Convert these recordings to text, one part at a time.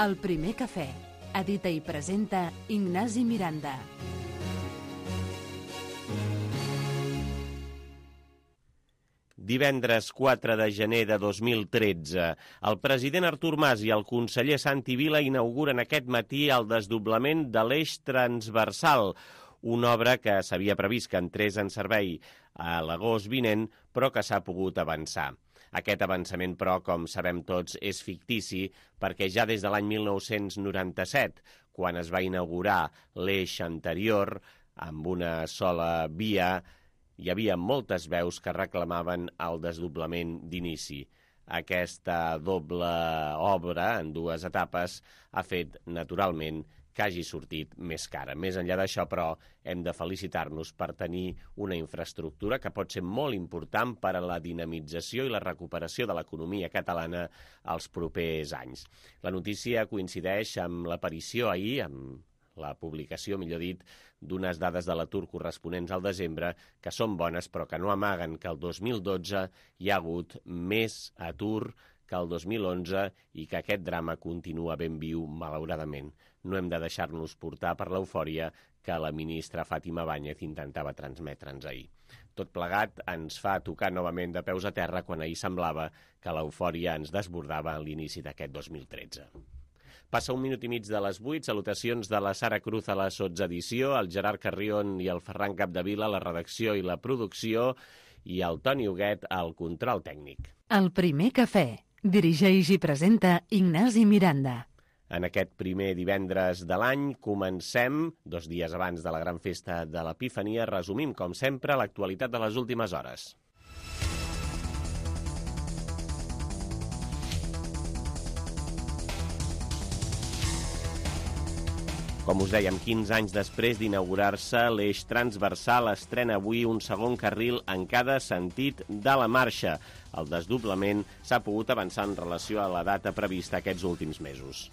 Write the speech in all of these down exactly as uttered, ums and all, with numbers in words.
El primer cafè. Edita i presenta Ignasi Miranda. Divendres quatre de gener de dos mil tretze, el president Artur Mas i el conseller Santi Vila inauguren aquest matí el desdoblament de l'eix transversal, una obra que s'havia previst que entrés en servei a l'agost vinent, però que s'ha pogut avançar. Aquest avançament, però, com sabem tots, és fictici perquè ja des de l'any mil nou-cents noranta-set, quan es va inaugurar l'eix anterior amb una sola via, hi havia moltes veus que reclamaven el desdoblament d'inici. Aquesta doble obra, en dues etapes, ha fet, naturalment, que hagi sortit més cara. Més enllà d'això, però, hem de felicitar-nos per tenir una infraestructura que pot ser molt important per a la dinamització i la recuperació de l'economia catalana als propers anys. La notícia coincideix amb l'aparició ahir, amb la publicació, millor dit, d'unes dades de l'atur corresponents al desembre, que són bones però que no amaguen que el dos mil dotze hi ha hagut més atur que el dos mil onze i que aquest drama continua ben viu, malauradament. No hem de deixar-nos portar per l'eufòria que la ministra Fàtima Báñez intentava transmetre'ns ahir. Tot plegat ens fa tocar novament de peus a terra quan ahir semblava que l'eufòria ens desbordava a l'inici d'aquest dos mil tretze. Passa un minut i mig de les vuit, salutacions de la Sara Cruz a la sotsedició, el Gerard Carrion i el Ferran Capdevila a la redacció i la producció i el Toni Huguet al control tècnic. El primer cafè. Dirigeix i presenta Ignasi Miranda. En aquest primer divendres de l'any comencem, dos dies abans de la gran festa de l'Epifania, resumim, com sempre, l'actualitat de les últimes hores. Com us dèiem, quinze anys després d'inaugurar-se, l'eix transversal estrena avui un segon carril en cada sentit de la marxa. El desdoblament s'ha pogut avançar en relació a la data prevista aquests últims mesos.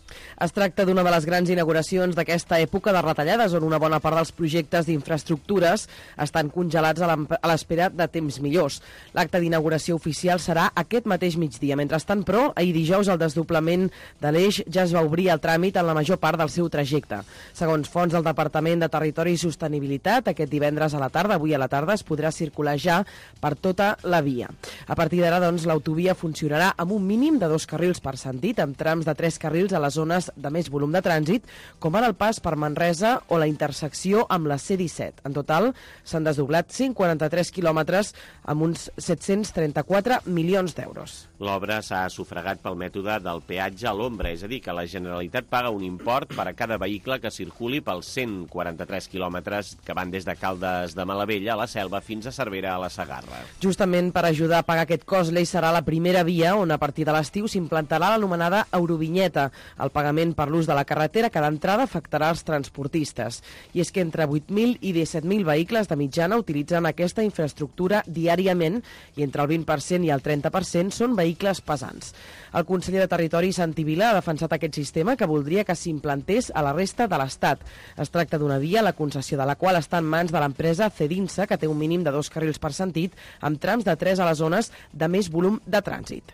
Es tracta d'una de les grans inauguracions d'aquesta època de retallades, on una bona part dels projectes d'infraestructures estan congelats a l'espera de temps millors. L'acte d'inauguració oficial serà aquest mateix migdia. Mentrestant, però, ahir dijous el desdoblament de l'eix ja es va obrir el tràmit en la major part del seu trajecte. Segons fonts del Departament de Territori i Sostenibilitat, aquest divendres a la tarda, avui a la tarda, es podrà circular ja per tota la via. A partir d'ara, doncs, l'autovia funcionarà amb un mínim de dos carrils per sentit, amb trams de tres carrils a les zones de més volum de trànsit, com ara el pas per Manresa o la intersecció amb la C disset. En total, s'han desdoblat cent quaranta-tres quilòmetres amb uns set-cents trenta-quatre milions d'euros. L'obra s'ha sufragat pel mètode del peatge a l'ombra, és a dir, que la Generalitat paga un import per a cada vehicle que circuli pels cent quaranta-tres quilòmetres que van des de Caldes de Malavella a la Selva fins a Cervera a la Segarra. Justament per ajudar a pagar aquest cost, l'eix serà la primera via on a partir de l'estiu s'implantarà l'anomenada Eurovinyeta, el pagament per l'ús de la carretera que d'entrada afectarà els transportistes. I és que entre vuit mil i disset mil vehicles de mitjana utilitzen aquesta infraestructura diàriament i entre el vint per cent i el trenta per cent són vehicles pesants. El conseller de Territori, Santi Vila, ha defensat aquest sistema que voldria que s'implantés a la resta de l'Estat. Es tracta d'una via, la concessió de la qual està en mans de l'empresa Cedinsa, que té un mínim de dos carrils per sentit, amb trams de tres a les zones de més volum de trànsit.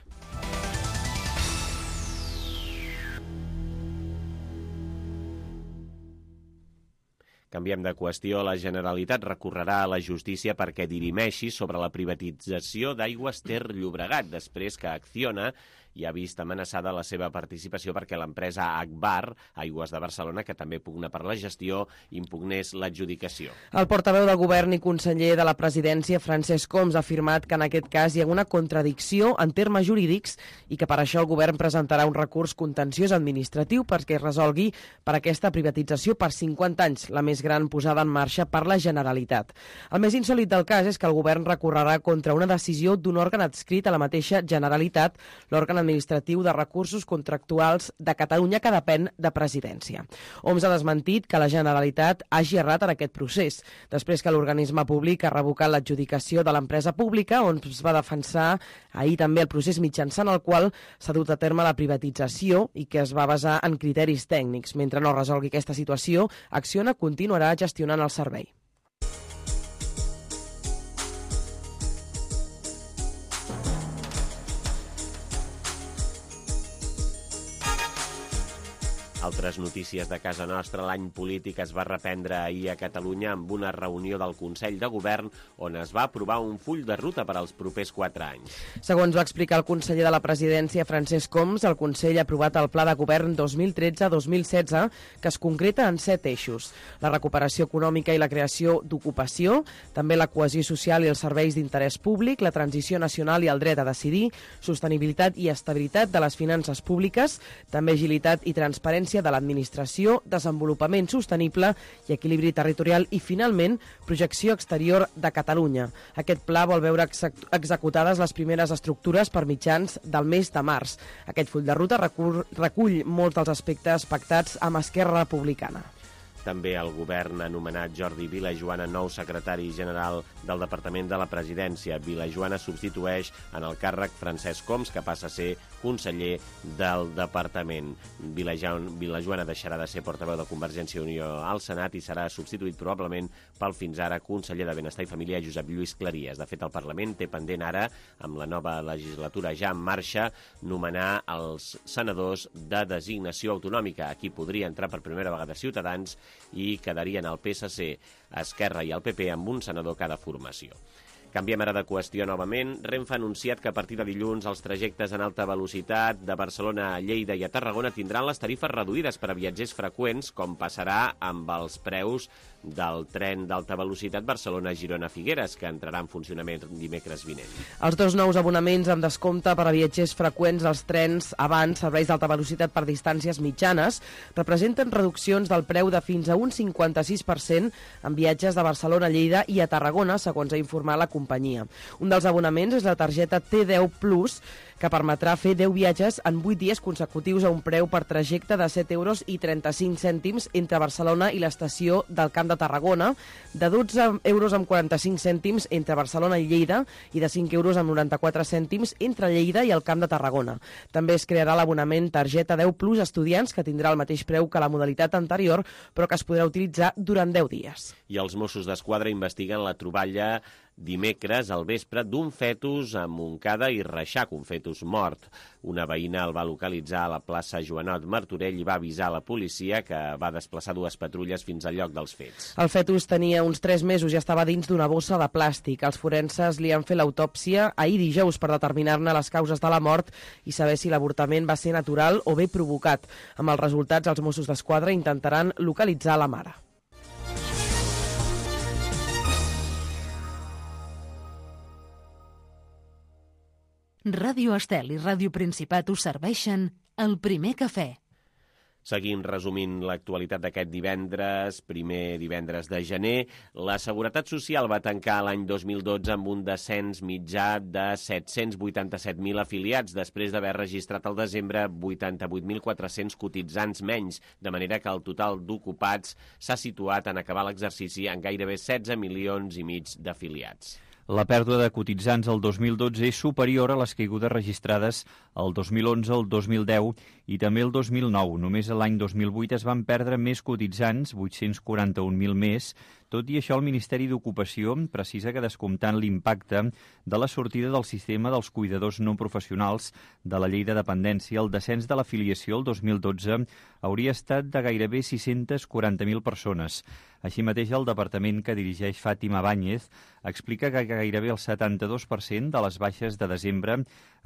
Canviem de qüestió. La Generalitat recorrerà a la justícia perquè dirimeixi sobre la privatització d'Aigües Ter Llobregat, després que Acciona i ha vist amenaçada la seva participació perquè l'empresa Agbar, Aigües de Barcelona, que també pugna per la gestió, impugnés l'adjudicació. El portaveu del govern i conseller de la presidència, Francesc Homs, ha afirmat que en aquest cas hi ha una contradicció en termes jurídics i que per això el govern presentarà un recurs contenciós administratiu perquè es resolgui per aquesta privatització per cinquanta anys, la més gran posada en marxa per la Generalitat. El més insòlit del cas és que el govern recorrerà contra una decisió d'un òrgan adscrit a la mateixa Generalitat, l'òrgan administratiu de recursos contractuals de Catalunya, que depèn de presidència. Homs ha desmentit que la Generalitat hagi errat en aquest procés, després que l'organisme públic ha revocat l'adjudicació de l'empresa pública, on es va defensar ahir també el procés mitjançant el qual s'ha dut a terme la privatització i que es va basar en criteris tècnics. Mentre no resolgui aquesta situació, Acciona continuarà gestionant el servei. Altres notícies de casa nostra. L'any polític es va reprendre ahir a Catalunya amb una reunió del Consell de Govern on es va aprovar un full de ruta per als propers quatre anys. Segons va explicar el conseller de la Presidència, Francesc Homs, el Consell ha aprovat el Pla de Govern dos mil tretze dos mil setze, que es concreta en set eixos: la recuperació econòmica i la creació d'ocupació, també la cohesió social i els serveis d'interès públic, la transició nacional i el dret a decidir, sostenibilitat i estabilitat de les finances públiques, també agilitat i transparència de l'administració, desenvolupament sostenible i equilibri territorial i, finalment, projecció exterior de Catalunya. Aquest pla vol veure executades les primeres estructures per mitjans del mes de març. Aquest full de ruta recull, recull molts dels aspectes pactats amb Esquerra Republicana. També el govern ha nomenat Jordi Vilajoana nou secretari general del Departament de la Presidència. Vilajoana substitueix en el càrrec Francesc Homs, que passa a ser conseller del Departament. Vilajoana deixarà de ser portaveu de Convergència i Unió al Senat i serà substituït probablement pel fins ara conseller de Benestar i Família, Josep Lluís Claries. De fet, el Parlament té pendent ara, amb la nova legislatura ja en marxa, nomenar els senadors de designació autonòmica. Aquí podria entrar per primera vegada Ciutadans i quedarien el P S C, Esquerra i el P P amb un senador cada formació. Canviem ara de qüestió novament. Renfe ha anunciat que a partir de dilluns els trajectes en alta velocitat de Barcelona a Lleida i a Tarragona tindran les tarifes reduïdes per a viatgers freqüents, com passarà amb els preus del tren d'alta velocitat Barcelona-Girona-Figueres, que entrarà en funcionament dimecres vinent. Els dos nous abonaments amb descompte per a viatgers freqüents als trens abans, serveis d'alta velocitat per distàncies mitjanes, representen reduccions del preu de fins a un cinquanta-sis per cent en viatges de Barcelona a Lleida i a Tarragona, segons ha informat la companyia. Un dels abonaments és la targeta T deu Plus, que permetrà fer deu viatges en vuit dies consecutius a un preu per trajecte de set euros i trenta-cinc cèntims entre Barcelona i l'estació del Camp de Tarragona, de dotze euros amb quaranta-cinc cèntims entre Barcelona i Lleida i de cinc euros amb noranta-quatre cèntims entre Lleida i el Camp de Tarragona. També es crearà l'abonament targeta deu Plus Estudiants, que tindrà el mateix preu que la modalitat anterior, però que es podrà utilitzar durant deu dies. I els Mossos d'Esquadra investiguen la troballa dimecres al vespre d'un fetus a Montcada i Reixac, un fetus mort. Una veïna el va localitzar a la plaça Joanot Martorell i va avisar a la policia, que va desplaçar dues patrulles fins al lloc dels fets. El fetus tenia uns tres mesos i estava dins d'una bossa de plàstic. Els forenses li han fet l'autòpsia ahir dijous per determinar-ne les causes de la mort i saber si l'avortament va ser natural o bé provocat. Amb els resultats, els Mossos d'Esquadra intentaran localitzar la mare. Ràdio Estel i Ràdio Principat us serveixen el primer cafè. Seguim resumint l'actualitat d'aquest divendres, primer divendres de gener. La Seguretat Social va tancar l'any dos mil dotze amb un descens mitjà de set-cents vuitanta-set mil afiliats, després d'haver registrat al desembre vuitanta-vuit mil quatre-cents cotitzants menys, de manera que el total d'ocupats s'ha situat en acabar l'exercici en gairebé setze milions i mig d'afiliats. La pèrdua de cotitzants el dos mil dotze és superior a les caigudes registrades el dos mil onze, el dos mil deu i també el dos mil nou. Només l'any dos mil vuit es van perdre més cotitzants, vuit-cents quaranta-un mil més. Tot i això, el Ministeri d'Ocupació precisa que, descomptant l'impacte de la sortida del sistema dels cuidadors no professionals de la llei de dependència, el descens de l'afiliació el dos mil dotze hauria estat de gairebé sis-cents quaranta mil persones. Així mateix, el departament que dirigeix Fàtima Báñez explica que gairebé el setanta-dos per cent de les baixes de desembre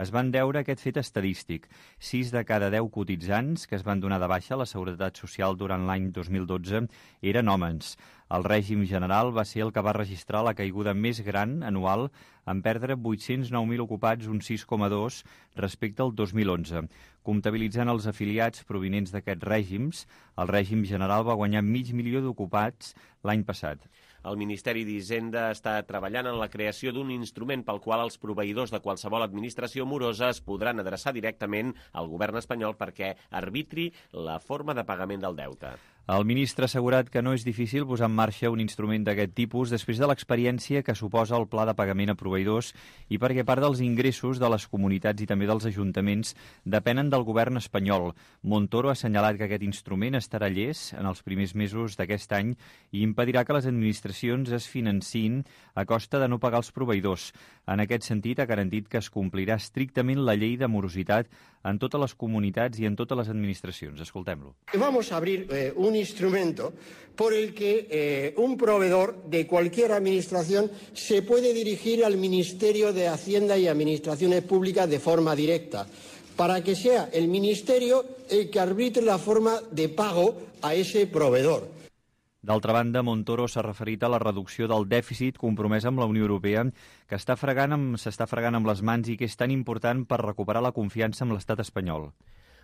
es van deure a aquest fet estadístic. Sis de cada deu cotitzants que es van donar de baixa a la Seguretat Social durant l'any dos mil dotze eren homes. El règim general va ser el que va registrar la caiguda més gran anual, en perdre vuit-cents nou mil ocupats, un sis coma dos, respecte al dos mil onze. Comptabilitzant els afiliats provinents d'aquests règims, el règim general va guanyar mig milió d'ocupats l'any passat. El Ministeri d'Hisenda està treballant en la creació d'un instrument pel qual els proveïdors de qualsevol administració morosa es podran adreçar directament al govern espanyol perquè arbitri la forma de pagament del deute. El ministre ha assegurat que no és difícil posar en marxa un instrument d'aquest tipus després de l'experiència que suposa el pla de pagament a proveïdors i perquè part dels ingressos de les comunitats i també dels ajuntaments depenen del govern espanyol. Montoro ha assenyalat que aquest instrument estarà llest en els primers mesos d'aquest any i impedirà que les administracions es financin a costa de no pagar els proveïdors. En aquest sentit, ha garantit que es complirà estrictament la llei de morositat en totes les comunitats i en totes les administracions. Escoltem-lo. Vamos a abrir eh, un instrumento por el que eh, un proveedor de cualquier administración se puede dirigir al Ministerio de Hacienda y Administraciones Públicas de forma directa, para que sea el Ministerio el que arbitre la forma de pago a ese proveedor. D'altra banda, Montoro s'ha referit a la reducció del dèficit compromès amb la Unió Europea, que està fregant amb, s'està fregant amb les mans i que és tan important per recuperar la confiança amb l'estat espanyol.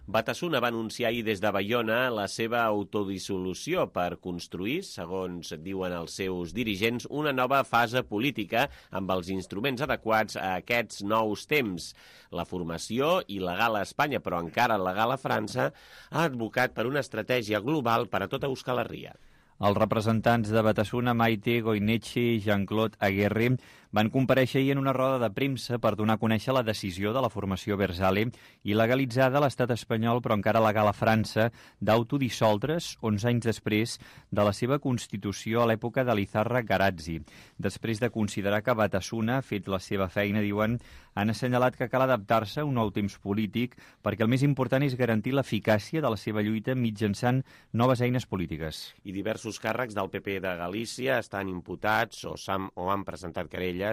Batasuna va anunciar ahir des de Baiona la seva autodissolució per construir, segons diuen els seus dirigents, una nova fase política amb els instruments adequats a aquests nous temps. La formació il·legal a Espanya, però encara legal a França, ha advocat per una estratègia global per a tota Euskal Herria. Els representants de Batasuna, Maite Goineche i Jean-Claude Aguerre, van comparèixer ahir en una roda de premsa per donar a conèixer la decisió de la formació Versale i legalitzada a l'estat espanyol, però encara legal a França, d'autodissoldre's onze anys després de la seva constitució a l'època de l'Izarra Garazzi. Després de considerar que Batasuna ha fet la seva feina, diuen, han assenyalat que cal adaptar-se a un nou temps polític perquè el més important és garantir l'eficàcia de la seva lluita mitjançant noves eines polítiques. I diversos càrrecs del P P de Galícia estan imputats o, o han presentat querelles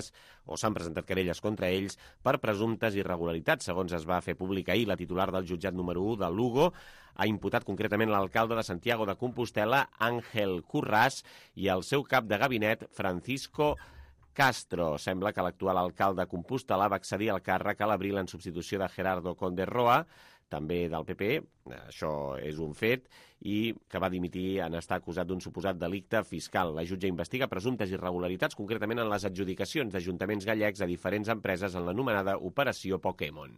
o s'han presentat querelles contra ells per presumptes irregularitats. Segons es va fer públic ahir, la titular del jutjat número u de Lugo ha imputat concretament l'alcalde de Santiago de Compostela, Àngel Curràs, i el seu cap de gabinet, Francisco Castro. Sembla que l'actual alcalde de Compostela va accedir al càrrec a l'abril en substitució de Gerardo Conde Roa, també del P P, això és un fet, i que va dimitir en estar acusat d'un suposat delicte fiscal. La jutge investiga presumptes irregularitats, concretament en les adjudicacions d'ajuntaments gallecs a diferents empreses en l'anomenada Operació Pokémon.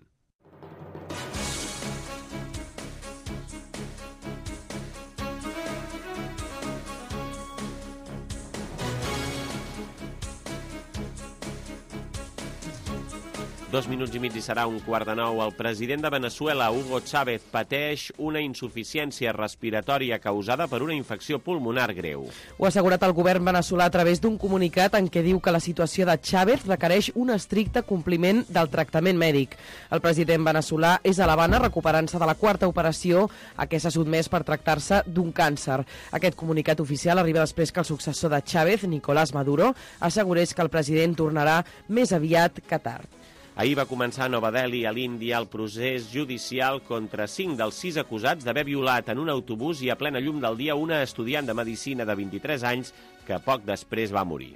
Dos minuts i mig i serà un quart de nou. El president de Veneçuela, Hugo Chávez, pateix una insuficiència respiratòria causada per una infecció pulmonar greu. Ho ha assegurat el govern veneçolà a través d'un comunicat en què diu que la situació de Chávez requereix un estricte compliment del tractament mèdic. El president veneçolà és a l'Havana recuperant-se de la quarta operació a què s'ha sotmès per tractar-se d'un càncer. Aquest comunicat oficial arriba després que el successor de Chávez, Nicolás Maduro, assegurés que el president tornarà més aviat que tard. Ahir va començar a Nova Delhi, a l'Índia, el procés judicial contra cinc dels sis acusats d'haver violat en un autobús i a plena llum del dia una estudiant de medicina de vint-i-tres anys que poc després va morir.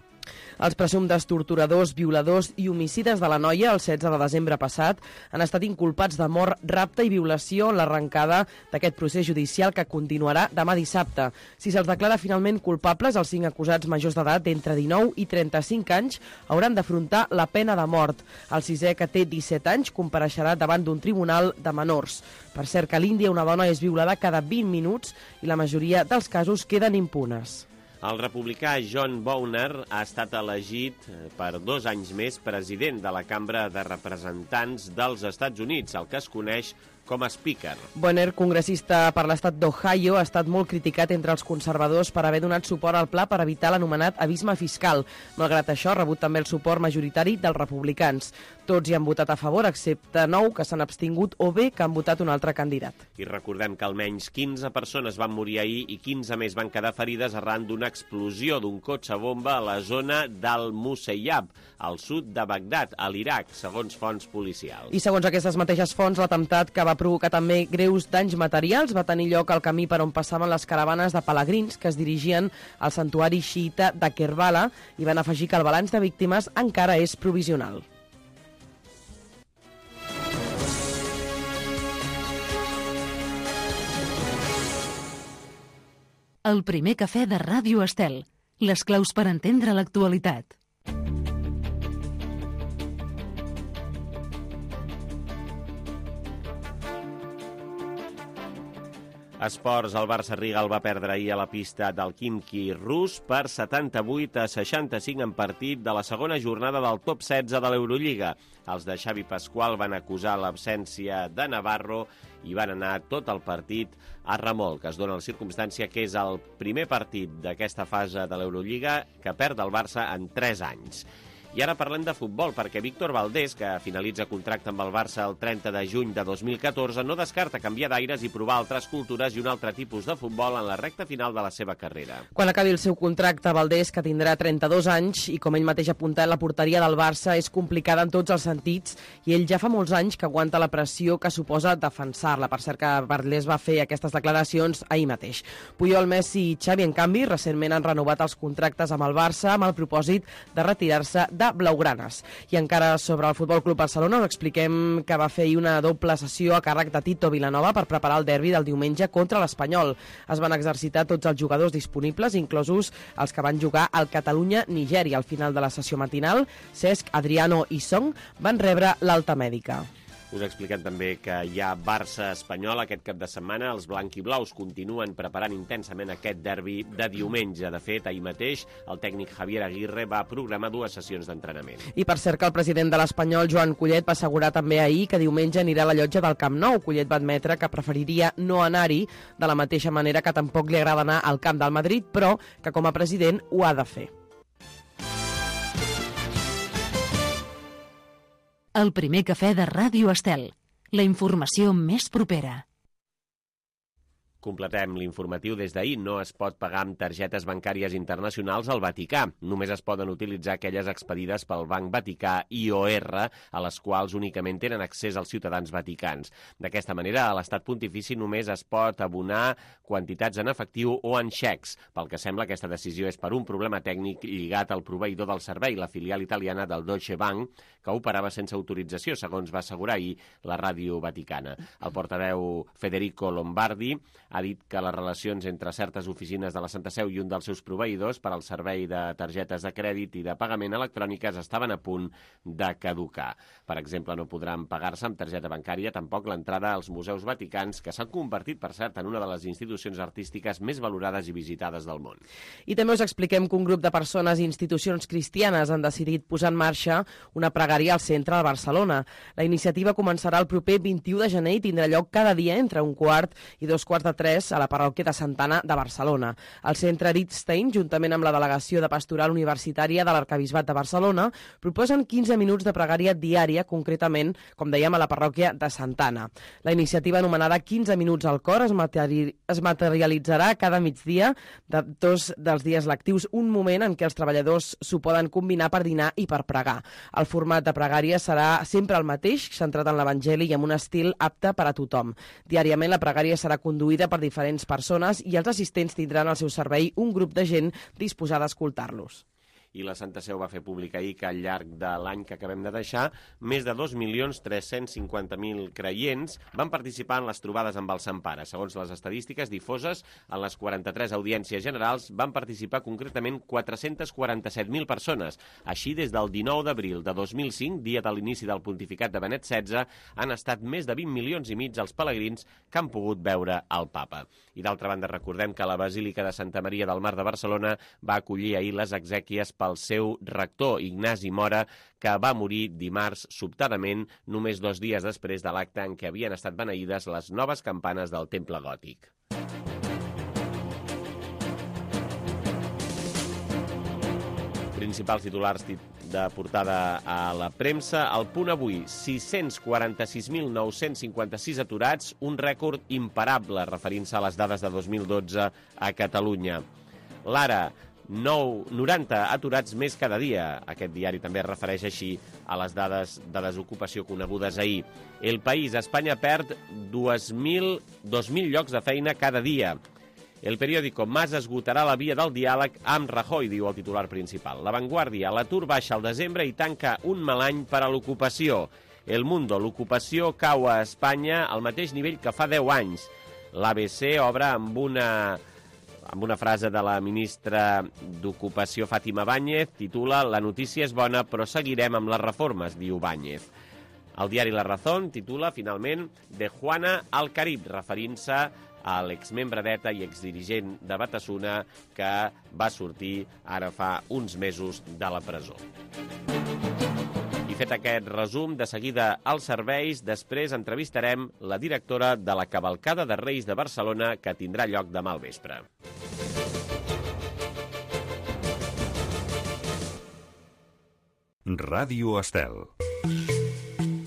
Els presumptes torturadors, violadors i homicides de la noia el setze de desembre passat han estat inculpats de mort, rapte i violació en l'arrencada d'aquest procés judicial que continuarà demà dissabte. Si se'ls declara finalment culpables, els cinc acusats majors d'edat d'entre dinou i trenta-cinc anys hauran d'afrontar la pena de mort. El sisè, que té disset anys, compareixerà davant d'un tribunal de menors. Per cert, que a l'Índia una dona és violada cada vint minuts i la majoria dels casos queden impunes. El republicà John Boehner ha estat elegit per dos anys més president de la Cambra de Representants dels Estats Units, el que es coneix com a Speaker. Boehner, congressista per l'estat d'Ohio, ha estat molt criticat entre els conservadors per haver donat suport al pla per evitar l'anomenat abisme fiscal. Malgrat això, ha rebut també el suport majoritari dels republicans. Tots hi han votat a favor, excepte nou que s'han abstingut o bé que han votat un altre candidat. I recordem que almenys quinze persones van morir ahir i quinze més van quedar ferides arran d'una explosió d'un cotxe bomba a la zona del Musayyab, al sud de Bagdad, a l'Iraq, segons fonts policials. I segons aquestes mateixes fonts, l'atemptat que va provocar també greus danys materials va tenir lloc al camí per on passaven les caravanes de pelegrins que es dirigien al santuari xiita de Kerbala i van afegir que el balanç de víctimes encara és provisional. El primer cafè de Ràdio Estel. Les claus per entendre l'actualitat. Esports, el Barça Rigal va perdre ahir a la pista del Khimki rus per setanta-vuit a seixanta-cinc en partit de la segona jornada del top setze de l'Eurolliga. Els de Xavi Pasqual van acusar l'absència de Navarro i van anar tot el partit a remolc. Es dona la circumstància que és el primer partit d'aquesta fase de l'Eurolliga que perd el Barça en tres anys. I ara parlem de futbol, perquè Víctor Valdés, que finalitza contracte amb el Barça el trenta de juny de dos mil catorze, no descarta canviar d'aires i provar altres cultures i un altre tipus de futbol en la recta final de la seva carrera. Quan acabi el seu contracte, Valdés, que tindrà trenta-dos anys, i com ell mateix ha apuntat, la porteria del Barça és complicada en tots els sentits, i ell ja fa molts anys que aguanta la pressió que suposa defensar-la. Per cert, que Valdés va fer aquestes declaracions ahir mateix. Puyol, Messi i Xavi, en canvi, recentment han renovat els contractes amb el Barça amb el propòsit de retirar-se de blaugranes. I encara sobre el Futbol Club Barcelona us expliquem que va fer una doble sessió a càrrec de Tito Vilanova per preparar el derbi del diumenge contra l'Espanyol. Es van exercitar tots els jugadors disponibles, inclosos els que van jugar al Catalunya-Nigèria. Al final de la sessió matinal, Cesc, Adriano i Song van rebre l'alta mèdica. Us expliquem també que hi ha Barça-Espanyol aquest cap de setmana. Els blanquiblaus continuen preparant intensament aquest derbi de diumenge. De fet, ahir mateix el tècnic Javier Aguirre va programar dues sessions d'entrenament. I per cert que el president de l'Espanyol, Joan Collet, va assegurar també ahir que diumenge anirà a la llotja del Camp Nou. Collet va admetre que preferiria no anar-hi, de la mateixa manera que tampoc li agrada anar al camp del Madrid, però que com a president ho ha de fer. El primer cafè de Ràdio Estel. La informació més propera. Completem l'informatiu. Des d'ahir no es pot pagar amb targetes bancàries internacionals al Vaticà. Només es poden utilitzar aquelles expedides pel Banc Vaticà I O R, a les quals únicament tenen accés els ciutadans vaticans. D'aquesta manera, a l'Estat Pontifici només es pot abonar quantitats en efectiu o en xecs. Pel que sembla, aquesta decisió és per un problema tècnic lligat al proveïdor del servei, la filial italiana del Deutsche Bank, que operava sense autorització, segons va assegurar ahir la ràdio vaticana. El portaveu Federico Lombardi ha dit que les relacions entre certes oficines de la Santa Seu i un dels seus proveïdors per al servei de targetes de crèdit i de pagament electròniques estaven a punt de caducar. Per exemple, no podran pagar-se amb targeta bancària tampoc l'entrada als museus vaticans, que s'han convertit, per cert, en una de les institucions artístiques més valorades i visitades del món. I també us expliquem que un grup de persones i institucions cristianes han decidit posar en marxa una pregària al centre de Barcelona. La iniciativa començarà el proper vint-i-u de gener i tindrà lloc cada dia entre un quart i dos quarts de tres a la parròquia de Santana de Barcelona. El centre Ritzstein, juntament amb la delegació de Pastoral Universitària de l'Arquebisbat de Barcelona, proposen quinze minuts de pregària diària, concretament, com dèiem, a la parròquia de Santana. La iniciativa anomenada quinze minuts al cor es, materi es materialitzarà cada migdia de dos dels dies lectius, un moment en què els treballadors s'ho poden combinar per dinar i per pregar. El format de pregària serà sempre el mateix, centrat en l'Evangeli i amb un estil apte per a tothom. Diàriament la pregària serà conduïda per diferents persones i els assistents tindran al seu servei un grup de gent disposada a escoltar-los. I la Santa Seu va fer públic ahir que al llarg de l'any que acabem de deixar, més de dos milions tres-cents cinquanta mil creients van participar en les trobades amb el Sant Pare. Segons les estadístiques difoses, en les quaranta-tres audiències generals van participar concretament quatre-cents quaranta-set mil persones. Així, des del dinou d'abril de dos mil cinc, dia de l'inici del pontificat de Benet setze, han estat més de vint milions i mig els pelegrins que han pogut veure el Papa. I d'altra banda, recordem que la Basílica de Santa Maria del Mar de Barcelona va acollir ahir les exèquies pel seu rector, Ignasi Mora, que va morir dimarts sobtadament, només dos dies després de l'acte en què havien estat beneïdes les noves campanes del Temple Gòtic. Principals titulars de portada a la premsa. El Punt avui, sis-cents quaranta-sis mil nou-cents cinquanta-sis aturats, un rècord imparable, referint-se a les dades de dos mil dotze a Catalunya. L'Ara, noranta aturats més cada dia. Aquest diari també es refereix així a les dades de desocupació conegudes ahir. El País, Espanya perd dos mil llocs de feina cada dia. El periòdico, Mas esgotarà la via del diàleg amb Rajoy, diu el titular principal. La Vanguardia, l'atur baixa al desembre i tanca un mal any per a l'ocupació. El Mundo, l'ocupació cau a Espanya al mateix nivell que fa deu anys. L'A B C obre amb una... amb una frase de la ministra d'Ocupació, Fátima Báñez, titula «La notícia és bona, però seguirem amb les reformes», diu Báñez. El diari La Razón titula, finalment, «De Juana al Carib», referint-se a l'exmembre d'ETA i exdirigent de Batasuna que va sortir ara fa uns mesos de la presó. I fet aquest resum, de seguida als serveis, després entrevistarem la directora de la Cavalcada de Reis de Barcelona que tindrà lloc demà al vespre. Ràdio Estel.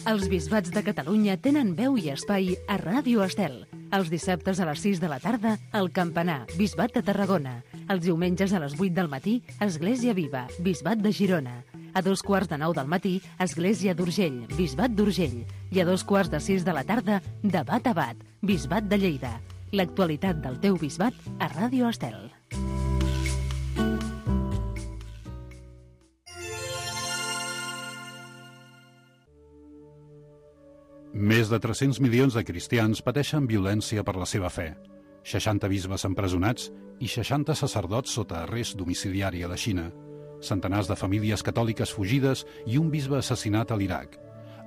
Els bisbats de Catalunya tenen veu i espai a Ràdio Estel. Els dissabtes a les sis de la tarda, el Campanar, Bisbat de Tarragona. Els diumenges a les vuit del matí, Església Viva, Bisbat de Girona. A dos quarts de nou del matí, Església d'Urgell, Bisbat d'Urgell. I a dos quarts de sis de la tarda, Debat a Bat, Bisbat de Lleida. L'actualitat del teu bisbat a Ràdio Estel. Més de tres-cents milions de cristians pateixen violència per la seva fe. seixanta bisbes empresonats i seixanta sacerdots sota arrest domiciliari a la Xina. Centenars de famílies catòliques fugides i un bisbe assassinat a l'Iraq.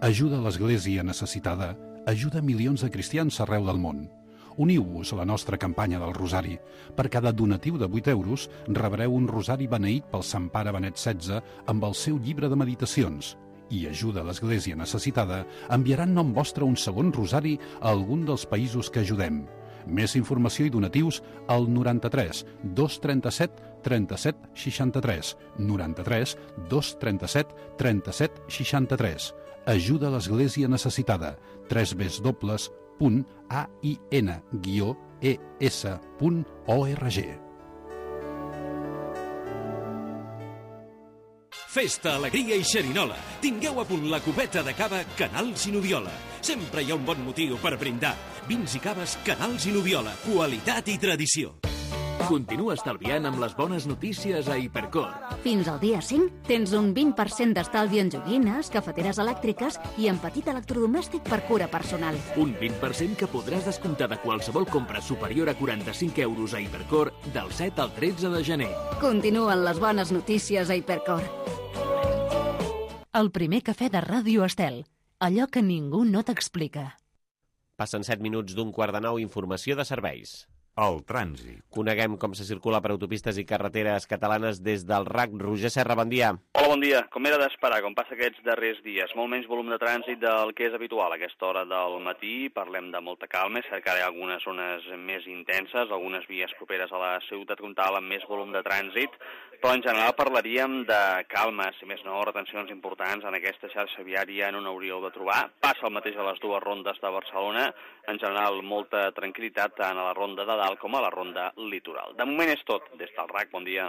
Ajuda a l'Església necessitada, ajuda milions de cristians arreu del món. Uniu-vos a la nostra campanya del Rosari. Per cada donatiu de vuit euros rebreu un rosari beneït pel Sant Pare Benet setze amb el seu llibre de meditacions. I ajuda a l'Església necessitada enviarà en nom vostre un segon rosari a algun dels països que ajudem. Més informació i donatius al noranta-tres dos trenta-set trenta-set seixanta-tres, noranta-tres dos trenta-set trenta-set seixanta-tres. Ajuda a l'Església necessitada. w w w punt a i n guió e s punt org. Festa, alegria i xerinola. Tingueu a punt la copeta de cava Canals i Noviola. Sempre hi ha un bon motiu per brindar. Vins i caves Canals i Noviola. Qualitat i tradició. Continua estalviant amb les bones notícies a Hipercor. Fins al dia cinc tens un vint per cent d'estalvi en joguines, cafeteres elèctriques i en petit electrodomèstic per cura personal. Un vint per cent que podràs descomptar de qualsevol compra superior a quaranta-cinc euros a Hipercor del set al tretze de gener. Continuen les bones notícies a Hipercor. El primer cafè de Ràdio Estel. Allò que ningú no t'explica. Passen set minuts d'un quart de nou, informació de serveis. El trànsit. Coneguem com se circula per autopistes i carreteres catalanes des del R A C. Roger Serra, bon dia. Hola, bon dia. Com era d'esperar, com passa aquests darrers dies, molt menys volum de trànsit del que és habitual a aquesta hora del matí. Parlem de molta calma, és cert que hi ha algunes zones més intenses, algunes vies properes a la ciutat comtal amb més volum de trànsit, però en general parlaríem de calma, si més no, retencions importants en aquesta xarxa viària no n'hauríeu de trobar. Passa el mateix a les dues rondes de Barcelona, en general molta tranquil·litat tant a la ronda de dalt com a la ronda litoral. De moment és tot. Des del R A C, bon dia.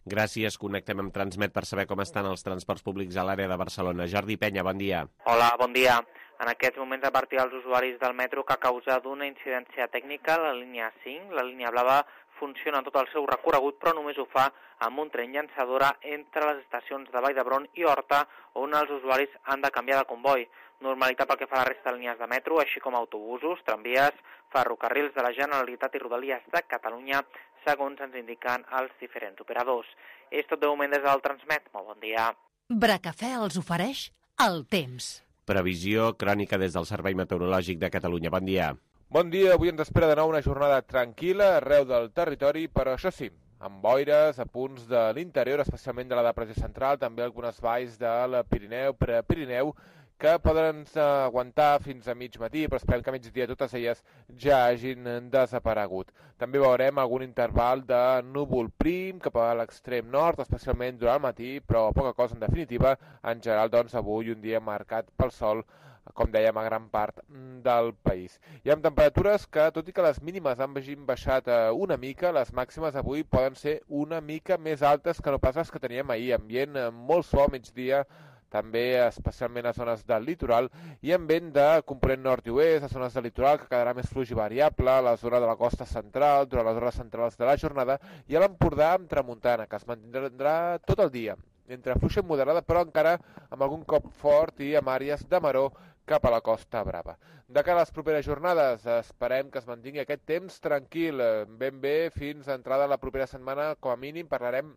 Gràcies. Connectem amb Transmet per saber com estan els transports públics a l'àrea de Barcelona. Jordi Penya, bon dia. Hola, bon dia. En aquests moments advertir als usuaris del metro que a causa d'una incidència tècnica, la línia cinc, la línia blava, funciona en tot el seu recorregut, però només ho fa amb un tren llançadora entre les estacions de Vall d'Hebron i Horta, on els usuaris han de canviar de comboi. Normalitat pel que fa a la resta de línies de metro, així com autobusos, tramvies, ferrocarrils de la Generalitat i Rodalies de Catalunya, segons ens indiquen els diferents operadors. És tot de moment des del Transmet. Molt bon dia. Bracafè els ofereix el temps. Previsió crònica des del Servei Meteorològic de Catalunya. Bon dia. Bon dia. Avui ens espera de nou una jornada tranquil·la arreu del territori, però això sí, amb boires a punts de l'interior, especialment de la depressió central, també algunes valls del Pirineu, Prepirineu, que poden aguantar fins a mig matí, però esperem que a migdia totes elles ja hagin desaparegut. També veurem algun interval de núvol prim cap a l'extrem nord, especialment durant el matí, però poca cosa en definitiva. En general, doncs, avui un dia marcat pel sol, com dèiem, a gran part del país. I amb temperatures que, tot i que les mínimes han baixat una mica, les màximes avui poden ser una mica més altes que no pas les que teníem ahir. Ambient molt suau a migdia, també especialment a zones del litoral, i amb vent de component nord i oest, a zones del litoral que quedarà més fluix i variable, a la zona de la costa central, durant les hores centrals de la jornada, i a l'Empordà amb tramuntana, que es mantindrà tot el dia, entre fluixa i moderada, però encara amb algun cop fort i amb àrees de maró cap a la Costa Brava. De cara a les properes jornades, esperem que es mantingui aquest temps tranquil, ben bé fins a entrada la propera setmana, com a mínim parlarem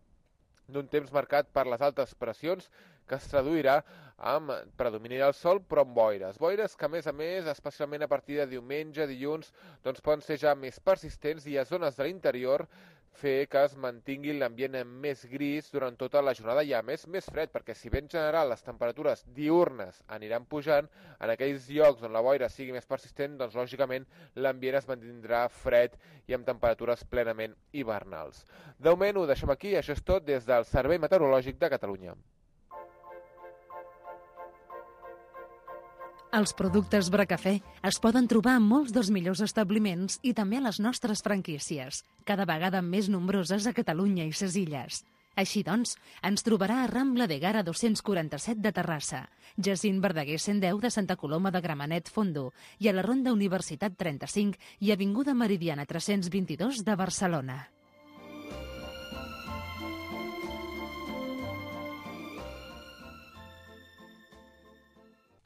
d'un temps marcat per les altes pressions que es traduirà amb predomini del sol, però amb boires. Boires que, a més a més, especialment a partir de diumenge, dilluns, doncs poden ser ja més persistents i a zones de l'interior fer que es mantingui l'ambient més gris durant tota la jornada i, a més, més fred, perquè si bé en general les temperatures diurnes aniran pujant, en aquells llocs on la boira sigui més persistent, doncs, lògicament, l'ambient es mantindrà fred i amb temperatures plenament hivernals. De moment ho deixem aquí, això és tot des del Servei Meteorològic de Catalunya. Els productes Bracafè es poden trobar en molts dels millors establiments i també a les nostres franquícies, cada vegada més nombroses a Catalunya i ses Illes. Així doncs, ens trobarà a Rambla de Gara dos-cents quaranta-set de Terrassa, Jacint Verdaguer cent deu de Santa Coloma de Gramenet Fondo i a la Ronda Universitat trenta-cinc i Avinguda Meridiana tres-cents vint-i-dos de Barcelona.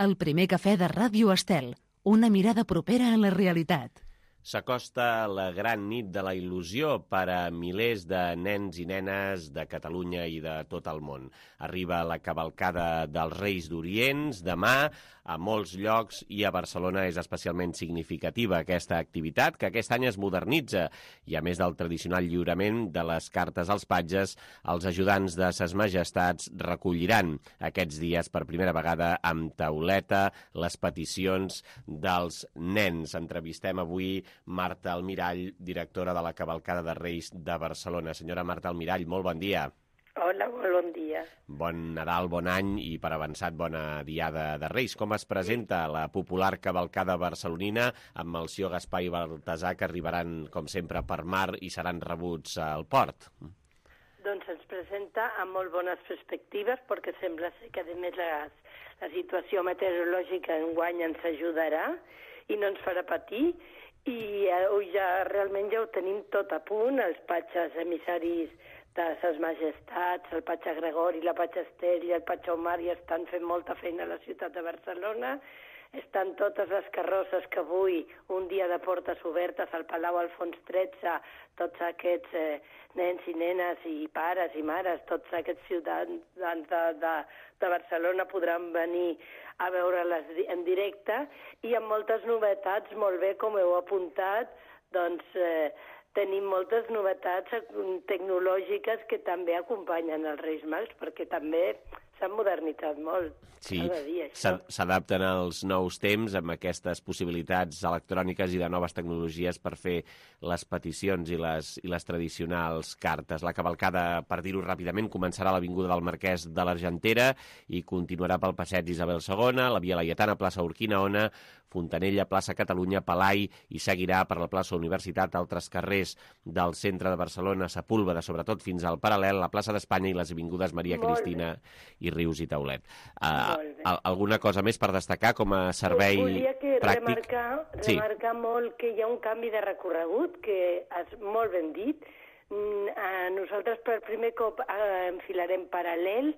El primer cafè de Ràdio Estel, una mirada propera a la realitat. S'acosta la gran nit de la il·lusió per a milers de nens i nenes de Catalunya i de tot el món. Arriba la cavalcada dels Reis d'Orients demà a molts llocs i a Barcelona és especialment significativa aquesta activitat, que aquest any es modernitza i, a més del tradicional lliurament de les cartes als patges, els ajudants de ses majestats recolliran aquests dies per primera vegada amb tauleta les peticions dels nens. Entrevistem avui Marta Almirall, directora de la Cavalcada de Reis de Barcelona. Senyora Marta Almirall, molt bon dia. Hola, molt bon dia. Bon Nadal, bon any i, per avançat, bona diada de Reis. Com es presenta la popular cavalcada barcelonina amb Melcior, Gaspar i Baltasar, que arribaran, com sempre, per mar i seran rebuts al port? Doncs ens presenta amb molt bones perspectives, perquè sembla ser que, a més, la, la situació meteorològica enguany ens ajudarà i no ens farà patir. I eh, ja realment ja ho tenim tot a punt, els patges emissaris de ses majestats, el patge Gregori, la patge Esther i el patge Omar ja estan fent molta feina a la ciutat de Barcelona. Estan totes les carrosses que avui, un dia de portes obertes al Palau Alfons tretze, tots aquests eh, nens i nenes i pares i mares, tots aquests ciutadans de, de, de Barcelona podran venir a veure-les en directe i amb moltes novetats, molt bé com heu apuntat, doncs eh, tenim moltes novetats tecnològiques que també acompanyen els Reis Mags, perquè també s'han modernitzat molt. Sí, s'adapten als nous temps amb aquestes possibilitats electròniques i de noves tecnologies per fer les peticions i les, i les tradicionals cartes. La cavalcada, per dir-ho ràpidament, començarà a l'Avinguda del Marquès de l'Argentera i continuarà pel Passeig Isabel segona, la Via Laietana, plaça Urquinaona, Fontanella, plaça Catalunya, Palai, i seguirà per la plaça Universitat, altres carrers del centre de Barcelona, Sepúlveda, sobretot fins al Paral·lel, la plaça d'Espanya i les avingudes Maria Cristina i Rius i Taulet. Uh, alguna cosa més per destacar com a servei Volia que pràctic? Remarcar, sí. remarcar molt que hi ha un canvi de recorregut, que és molt ben dit. Nosaltres per primer cop enfilarem paral·lel,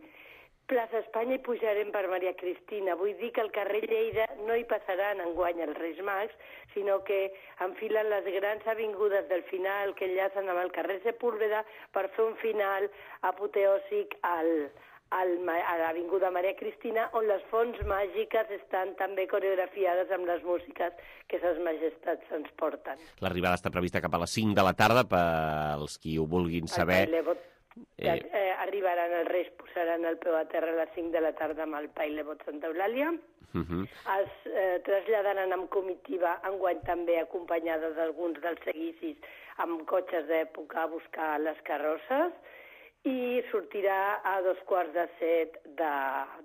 plaça Espanya i pujarem per Maria Cristina. Vull dir que al carrer Lleida no hi passaran enguany els Reis Mags, sinó que enfilen les grans avingudes del final que enllacen amb el carrer Sepúlveda per fer un final apoteòsic al, al, a l'Avinguda Maria Cristina, on les fonts màgiques estan també coreografiades amb les músiques que ses majestats ens porten. L'arribada està prevista cap a les cinc de la tarda, pels qui ho vulguin saber. Eh, eh, arribaran els Reis, posaran el peu a terra a les cinc de la tarda amb el Pailebot Santa Eulàlia. Uh -huh. Es eh, traslladaran amb comitiva, enguany també acompanyada d'alguns dels seguicis amb cotxes d'època a buscar les carrosses, i sortirà a dos quarts de set de,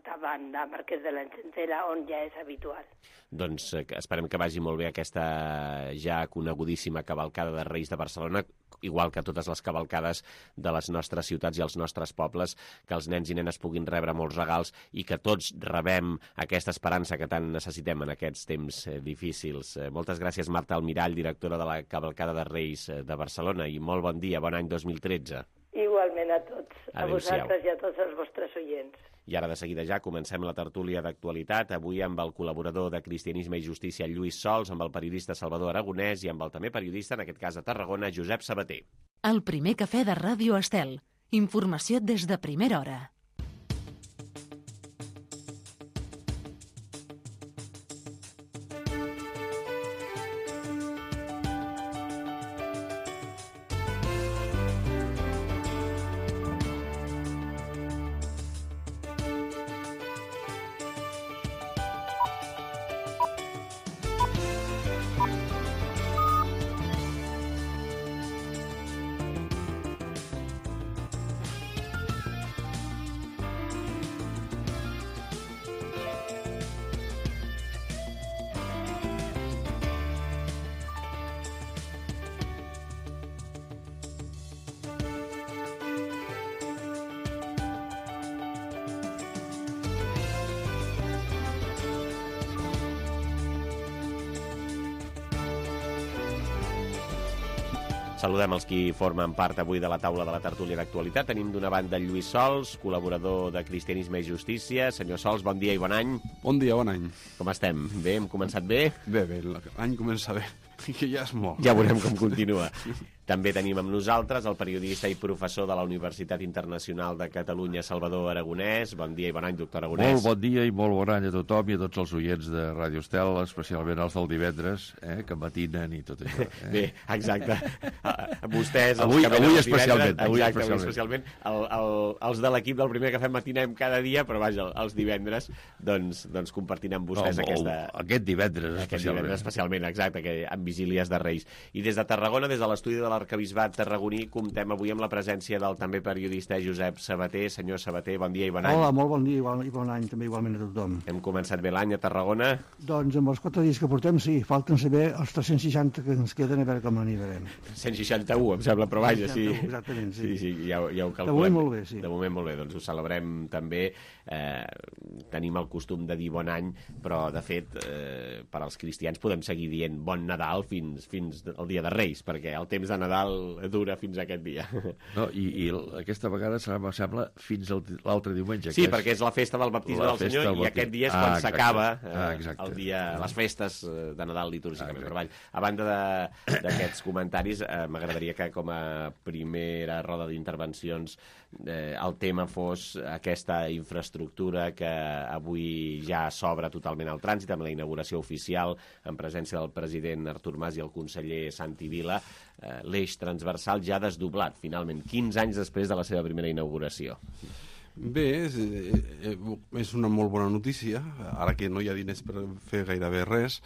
davant de Marquès de l'Argentera, on ja és habitual. Doncs eh, esperem que vagi molt bé aquesta ja conegudíssima cavalcada de Reis de Barcelona, igual que totes les cavalcades de les nostres ciutats i els nostres pobles, que els nens i nenes puguin rebre molts regals i que tots rebem aquesta esperança que tant necessitem en aquests temps eh, difícils. Eh, moltes gràcies, Marta Almirall, directora de la Cavalcada de Reis de Barcelona, i molt bon dia, bon any dos mil tretze. Igualment a tots, a vosaltres i a tots els vostres oients. I ara de seguida ja comencem la tertúlia d'actualitat, avui amb el col·laborador de Cristianisme i Justícia, Lluís Sols, amb el periodista Salvador Aragonès i amb el també periodista, en aquest cas a Tarragona, Josep Sabater. El primer cafè de Ràdio Estel. Informació des de primera hora. Saludem els qui formen part avui de la taula de la tertúlia d'actualitat. Tenim d'una banda Lluís Sols, col·laborador de Cristianisme i Justícia. Senyor Sols, bon dia i bon any. Bon dia, bon any. Com estem? Bé? Hem començat bé? Bé, bé, l'any comença bé, que ja és molt. Ja veurem com continua. També tenim amb nosaltres el periodista i professor de la Universitat Internacional de Catalunya, Salvador Aragonès. Bon dia i bon any, doctor Aragonès. Molt bon dia i molt bon any a tothom i a tots els oients de Ràdio Estel, especialment els del divendres, eh, que matinen i tot això. Eh? Bé, exacte. Vostès, avui, els que avui els especialment. Divendres, avui exacte, especialment. avui especialment. El, el, els de l'equip del Primer Cafè matinem cada dia, però vaja, els divendres doncs, doncs compartim amb vostès no, aquesta... Aquest divendres, aquest especialment. divendres especialment, exacte, que amb vigílies de Reis. I des de Tarragona, des de l'estudi de l'Arquebisbat Tarragoní, comptem avui amb la presència del també periodista Josep Sabater. Senyor Sabater, bon dia i bon any. Hola, molt bon dia igual, i bon any també igualment a tothom. Hem començat bé l'any a Tarragona? Doncs amb els quatre dies que portem, sí, falten saber els tres-cents seixanta que ens queden, a veure com anirem. cent seixanta-u, em sembla, però vaja, sí. Exactament, sí. Sí, sí, ja, ja ho calculem. De moment molt bé, sí. De moment molt bé, doncs ho celebrem també. Eh, tenim el costum de dir bon any, però de fet, eh, per als cristians podem seguir dient bon Nadal fins, fins al dia de Reis, perquè el temps de Nadal dura fins a aquest dia. No, i, i aquesta vegada serà, em sembla, fins l'altre diumenge. Sí, perquè és la festa del baptisme del Senyor del i aquest dia és quan ah, s'acaba eh, ah, el dia, les festes de Nadal litúrgicament. Ah, però, vall, a banda d'aquests comentaris, eh, m'agradaria que com a primera roda d'intervencions eh, el tema fos aquesta infraestructura que avui ja s'obre totalment al trànsit amb la inauguració oficial en presència del president Artur Mas i el conseller Santi Vila. Eh, l'eix transversal ja desdoblat, finalment, quinze anys després de la seva primera inauguració. Bé, és, és una molt bona notícia, ara que no hi ha diners per fer gairebé res,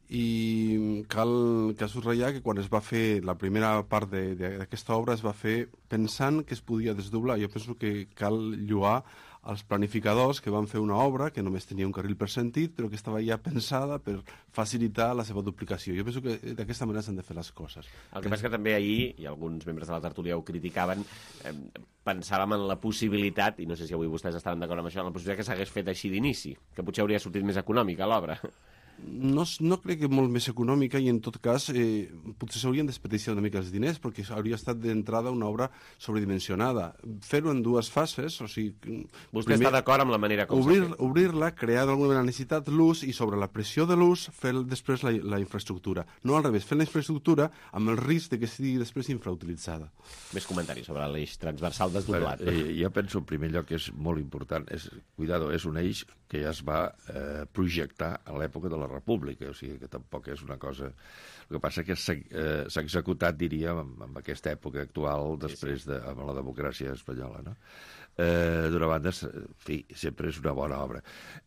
i cal, cal subratllar que quan es va fer la primera part d'aquesta obra es va fer pensant que es podia desdoblar. Jo penso que cal lloar els planificadors que van fer una obra que només tenia un carril per sentit, però que estava ja pensada per facilitar la seva duplicació. Jo penso que d'aquesta manera s'han de fer les coses. El que passa que també ahir, i alguns membres de la tertúlia ho criticaven, eh, pensàvem en la possibilitat, i no sé si avui vostès estaven d'acord amb això, en la possibilitat que s'hagués fet així d'inici, que potser hauria sortit més econòmica l'obra. No, no crec que molt més econòmica i en tot cas eh, potser s'haurien desperdiciat una mica els diners perquè hauria estat d'entrada una obra sobredimensionada. Fer-ho en dues fases, o sigui... Vostè primer, està d'acord amb la manera com obrir, s'ha fet? Obrir-la, crear d'alguna manera necessitat l'ús i sobre la pressió de l'ús fer després la, la infraestructura. No al revés, fer la infraestructura amb el risc de que sigui després infrautilitzada. Més comentaris sobre l'eix transversal desdoblat. Eh, jo penso en primer lloc que és molt important. És, cuidado, és un eix que ja es va eh, projectar a l'època de la República, o sigui que tampoc és una cosa... El que passa que s'ha eh, executat, diríem, en, en aquesta època actual, després de amb la democràcia espanyola, no? Eh, D'una banda, en fi, sempre és una bona obra.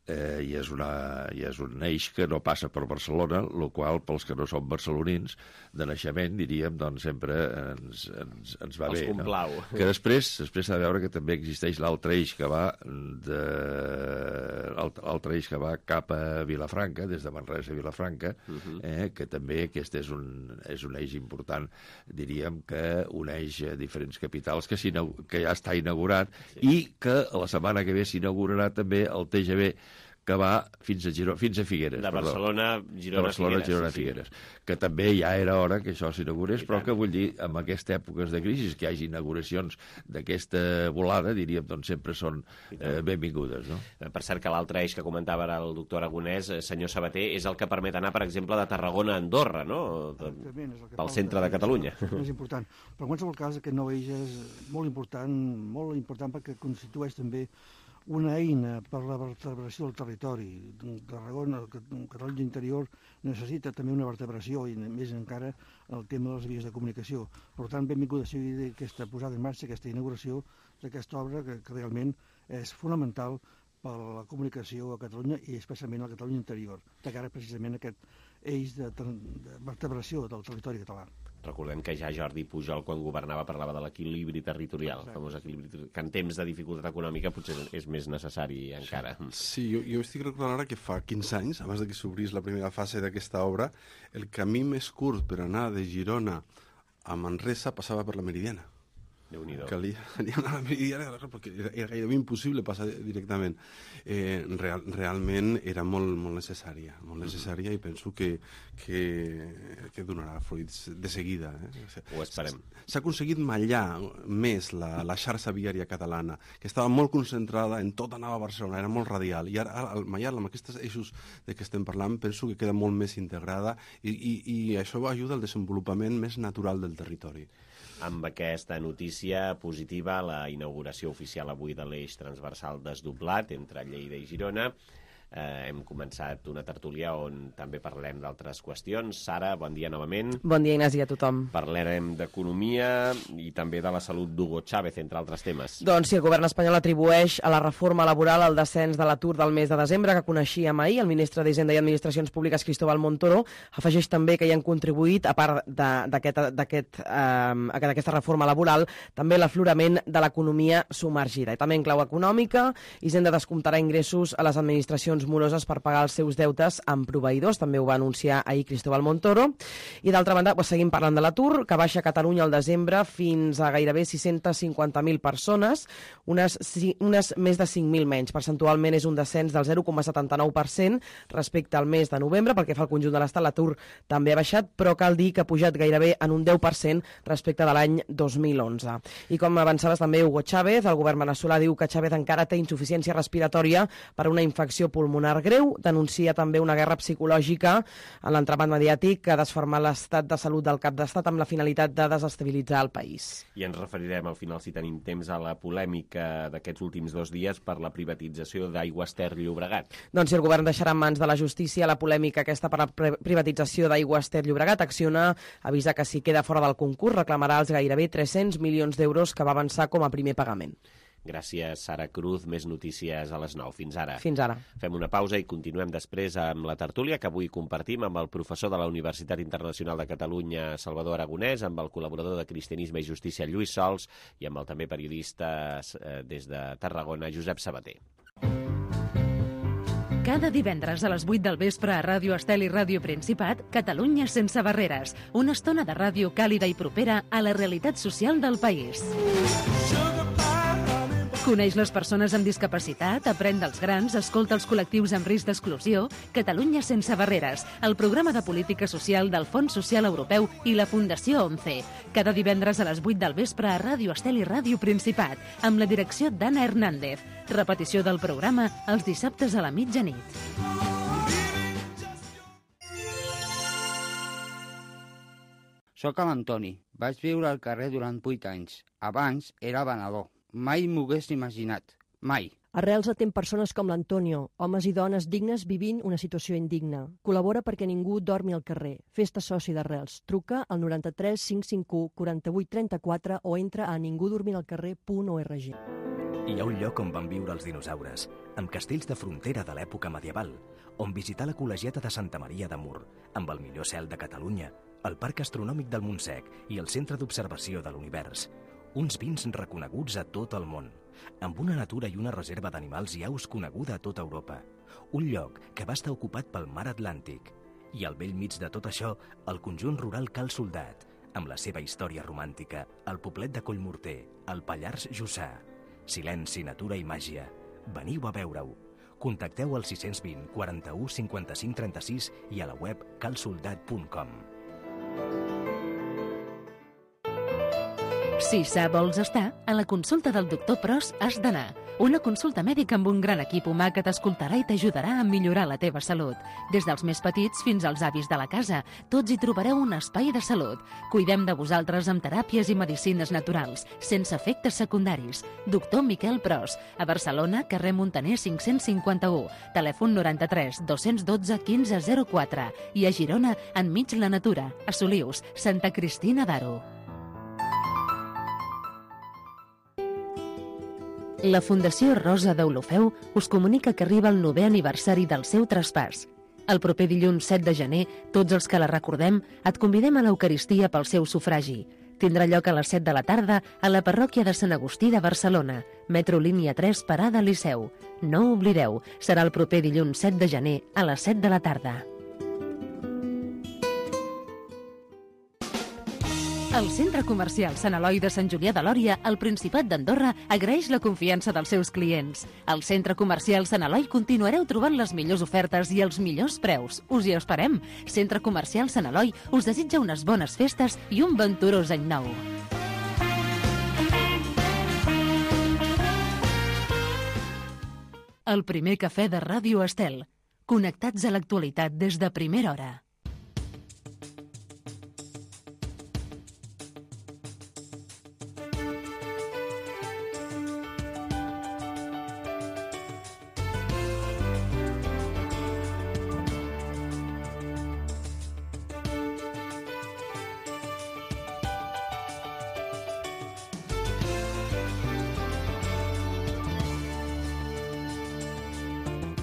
Eh, i, és una, I és un eix que no passa per Barcelona, el qual, pels que no som barcelonins, de naixement, diríem, doncs sempre ens, ens, ens va Els bé. complau. No? Que després després s'ha de veure que també existeix l'altre eix que va de... l'altre eix que va cap a Vilafranca, des de Manresa a Vilafranca, uh-huh. eh, que també aquest és un, és un eix important, diríem que uneix diferents capitals que, que ja està inaugurat, sí. I que la setmana que ve s'inaugurarà també el T G V que va fins a, Girona, fins a Figueres. De Barcelona, Girona, de Barcelona, Figueres. Girona, Sí, sí. Figueres. Que també ja era hora que això s'inaugurés, però que vull dir, en aquestes èpoques de crisi, que hi hagi inauguracions d'aquesta volada, diríem, doncs sempre són eh, benvingudes. No? Per cert, que l'altre eix que comentava ara el doctor Aragonès, eh, senyor Sabater, és el que permet anar, per exemple, de Tarragona a Andorra, no? De, pel centre de Catalunya. És important. Però en qualsevol cas, aquest nou eix és molt important, molt important perquè constitueix també una eina per la vertebració del territori. Tarragona, Catalunya interior, necessita també una vertebració i més encara el tema de les vies de comunicació. Per tant, benvinguda sigui aquesta posada en marxa, aquesta inauguració d'aquesta obra que, que realment és fonamental per a la comunicació a Catalunya i especialment a la Catalunya interior, de cara precisament a aquest eix de, de vertebració del territori català. Recordem que ja Jordi Pujol, quan governava, parlava de l'equilibri territorial, el famós equilibri, que en temps de dificultat econòmica potser és més necessari encara. Sí, jo, jo estic recordant ara que fa quinze anys, abans de que s'obrís la primera fase d'aquesta obra, el camí més curt per anar de Girona a Manresa passava per la Meridiana. Déu-n'hi-do. Calia anar a la Meridiana perquè era, era gairebé impossible passar directament. Eh, real, realment era molt, molt necessària, molt necessària i penso que, que, que donarà fruits de seguida. Eh? Ho esperem. S'ha aconseguit mallar més la, la xarxa viària catalana, que estava molt concentrada en tot anar a Barcelona, era molt radial, i ara al mallar-la amb aquests eixos de què estem parlant penso que queda molt més integrada i, i, i això ajuda al desenvolupament més natural del territori. Amb aquesta notícia positiva, la inauguració oficial avui de l'eix transversal desdoblat entre Lleida i Girona, eh, hem començat una tertúlia on també parlem d'altres qüestions. Sara, bon dia novament. Bon dia, Ignasi, a tothom. Parlarem d'economia i també de la salut d'Hugo Chávez, entre altres temes. Doncs sí, el govern espanyol atribueix a la reforma laboral el descens de l'atur del mes de desembre, que coneixíem ahir. El ministre d'Hisenda i Administracions Públiques, Cristóbal Montoro, afegeix també que hi han contribuït, a part d'aquesta reforma laboral, també l'aflorament de l'economia submergida. I també en clau econòmica, Hisenda descomptarà ingressos a les administracions moroses per pagar els seus deutes amb proveïdors, també ho va anunciar ahir Cristóbal Montoro. I d'altra banda, doncs, seguim parlant de l'atur, que baixa a Catalunya al desembre fins a gairebé sis-cents cinquanta mil persones, unes, unes més de cinc mil menys. Percentualment és un descens del zero coma setanta-nou per cent respecte al mes de novembre, perquè fa el conjunt de l'estat l'atur també ha baixat, però cal dir que ha pujat gairebé en un deu per cent respecte de l'any dos mil onze. I com avançaves també Hugo Chávez, el govern veneçolà diu que Chávez encara té insuficiència respiratòria per una infecció pulmonar greu, denuncia també una guerra psicològica en l'entramat mediàtic que ha desfermat l'estat de salut del cap d'estat amb la finalitat de desestabilitzar el país. I ens referirem al final, si tenim temps, a la polèmica d'aquests últims dos dies per la privatització d'Aigües Ter Llobregat. Doncs si el govern deixarà en mans de la justícia la polèmica aquesta per la privatització d'Aigües Ter Llobregat, Acciona avisa que si queda fora del concurs reclamarà els gairebé tres-cents milions d'euros que va avançar com a primer pagament. Gràcies, Sara Cruz. Més notícies a les nou. Fins ara. Fins ara. Fem una pausa i continuem després amb la tertúlia que avui compartim amb el professor de la Universitat Internacional de Catalunya, Salvador Aragonès, amb el col·laborador de Cristianisme i Justícia, Lluís Sols, i amb el també periodista eh, des de Tarragona, Josep Sabater. Cada divendres a les vuit del vespre a Ràdio Estel i Ràdio Principat, Catalunya sense barreres. Una estona de ràdio càlida i propera a la realitat social del país. Coneix les persones amb discapacitat, aprèn dels grans, escolta els col·lectius amb risc d'exclusió. Catalunya sense barreres, el programa de política social del Fons Social Europeu i la Fundació ONCE. Cada divendres a les vuit del vespre a Ràdio Estel i Ràdio Principat, amb la direcció d'Anna Hernández. Repetició del programa els dissabtes a la mitjanit. Soc l'Antoni. Vaig viure al carrer durant vuit anys. Abans era venedor. Mai m'ho hagués imaginat. Mai. Arrels atén persones com l'Antonio, homes i dones dignes vivint una situació indigna. Col·labora perquè ningú dormi al carrer. Fes-te soci d'Arrels. Truca al noranta-tres cinc cinc u quaranta-vuit trenta-quatre o entra a ningudormiralcarrer punt org. Hi ha un lloc on van viure els dinosaures, amb castells de frontera de l'època medieval, on visitar la col·legiata de Santa Maria de Mur, amb el millor cel de Catalunya, el Parc Astronòmic del Montsec i el Centre d'Observació de l'Univers. Uns vins reconeguts a tot el món, amb una natura i una reserva d'animals i aus coneguda a tota Europa. Un lloc que va estar ocupat pel mar Atlàntic. I al bell mig de tot això, el conjunt rural Cal Soldat, amb la seva història romàntica, el poblet de Collmorter, el Pallars Jussà. Silenci, natura i màgia. Veniu a veure-ho. Contacteu al sis dos zero, quaranta-u, cinquanta-cinc, trenta-sis i a la web calsoldat punt com. Si sa vols estar, a la consulta del doctor Pros has d'anar. Una consulta mèdica amb un gran equip humà que t'escoltarà i t'ajudarà a millorar la teva salut. Des dels més petits fins als avis de la casa, tots hi trobareu un espai de salut. Cuidem de vosaltres amb teràpies i medicines naturals, sense efectes secundaris. Doctor Miquel Pros, a Barcelona, carrer Montaner cinc-cents cinquanta-u, telèfon noranta-tres dos-cents dotze quinze zero quatre i a Girona, enmig la natura, a Solius, Santa Cristina d'Aro. La Fundació Rosa d'Olofeu us comunica que arriba el novè aniversari del seu traspàs. El proper dilluns set de gener, tots els que la recordem, et convidem a l'Eucaristia pel seu sufragi. Tindrà lloc a les set de la tarda a la parròquia de Sant Agustí de Barcelona, metro línia tres, parada Liceu. No ho oblideu, serà el proper dilluns set de gener a les set de la tarda. El Centre Comercial Sant Eloi de Sant Julià de Lòria, al Principat d'Andorra, agraeix la confiança dels seus clients. Al Centre Comercial Sant Eloi continuareu trobant les millors ofertes i els millors preus. Us hi esperem. Centre Comercial Sant Eloi us desitja unes bones festes i un venturós any nou. El primer cafè de Ràdio Estel. Connectats a l'actualitat des de primera hora.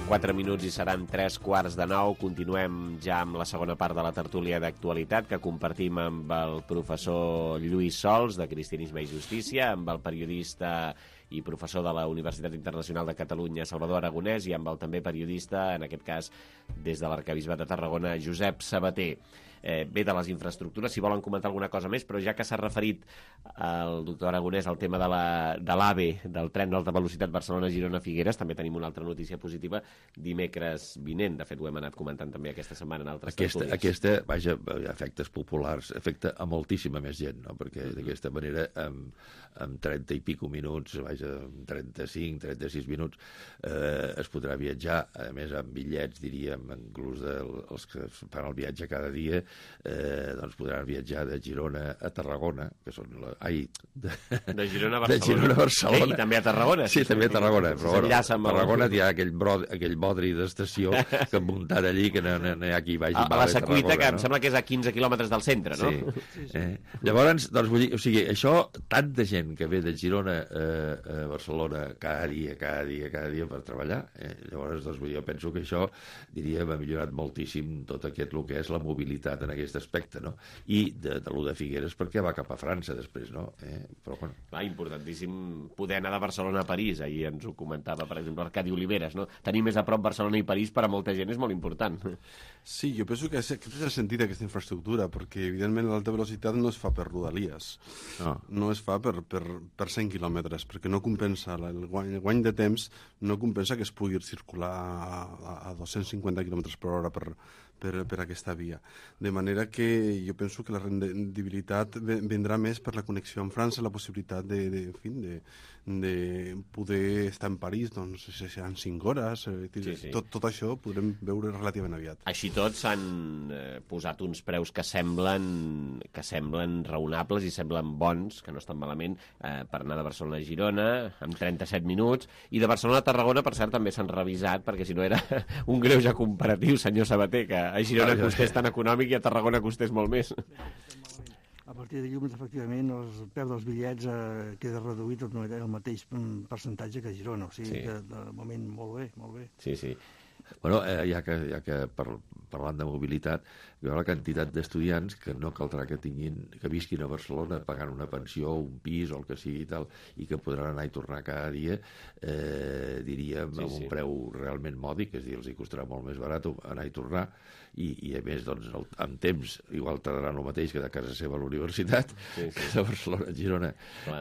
Quatre minuts i seran tres quarts de nou. Continuem ja amb la segona part de la tertúlia d'actualitat que compartim amb el professor Lluís Sols, de Cristianisme i Justícia, amb el periodista i professor de la Universitat Internacional de Catalunya, Salvador Aragonès, i amb el també periodista, en aquest cas des de l'Arquebisbat de Tarragona, Josep Sabater. Eh, bé, de les infraestructures, si volen comentar alguna cosa més, però ja que s'ha referit el doctor Aragonès al tema de l'AVE, del tren d'alta velocitat Barcelona-Girona-Figueres, també tenim una altra notícia positiva dimecres vinent. De fet, ho hem anat comentant també aquesta setmana en altres aquesta, tertúlies. Aquesta, vaja, efectes populars, afecta a moltíssima més gent, no? Perquè mm-hmm. d'aquesta manera, amb, amb trenta i pico minuts, vaja, amb trenta-cinc, trenta-sis minuts, eh, es podrà viatjar, a més amb bitllets, diríem, inclús dels que fan el viatge cada dia, Eh, doncs podran viatjar de Girona a Tarragona, que són la... Ai, de... de Girona a Barcelona. De Girona a Barcelona. Bé, i també a Tarragona. Sí, també a Tarragona, però bueno, a Tarragona el... hi ha aquell, brod, aquell bodri d'estació que han muntat allí, que no, no, no hi ha qui vagi a, a la Secuita, que no? Em sembla que és a quinze quilòmetres del centre, no? Sí. sí, sí. Eh? Llavors, doncs, vull dir, o sigui, això, tanta gent que ve de Girona eh, a Barcelona cada dia, cada dia, cada dia per treballar, eh? Llavors, doncs, vull dir, jo penso que això, diríem, ha millorat moltíssim tot aquest, el que és la mobilitat en aquest aspecte, no? I de, de lo de Figueres perquè va cap a França després, no? Eh? Però, bueno. Va, importantíssim poder anar de Barcelona a París. Ahir ens ho comentava, per exemple, Arcadi Oliveres, no? Tenir més a prop Barcelona i París per a molta gent és molt important. Sí, jo penso que aquest és el sentit d'aquesta infraestructura, perquè evidentment l'alta velocitat no es fa per rodalies, no, no es fa per, per, per cent quilòmetres, perquè no compensa, el guany, el guany de temps no compensa que es pugui circular a, a dos-cents cinquanta quilòmetres per hora per, per, per aquesta via. De manera que jo penso que la rendibilitat vendrà més per la connexió amb França, la possibilitat de, de, en fi, de, de poder estar en París, doncs, si seran cinc hores, sí, sí. Tot, tot això ho podrem veure relativament aviat. Així tot s'han eh, posat uns preus que semblen, que semblen raonables i semblen bons, que no estan malament, eh, per anar de Barcelona a Girona, amb trenta-set minuts, i de Barcelona a Tarragona, per cert, també s'han revisat, perquè si no era un greuge comparatiu, senyor Sabater, que a Girona ah, costés tan econòmic i a Tarragona costés molt més. A partir de dilluns, efectivament, el preu dels bitllets eh, queda reduït el mateix percentatge que a Girona. O sigui sí. que, de moment, molt bé, molt bé. Sí, sí. Bueno, eh, ja que, ja que par, parlant de mobilitat, hi ha la quantitat d'estudiants que no caldrà que tinguin, que visquin a Barcelona pagant una pensió, un pis o el que sigui i tal, i que podran anar i tornar cada dia, eh, diríem, sí, amb un sí. preu realment mòdic, és a dir, els hi costarà molt més barat anar i tornar, i, i a més, doncs, el, amb temps, igual tardaran el mateix que de casa seva a la universitat, sí, sí. que de Barcelona a Girona.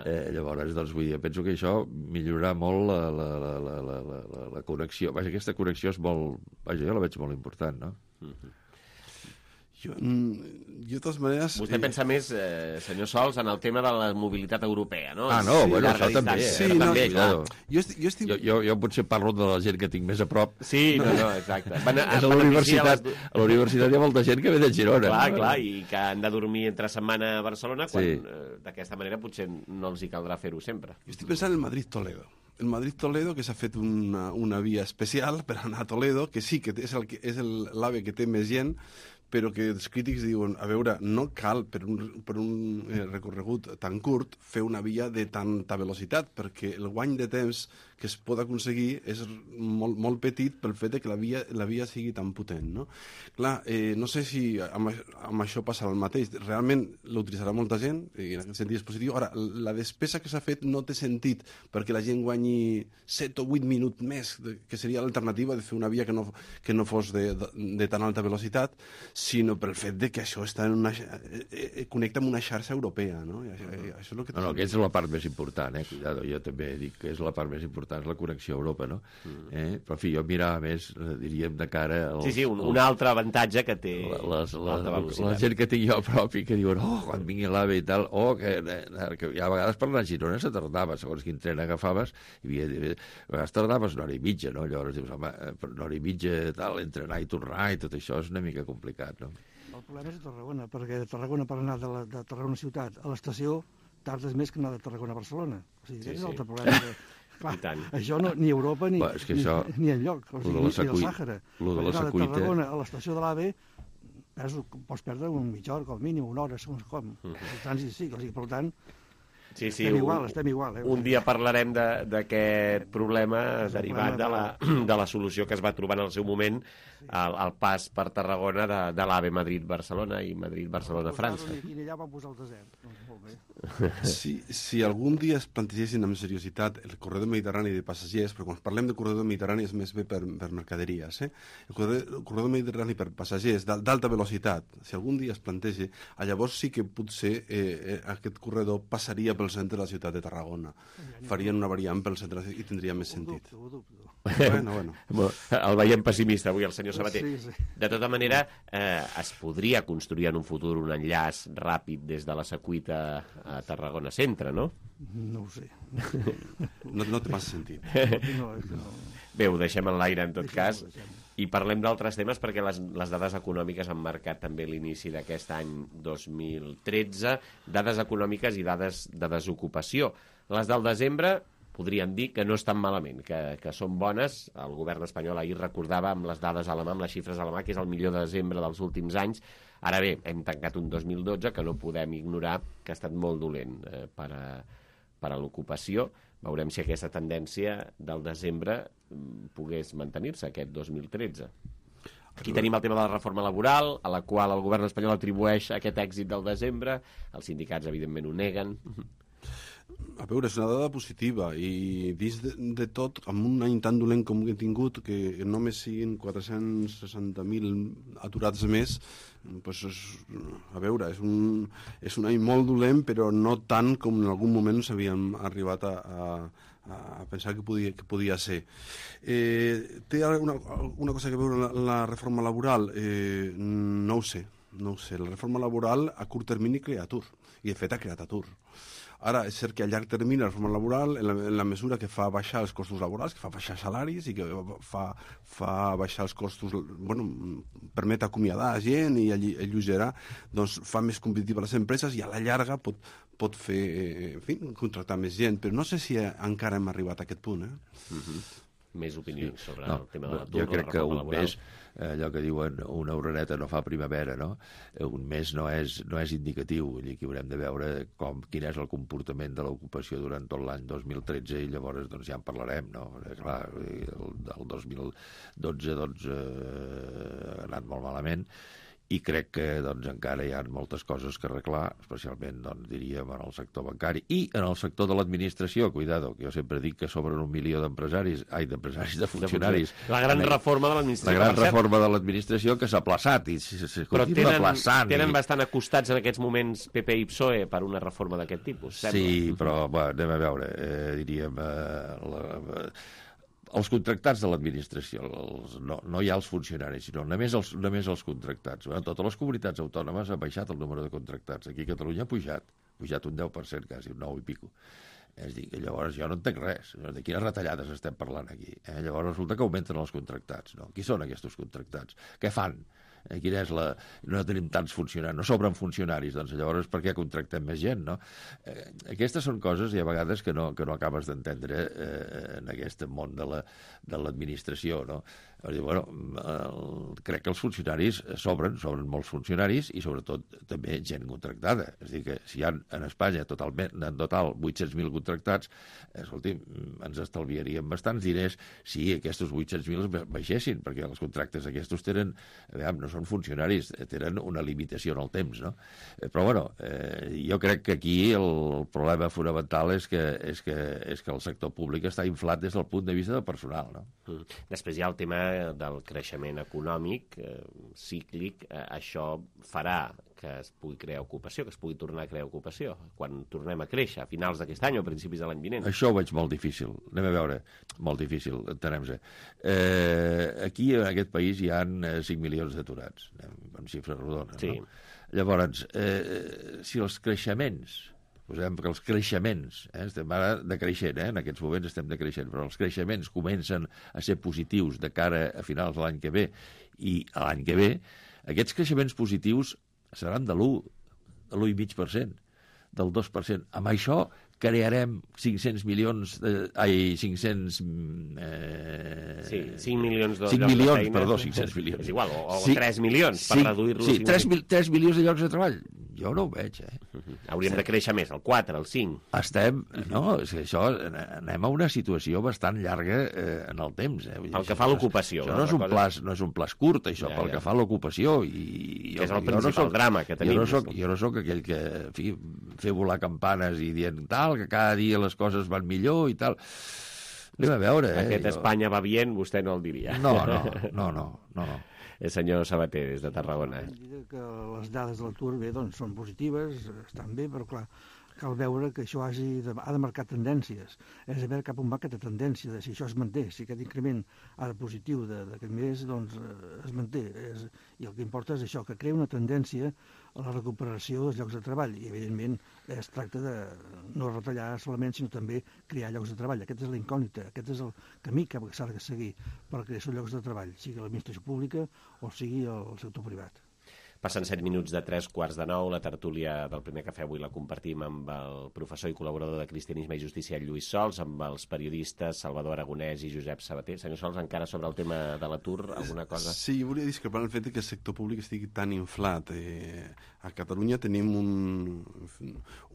Eh, llavors, doncs, vull dir, penso que això millorarà molt la, la, la, la, la, la, la connexió. Vaja, aquesta connexió és molt... Vaja, jo la veig molt important, no? Mm-hmm. Jo, jo, de totes maneres... Vostè eh... pensa més, eh, senyor Sols, en el tema de la mobilitat europea, no? Ah, no, sí, bueno, això també. Sí, eh? no, també, clar. Jo, estic, jo, estic... jo, jo, jo potser parlo de la gent que tinc més a prop. Sí, no, no, exacte. Van a, a, a la universitat, les... a la universitat hi ha molta gent que ve de Girona. Clar, no? clar, i que han de dormir entre setmana a Barcelona, quan sí. eh, d'aquesta manera potser no els hi caldrà fer-ho sempre. Jo estic pensant en Madrid-Toledo. El Madrid-Toledo, que s'ha fet una, una via especial per anar a Toledo, que sí, que és l'AVE és el, que té més gent, però que els crítics diuen, a veure, no cal per un, per un eh, recorregut tan curt fer una via de tanta velocitat, perquè el guany de temps que es pot aconseguir és molt, molt petit pel fet que la via, la via sigui tan potent, no? Clar, eh, no sé si amb, amb això passarà el mateix. Realment l'utilitzarà molta gent, i en aquest sentit és positiu. Ara, la despesa que s'ha fet no té sentit perquè la gent guanyi set o vuit minuts més, que seria l'alternativa de fer una via que no, que no fos de, de, de tan alta velocitat, sinó pel fet de que això està en una, eh, connecta amb una xarxa europea, no? I això, això és el que no, no, que és la part més important, eh? Cuidado, jo també dic que és la part més important, és la connexió a Europa, no? Mm. Eh? Però, en fi, jo mirava més, diríem, de cara... Als, sí, sí, un, un altre avantatge que té les, la, la, la gent que tinc jo a prop i que diuen, oh, quan vingui l'AVE i tal, oh, que, que ja a vegades per anar a Girona se tardava, segons quin tren agafaves, hi havia, a vegades tardaves una hora i mitja, no? Llavors dius, home, per una hora i mitja, tal, entre anar i tornar i tot això és una mica complicat, no? El problema és a Tarragona, perquè de Tarragona per anar de, la, de Tarragona ciutat a l'estació tardes més que anar de Tarragona a Barcelona. O sigui, sí, és sí. l'altre problema. Que, clar, això no, ni Europa ni, bueno, és que això, ni, ni enlloc, o sigui, ni, ni el Sàhara. Lo de la secuita... De Tarragona a l'estació de l'AVE pots perdre un mitja hora, com mínim, una hora, segons com. Uh -huh. El trànsit sí, o sigui, per tant... Sí, sí, estem un, igual, estem igual. Eh? Un dia parlarem d'aquest de, problema derivat de la, de la solució que es va trobar en el seu moment al, al pas per Tarragona de, de l'AVE Madrid-Barcelona i Madrid-Barcelona-França. I allà van posar el desert. Doncs molt bé. Si, si algun dia es plantegessin amb seriositat el corredor mediterrani de passatgers, però quan parlem de corredor mediterrani és més bé per, per mercaderies, eh? el, corredor, el corredor mediterrani per passatgers d'alta velocitat, si algun dia es plantegi, llavors sí que potser eh, aquest corredor passaria pel centre de la ciutat de Tarragona. Farien una variant pel centre i tindria més sentit. Ho dubto, ho dubto. Bueno, bueno. El veiem pessimista avui, el senyor Sabater. Sí, sí. De tota manera, eh, es podria construir en un futur un enllaç ràpid des de la Secuita a Tarragona Centre, no? No ho sé. No, no té massa sentit. No, no. Bé, ho deixem en l'aire en tot deixem, cas. Deixem. I parlem d'altres temes perquè les, les dades econòmiques han marcat també l'inici d'aquest any dos mil tretze, dades econòmiques i dades de desocupació. Les del desembre podríem dir que no estan malament, que, que són bones. El govern espanyol ahir recordava amb les dades a la mà, amb les xifres a la mà, que és el millor desembre dels últims anys. Ara bé, hem tancat un dos mil dotze que no podem ignorar que ha estat molt dolent eh, per, a, per a l'ocupació. Veurem si aquesta tendència del desembre pogués mantenir-se aquest dos mil tretze. Aquí tenim el tema de la reforma laboral, a la qual el govern espanyol atribueix aquest èxit del desembre. Els sindicats, evidentment, ho neguen. A veure, és una dada positiva i dins de, de tot, amb un any tan dolent com hem tingut, que només siguin quatre-cents seixanta mil aturats més, doncs és, a veure, és un, és un any molt dolent, però no tant com en algun moment s'havien arribat a, a, a pensar que podia, que podia ser. Eh, té una, una cosa que veure la, la reforma laboral? Eh, no ho sé, no ho sé. La reforma laboral a curt termini crea atur, i de fet ha creat atur. Ara, és cert que a llarg termini la reforma laboral, en la, en la mesura que fa baixar els costos laborals, que fa baixar salaris i que fa, fa baixar els costos, bueno, permet acomiadar gent i alleugerar, doncs fa més competitiva les empreses i a la llarga pot, pot fer, en fi, contractar més gent, però no sé si encara hem arribat a aquest punt, eh? Mm-hmm. Més opinions sobre no, el tema de l'atur, jo crec la que un laboral. mes, allò que diuen una oreneta no fa primavera, no? Un mes no és, no és indicatiu, vull dir que haurem de veure com, quin és el comportament de l'ocupació durant tot l'any dos mil tretze i llavors doncs, ja en parlarem, no? Clar, el, el dos mil dotze doncs, eh, ha anat molt malament i crec que doncs, encara hi ha moltes coses que arreglar, especialment, doncs, diríem, en el sector bancari i en el sector de l'administració. Cuidado, que jo sempre dic que sobren un milió d'empresaris, ai, d'empresaris, de funcionaris. La gran reforma de l'administració. La gran reforma de l'administració que s'ha aplaçat i se continua aplaçant. Tenen bastant acostats en aquests moments P P i P S O E per una reforma d'aquest tipus, sembla. Sí, però, bueno, anem a veure, eh, diríem... Eh, la, els contractats de l'administració, no, no hi ha els funcionaris, sinó només els, només els contractats. En totes les comunitats autònomes ha baixat el número de contractats. Aquí a Catalunya ha pujat, ha pujat un deu per cent quasi, un nou i pico. És dir, que llavors jo no entenc res. De quines retallades estem parlant aquí? Eh? Llavors resulta que augmenten els contractats. No? Qui són aquests contractats? Què fan? Eh, quina és la... No tenim tants funcionaris, no sobren funcionaris, doncs llavors per què contractem més gent, no? Eh, aquestes són coses, i a vegades, que no, que no acabes d'entendre eh, en aquest món de la, de l'administració, no? Dir, bueno, el, crec que els funcionaris sobren, sobren molts funcionaris i sobretot també gent contractada. És a dir, que si hi ha en Espanya totalment, en total vuit-cents mil contractats, escolti, ens estalviaríem bastants diners si aquests vuit-cents mil baixessin, perquè els contractes aquests tenen, aviam, no són funcionaris, tenen una limitació en el temps, no? Però, bueno, eh, jo crec que aquí el problema fonamental és que, és, que, és que el sector públic està inflat des del punt de vista del personal, no? Mm. Després hi ha el tema del creixement econòmic eh, cíclic. Eh, això farà que es pugui crear ocupació, que es pugui tornar a crear ocupació quan tornem a créixer, a finals d'aquest any o a principis de l'any vinent. Això ho veig molt difícil. Anem a veure. Molt difícil, entenem-se. Eh, aquí, en aquest país, hi ha cinc milions d'aturats, en xifres rodones. Sí. No? Llavors, eh, si els creixements... Posem que els creixements, eh, estem ara decreixent, eh, en aquests moments estem decreixent, però els creixements comencen a ser positius de cara a finals de l'any que ve i a l'any que ve, aquests creixements positius seran de l'u, de l'u coma cinc per cent, del dos per cent. Amb això crearem cinc-cents milions... De, ai, cinc-cents... Eh, sí, cinc milions de cinc llocs milions, de feina. Perdó, cinc-cents milions. És igual, o, o sí, tres milions, per sí, reduir-lo. Sí, tres, mil, tres milions de llocs de treball. Jo no ho veig, eh? Hauríem de créixer més, el quatre, el cinc. Estem... No, és que això... Anem a una situació bastant llarga eh, en el temps, eh? Pel que fa a l'ocupació. Això no és un pla, no és un pla curt, això, ja, pel ja. que fa a l'ocupació. I jo, que és el principal no soc, drama que tenim. Jo no soc, jo no soc aquell que en fi, fer volar campanes i dient tal, que cada dia les coses van millor i tal. Anem a veure, eh? Aquest jo... Espanya va bien, vostè no el diria. No, no, no, no, no, no. El senyor Sabater, des de Tarragona. Que les dades de l'atur, bé, doncs, són positives, estan bé, però clar, cal veure que això hagi de, ha de marcar tendències. És a veure cap on va aquesta tendència, de si això es manté, si aquest increment ha de positiu d'aquest mes, doncs es manté. És, I el que importa és això, que crea una tendència a la recuperació dels llocs de treball. I, evidentment, es tracta de no retallar solament, sinó també crear llocs de treball. Aquesta és la incògnita, aquest és el camí que s'ha de seguir per crear llocs de treball, sigui l'administració pública o sigui el sector privat. Passen set minuts de tres quarts de nou. La tertúlia del Primer Cafè avui la compartim amb el professor i col·laborador de Cristianisme i Justícia, Lluís Sols, amb els periodistes Salvador Aragonès i Josep Sabater. Senyor Sols, encara sobre el tema de l'atur, alguna cosa? Sí, volia discrepar el fet que el sector públic estigui tan inflat. Eh, a Catalunya tenim un,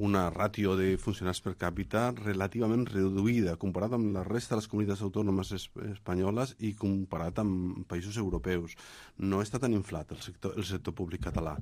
una ràtio de funcionaris per càpita relativament reduïda comparat amb la resta de les comunitats autònomes es, espanyoles i comparat amb països europeus. No està tan inflat el sector, el sector públic català.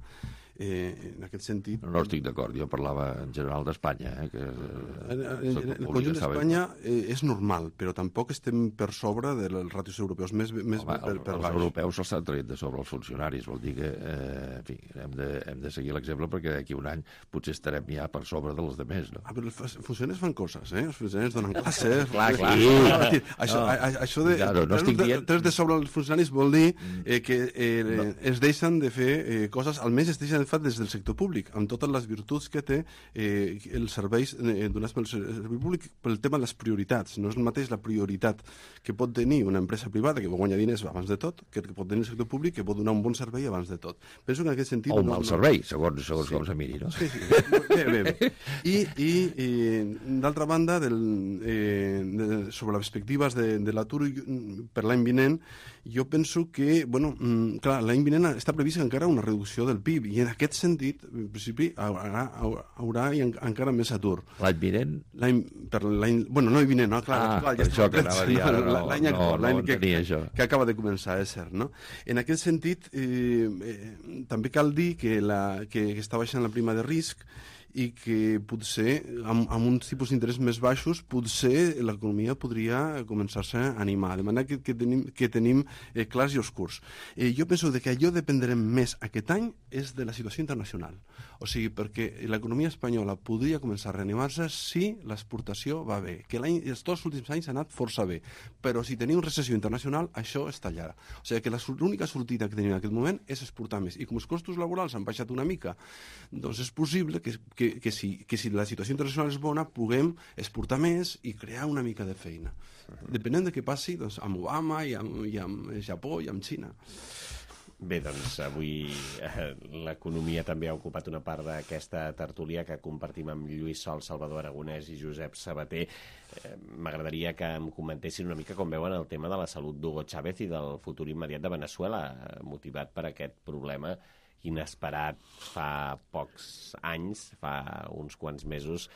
Eh, en aquest sentit... No estic d'acord, jo parlava en general d'Espanya. Eh, que, eh, en el conjunt d'Espanya eh, és normal, però tampoc estem per sobre dels ràtios europeus. Més, més Home, per, per els baix. europeus s'estan traient de sobre els funcionaris, vol dir que eh, en fi, hem, de, hem de seguir l'exemple perquè d'aquí un any potser estarem ja per sobre dels altres. No? Ah, però els funcionaris fan coses, eh? Els funcionaris donen classes... clar, clar. Sí. Sí. Això, no. a, a, això de... Claro, no estic dient... Tres de sobre els funcionaris vol dir eh, que eh, no. es deixen de fer eh, coses, almenys es deixen de fer des del sector públic, amb totes les virtuts que té eh, els serveis eh, donats pel servei públic pel tema de les prioritats. No és el mateix la prioritat que pot tenir una empresa privada que guanya diners abans de tot, que pot tenir el sector públic que pot donar un bon servei abans de tot. Penso que en aquest sentit... O un no, mal no... servei, segons, segons sí. com se miri, no? Sí, sí. Bé, bé, bé. I, i, i d'altra banda, del, eh, de, sobre les perspectives de, de l'atur per l'any vinent, Jo penso que, bueno, clar, l'any vinent està prevista encara una reducció del P I B i en aquest sentit, en principi, haurà, haurà encara més atur. L'any vinent? L'any, per l'any, bueno, no l'any vinent, no? Clar, ah, clar, per ja això que anava a dir ara, no, l'any actual, no, l'any no que, això. que acaba de començar, és cert, no? En aquest sentit, eh, eh, també cal dir que, la, que, que està baixant la prima de risc i que potser, amb, amb uns tipus d'interès més baixos, potser l'economia podria començar-se a animar, de manera que, que tenim, que tenim eh, clars i oscurs. Eh, jo penso que allò dependrem més aquest any és de la situació internacional. O sigui, perquè l'economia espanyola podria començar a reanimar-se si l'exportació va bé, que l'any, els dos últims anys ha anat força bé, però si tenim recessió internacional, això es tallarà. O sigui, que l'única sortida que tenim en aquest moment és exportar més. I com els costos laborals han baixat una mica, doncs és possible que Que, que, si, que si la situació internacional és bona puguem exportar més i crear una mica de feina. Depenent de què passi doncs, amb Obama i amb, i amb Japó i amb Xina. Bé, doncs avui eh, l'economia també ha ocupat una part d'aquesta tertúlia que compartim amb Lluís Sol, Salvador Aragonès i Josep Sabater. Eh, M'agradaria que em comentessin una mica com veuen el tema de la salut d'Hugo Chávez i del futur immediat de Veneçuela, eh, motivat per aquest problema inesperat fa pocs anys, fa uns quants mesos,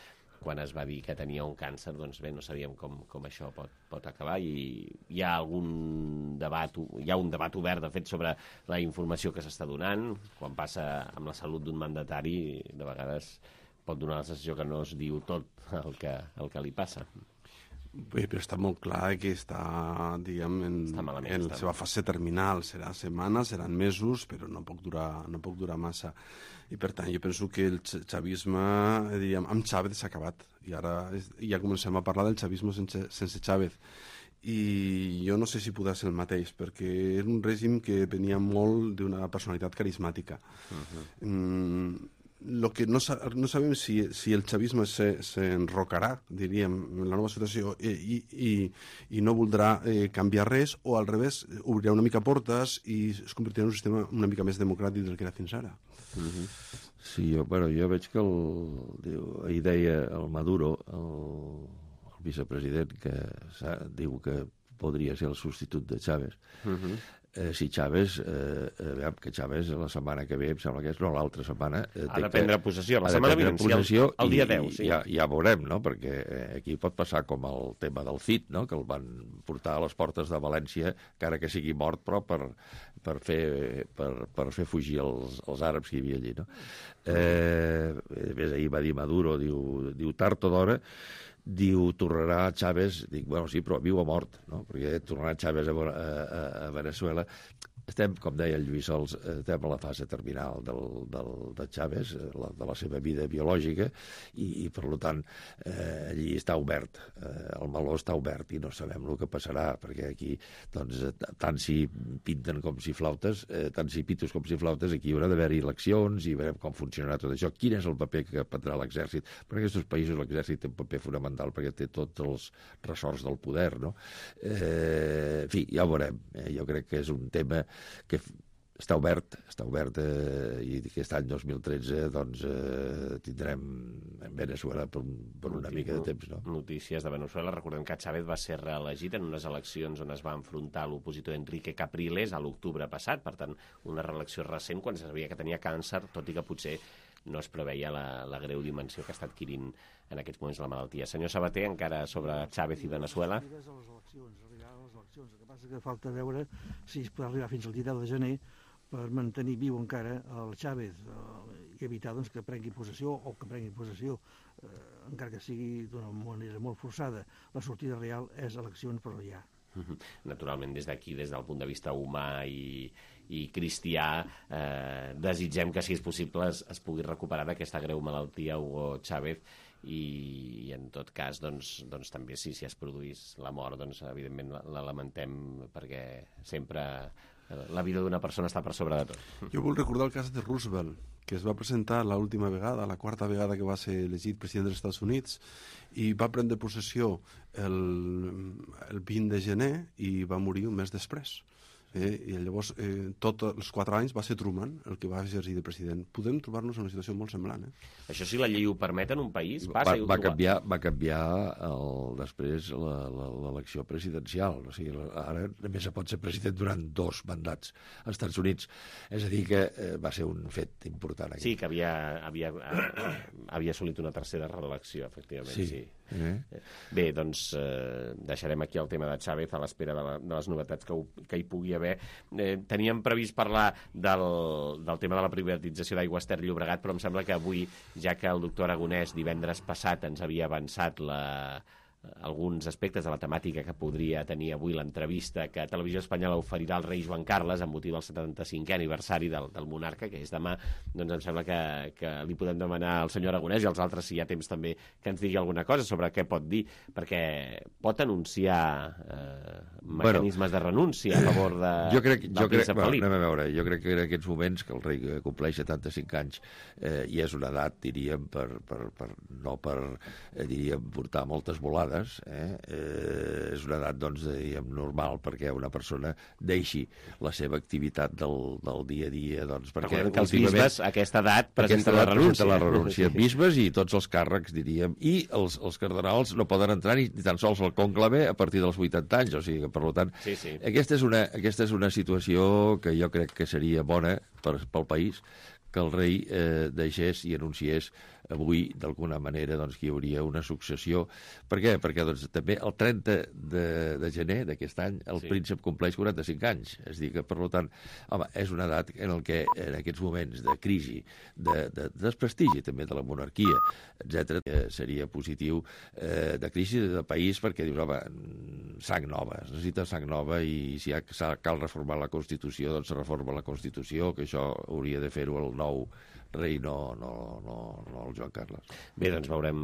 quan es va dir que tenia un càncer, doncs bé, no sabíem com, com això pot, pot acabar i hi ha algun debat, hi ha un debat obert, de fet, sobre la informació que s'està donant. Quan passa amb la salut d'un mandatari, de vegades pot donar la sensació que no es diu tot el que, el que li passa. Bé, però està molt clar que està, diguem, en, malament, en la seva fase terminal. Serà setmanes, seran mesos, però no pot durar, no pot durar massa. I, per tant, jo penso que el xavisme, diríem, amb Chávez s'ha acabat. I ara ja comencem a parlar del xavisme sense, sense Chávez. I jo no sé si podrà ser el mateix, perquè és un règim que venia molt d'una personalitat carismàtica. Uh-huh. Mm, Lo que no, sa no sabem si, si el xavisme s'enrocarà, se, diríem, en la nova situació i, i, i no voldrà eh, canviar res, o al revés, obrirà una mica portes i es convertirà en un sistema una mica més democràtic del que era fins ara. Uh-huh. Sí, jo, bueno, jo veig que el, diu, ahir deia el Maduro, el, el vicepresident, que diu que podria ser el substitut de Chávez. Uh-huh. Eh, si Chávez, eh, eh, que Chávez la setmana que ve, em sembla que és, no, l'altra setmana... Eh, ha de prendre possessió, la setmana vinent, el, el dia deu, sí. Ja, ja veurem, no?, perquè eh, aquí pot passar com el tema del C I D, no?, que el van portar a les portes de València, encara que sigui mort, però per, per, fer, per, per fer fugir els, els àrabs que hi havia allí, no? Eh, a més, ahir va dir Maduro, diu, diu tard o d'hora, diu, tornarà Chávez, dic, bueno, sí, però viu o mort, no? Perquè tornarà Chávez a, a, a Veneçuela. Estem, com deia el Lluís Sols, estem a la fase terminal del, del, de Chávez, la, de la seva vida biològica, i, i per tant, eh, allí està obert, eh, el meló està obert i no sabem el que passarà, perquè aquí, doncs, tant si pinten com si flautes, eh, tant si pitos com si flautes, aquí hi haurà d'haver-hi eleccions i veurem com funcionarà tot això, quin és el paper que prendrà l'exèrcit. Per aquests països l'exèrcit té un paper fonamental perquè té tots els ressorts del poder, no? Eh, en fi, ja ho veurem. Eh, jo crec que és un tema que està obert, està obert eh, i aquest any dos mil tretze doncs eh, tindrem en Veneçuela per, per una Notícia, mica de temps, no? Notícies de Veneçuela. Recordem que Chávez va ser reelegit en unes eleccions on es va enfrontar l'opositor Enrique Capriles a l'octubre passat, per tant, una reelecció recent quan se sabia que tenia càncer, tot i que potser no es preveia la, la greu dimensió que està adquirint en aquests moments la malaltia. Senyor Sabater, encara sobre Chávez i Veneçuela. El que passa que falta veure si es pot arribar fins al dia deu de gener per mantenir viu encara el Chávez eh, i evitar doncs, que prengui possessió o que prengui possessió, eh, encara que sigui d'una manera molt forçada. La sortida real és eleccions, però ja. Naturalment, des d'aquí, des del punt de vista humà i, i cristià, eh, desitgem que, si és possible, es, es pugui recuperar d'aquesta greu malaltia Hugo Chávez i, i en tot cas, doncs, doncs també si, si es produís la mort, doncs evidentment la, la lamentem, perquè sempre la vida d'una persona està per sobre de tot. Jo vull recordar el cas de Roosevelt, que es va presentar l'última vegada, la quarta vegada que va ser elegit president dels Estats Units, i va prendre possessió el, el vint de gener i va morir un mes després. Eh? I llavors, eh, tots els quatre anys va ser Truman el que va exercir de president. Podem trobar-nos en una situació molt semblant. Eh? Això si la llei ho permet en un país, passa va, i ho va troba. canviar, va canviar el, després l'elecció presidencial. O sigui, ara només se pot ser president durant dos mandats als Estats Units. És a dir, que eh, va ser un fet important. Aquí. Sí, que havia, havia, havia assolit una tercera reelecció, efectivament. Sí. sí. Eh? Bé, doncs eh, deixarem aquí el tema de Chávez a l'espera de, la, de les novetats que, ho, que hi pugui haver. Eh, teníem previst parlar del, del tema de la privatització d'Aigües Ter Llobregat, però em sembla que avui, ja que el doctor Aragonès divendres passat ens havia avançat la, alguns aspectes de la temàtica que podria tenir avui l'entrevista que Televisió Espanyola oferirà al rei Joan Carles amb motiu del setanta-cinquè aniversari del, del monarca, que és demà, doncs em sembla que, que li podem demanar al senyor Aragonès i als altres, si hi ha temps també, que ens digui alguna cosa sobre què pot dir, perquè pot anunciar eh, mecanismes bueno, de renúncia a favor de, jo crec, del jo crec, príncep Felip. Bueno, anem a veure, jo crec que en aquests moments que el rei compleix setanta-cinc anys eh, i és una edat, diríem, per, per, per, no per, eh, diríem, portar moltes volades. Eh? Eh, és una edat, doncs, diguem, normal perquè una persona deixi la seva activitat del, del dia a dia, doncs, perquè que els bisbes a aquesta edat presenten la renúncia. la renúncia. Bisbes i tots els càrrecs, diríem, i els, els cardenals no poden entrar ni, ni tan sols al conclave a partir dels vuitanta anys, o sigui que, per tant, sí, sí. Aquesta, és una, aquesta és una situació que jo crec que seria bona per, pel país, que el rei eh, deixés i anunciés avui, d'alguna manera, doncs, que hi hauria una successió. Per què? Perquè doncs, també el trenta de, de gener d'aquest any el sí. príncep compleix quaranta-cinc anys. És a dir que, per tant, home, és una edat en el que en aquests moments de crisi, de, de, de desprestigi també de la monarquia, etcètera, seria positiu eh, de crisi del país perquè dius, home, sang nova, es necessita sang nova i si ha, cal reformar la Constitució, doncs se reforma la Constitució, que això hauria de fer-ho el nou rei, no, no, no, no el Joan Carles. Bé, doncs veurem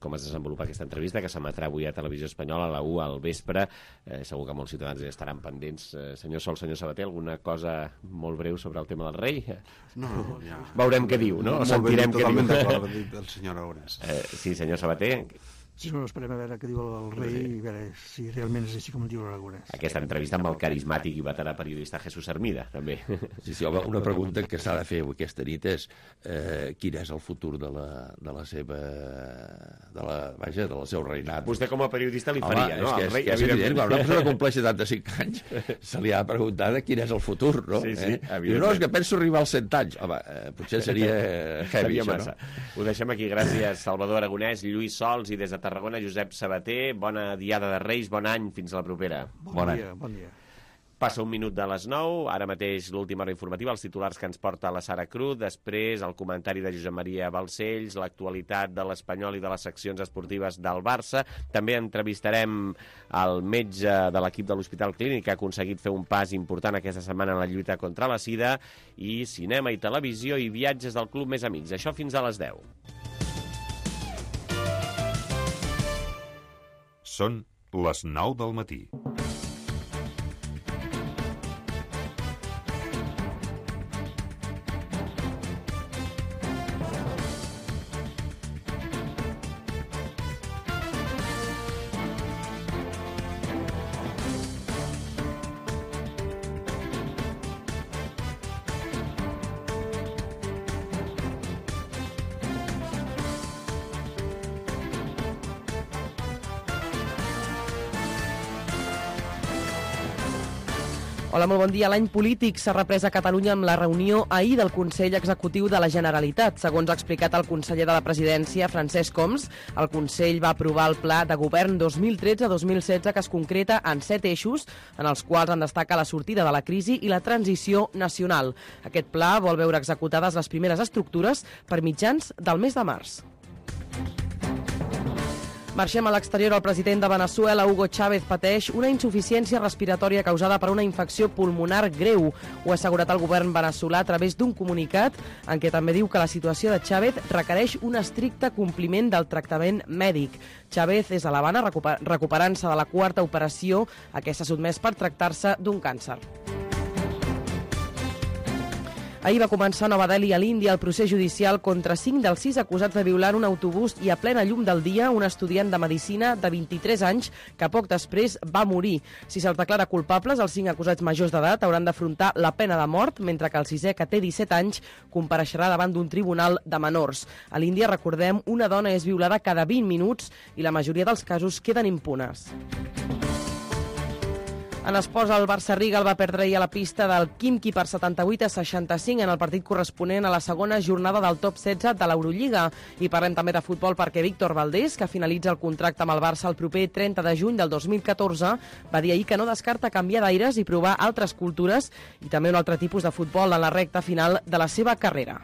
com es desenvolupa aquesta entrevista que s'emetrà avui a Televisió Espanyola a la u al vespre. Eh, segur que molts ciutadans estaran pendents. Eh, senyor Sol, senyor Sabater, alguna cosa molt breu sobre el tema del rei? No, no, ja. Veurem què diu, no? O molt sentirem què diu. Totalment d'acord del senyor Aragonès. Eh, sí, senyor Sabater. Sí, no, esperem a veure què diu el rei i a veure si realment és així com diu l'Aragonès. Aquesta entrevista amb el carismàtic i veterà periodista Jesús Hermida, també. Sí, sí, home, una pregunta que s'ha de fer aquesta nit és eh, quin és el futur de la, de la seva de la, vaja, del seu reinat. Vostè com a periodista li faria, home, no? És que, rei, és, que és evident, quan una persona compleix setanta-cinc anys se li ha preguntat quin és el futur, no? Sí, sí, eh? Diu, no, és que penso arribar als cent anys. Home, eh, potser seria heavy, seria això, massa. No? Ho deixem aquí. Gràcies, Salvador Aragonès, Lluís Sols i des de Tarragona, Josep Sabater. Bona diada de Reis, bon any, fins a la propera. Bon, bon dia, bon dia. Passa un minut de les nou, ara mateix l'última hora informativa, els titulars que ens porta la Sara Cruz, després el comentari de Josep Maria Balcells, l'actualitat de l'Espanyol i de les seccions esportives del Barça. També entrevistarem el metge de l'equip de l'Hospital Clínic, que ha aconseguit fer un pas important aquesta setmana en la lluita contra la sida, i cinema i televisió i viatges del Club Més Amics. Això fins a les deu. Són les nou del matí. Hola, molt bon dia. L'any polític s'ha reprès a Catalunya amb la reunió ahir del Consell Executiu de la Generalitat. Segons ha explicat el conseller de la Presidència, Francesc Homs, el Consell va aprovar el Pla de Govern dos mil tretze a dos mil setze que es concreta en set eixos, en els quals en destaca la sortida de la crisi i la transició nacional. Aquest pla vol veure executades les primeres estructures per mitjans del mes de març. Marxem a l'exterior. El president de Veneçuela, Hugo Chávez, pateix una insuficiència respiratòria causada per una infecció pulmonar greu. Ho ha assegurat el govern veneçolà a través d'un comunicat en què també diu que la situació de Chávez requereix un estricte compliment del tractament mèdic. Chávez és a l'Havana recuperant-se de la quarta operació a què s'ha sotmès per tractar-se d'un càncer. Ahir va començar a Nova Delhi, a l'Índia, el procés judicial contra cinc dels sis acusats de violar un autobús i a plena llum del dia un estudiant de medicina de vint-i-tres anys que poc després va morir. Si se'ls declara culpables, els cinc acusats majors d'edat hauran d'afrontar la pena de mort, mentre que el sisè, que té disset anys, compareixerà davant d'un tribunal de menors. A l'Índia, recordem, una dona és violada cada vint minuts i la majoria dels casos queden impunes. En esports, el Barça-Riga el va perdre ahir a la pista del Khimki per setanta-vuit a seixanta-cinc en el partit corresponent a la segona jornada del top setze de l'Eurolliga. I parlem també de futbol perquè Víctor Valdés, que finalitza el contracte amb el Barça el proper trenta de juny del dos mil catorze, va dir ahir que no descarta canviar d'aires i provar altres cultures i també un altre tipus de futbol en la recta final de la seva carrera.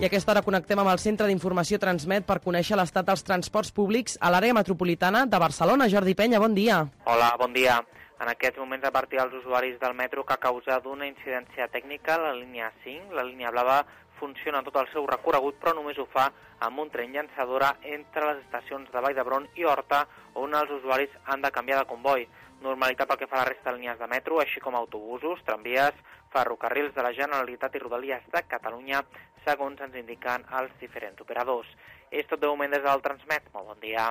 I a aquesta hora connectem amb el Centre d'Informació Transmet per conèixer l'estat dels transports públics a l'àrea metropolitana de Barcelona. Jordi Penya, bon dia. Hola, bon dia. En aquests moments advertir als usuaris del metro que a causa d'una incidència tècnica, la línia cinc, la línia blava, funciona tot el seu recorregut, però només ho fa amb un tren llançadora entre les estacions de Vall d'Hebron i Horta, on els usuaris han de canviar de comboi. Normalitat pel que fa a la resta de línies de metro, així com autobusos, tramvies, ferrocarrils de la Generalitat i Rodalies de Catalunya, segons ens indiquen els diferents operadors. És tot de moment des del Transmet. Molt bon dia.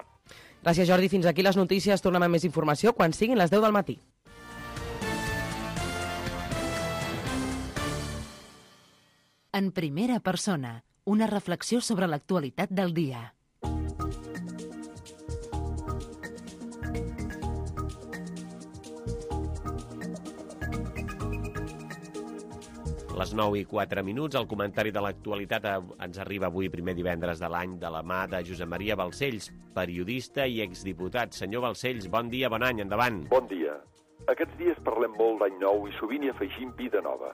Gràcies, Jordi. Fins aquí les notícies. Tornem amb més informació quan siguin les deu del matí. En primera persona, una reflexió sobre l'actualitat del dia. Les nou i quatre minuts, el comentari de l'actualitat ens arriba avui, primer divendres de l'any, de la mà de Josep Maria Balcells, periodista i exdiputat. Senyor Balcells, bon dia, bon any, endavant. Bon dia. Aquests dies parlem molt d'any nou i sovint hi afegim vida nova.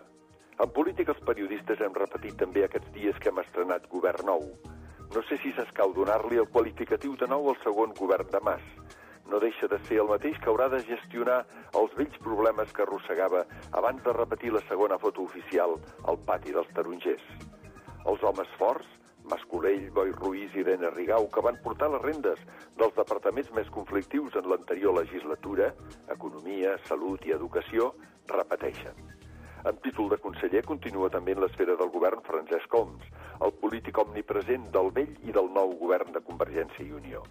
En política els periodistes hem repetit també aquests dies que hem estrenat govern nou. No sé si s'escau donar-li el qualificatiu de nou al segon govern de Mas. No deixa de ser el mateix que haurà de gestionar els vells problemes que arrossegava abans de repetir la segona foto oficial al pati dels tarongers. Els homes forts, Mas Colell, Boi Ruiz i Irene Rigau, que van portar les rendes dels departaments més conflictius en l'anterior legislatura, Economia, Salut i Educació, repeteixen. En títol de conseller continua també en l'esfera del govern Francesc Homs, el polític omnipresent del vell i del nou govern de Convergència i Unió.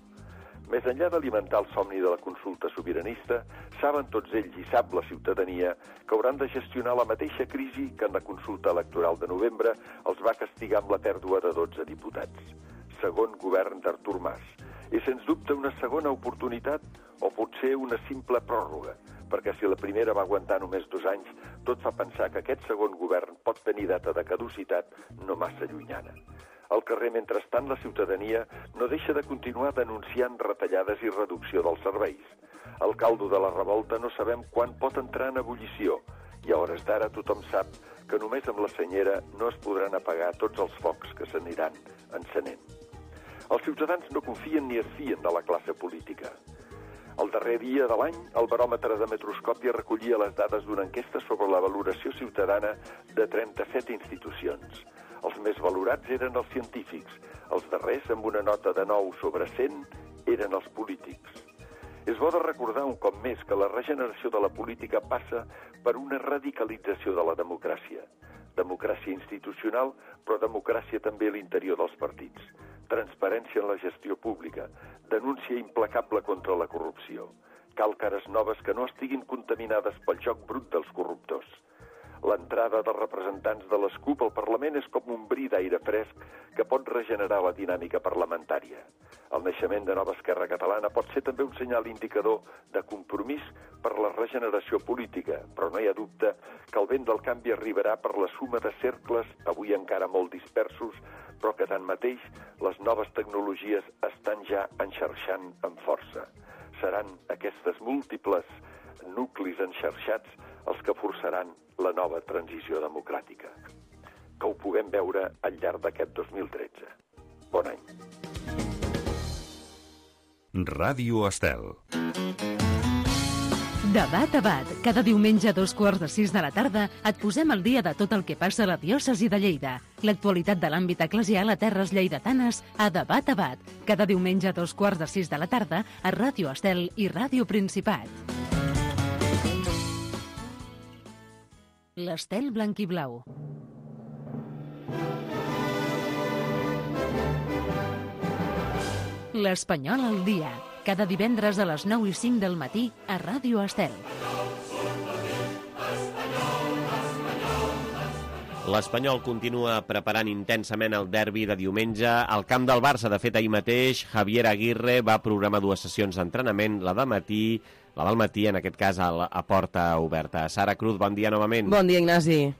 Més enllà d'alimentar el somni de la consulta sobiranista, saben tots ells i sap la ciutadania que hauran de gestionar la mateixa crisi que en la consulta electoral de novembre els va castigar amb la pèrdua de dotze diputats. Segon govern d'Artur Mas. És sens dubte una segona oportunitat o potser una simple pròrroga, perquè si la primera va aguantar només dos anys, tot fa pensar que aquest segon govern pot tenir data de caducitat no massa llunyana. Al carrer, mentrestant, la ciutadania no deixa de continuar denunciant retallades i reducció dels serveis. El caldo de la revolta no sabem quan pot entrar en ebullició i a hores d'ara tothom sap que només amb la senyera no es podran apagar tots els focs que s'aniran encenent. Els ciutadans no confien ni es fien de la classe política. El darrer dia de l'any, el baròmetre de Metroscòpia recollia les dades d'una enquesta sobre la valoració ciutadana de trenta-set institucions. Els més valorats eren els científics, els darrers, amb una nota de nou sobre cent, eren els polítics. És bo de recordar un cop més que la regeneració de la política passa per una radicalització de la democràcia. Democràcia institucional, però democràcia també a l'interior dels partits. Transparència en la gestió pública, denúncia implacable contra la corrupció. Cal cares noves que no estiguin contaminades pel joc brut dels corruptors. L'entrada dels representants de les CUP al Parlament és com un bri d'aire fresc que pot regenerar la dinàmica parlamentària. El naixement de Nova Esquerra Catalana pot ser també un senyal indicador de compromís per la regeneració política, però no hi ha dubte que el vent del canvi arribarà per la suma de cercles, avui encara molt dispersos, però que tanmateix les noves tecnologies estan ja enxarxant amb força. Seran aquestes múltiples nuclis enxarxats els que forçaran la nova transició democràtica. Que ho puguem veure al llarg d'aquest dos mil tretze. Bon any. Ràdio Estel. Debat a Bat. Cada diumenge a dos quarts de sis de la tarda et posem al dia de tot el que passa a la diòcesi de Lleida. L'actualitat de l'àmbit eclesial a terres lleidatanes a Debat a Bat. Cada diumenge a dos quarts de sis de la tarda a Ràdio Estel i Ràdio Principat. L'Estel Blanquiblau. L'Espanyol al dia, cada divendres a les nou i cinc del matí a Ràdio Estel. L'Espanyol continua preparant intensament el derbi de diumenge al camp del Barça. De fet, ahir mateix, Javier Aguirre va programar dues sessions d'entrenament, la de matí, la del matí, en aquest cas, a, a porta oberta. Sara Cruz, bon dia novament. Bon dia, Ignasi.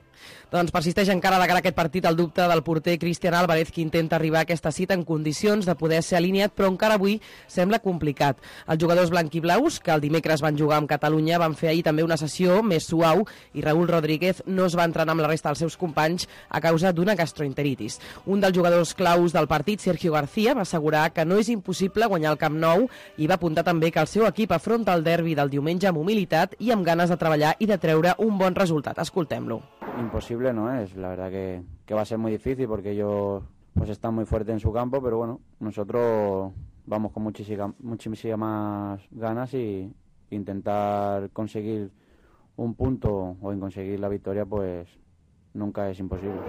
Doncs persisteix encara de cara a aquest partit el dubte del porter Cristian Álvarez, que intenta arribar a aquesta cita en condicions de poder ser alineat, però encara avui sembla complicat. Els jugadors blanquiblaus, que el dimecres van jugar amb Catalunya, van fer ahir també una sessió més suau i Raúl Rodríguez no es va entrenar amb la resta dels seus companys a causa d'una gastroenteritis. Un dels jugadors claus del partit, Sergio García, va assegurar que no és impossible guanyar el Camp Nou i va apuntar també que el seu equip afronta el derbi del diumenge amb humilitat i amb ganes de treballar i de treure un bon resultat. Escoltem-lo. Imposible no es, la verdad que, que va a ser muy difícil porque ellos pues están muy fuertes en su campo, pero bueno, nosotros vamos con muchísimas, muchísimas ganas y intentar conseguir un punto o en conseguir la victoria pues nunca es imposible.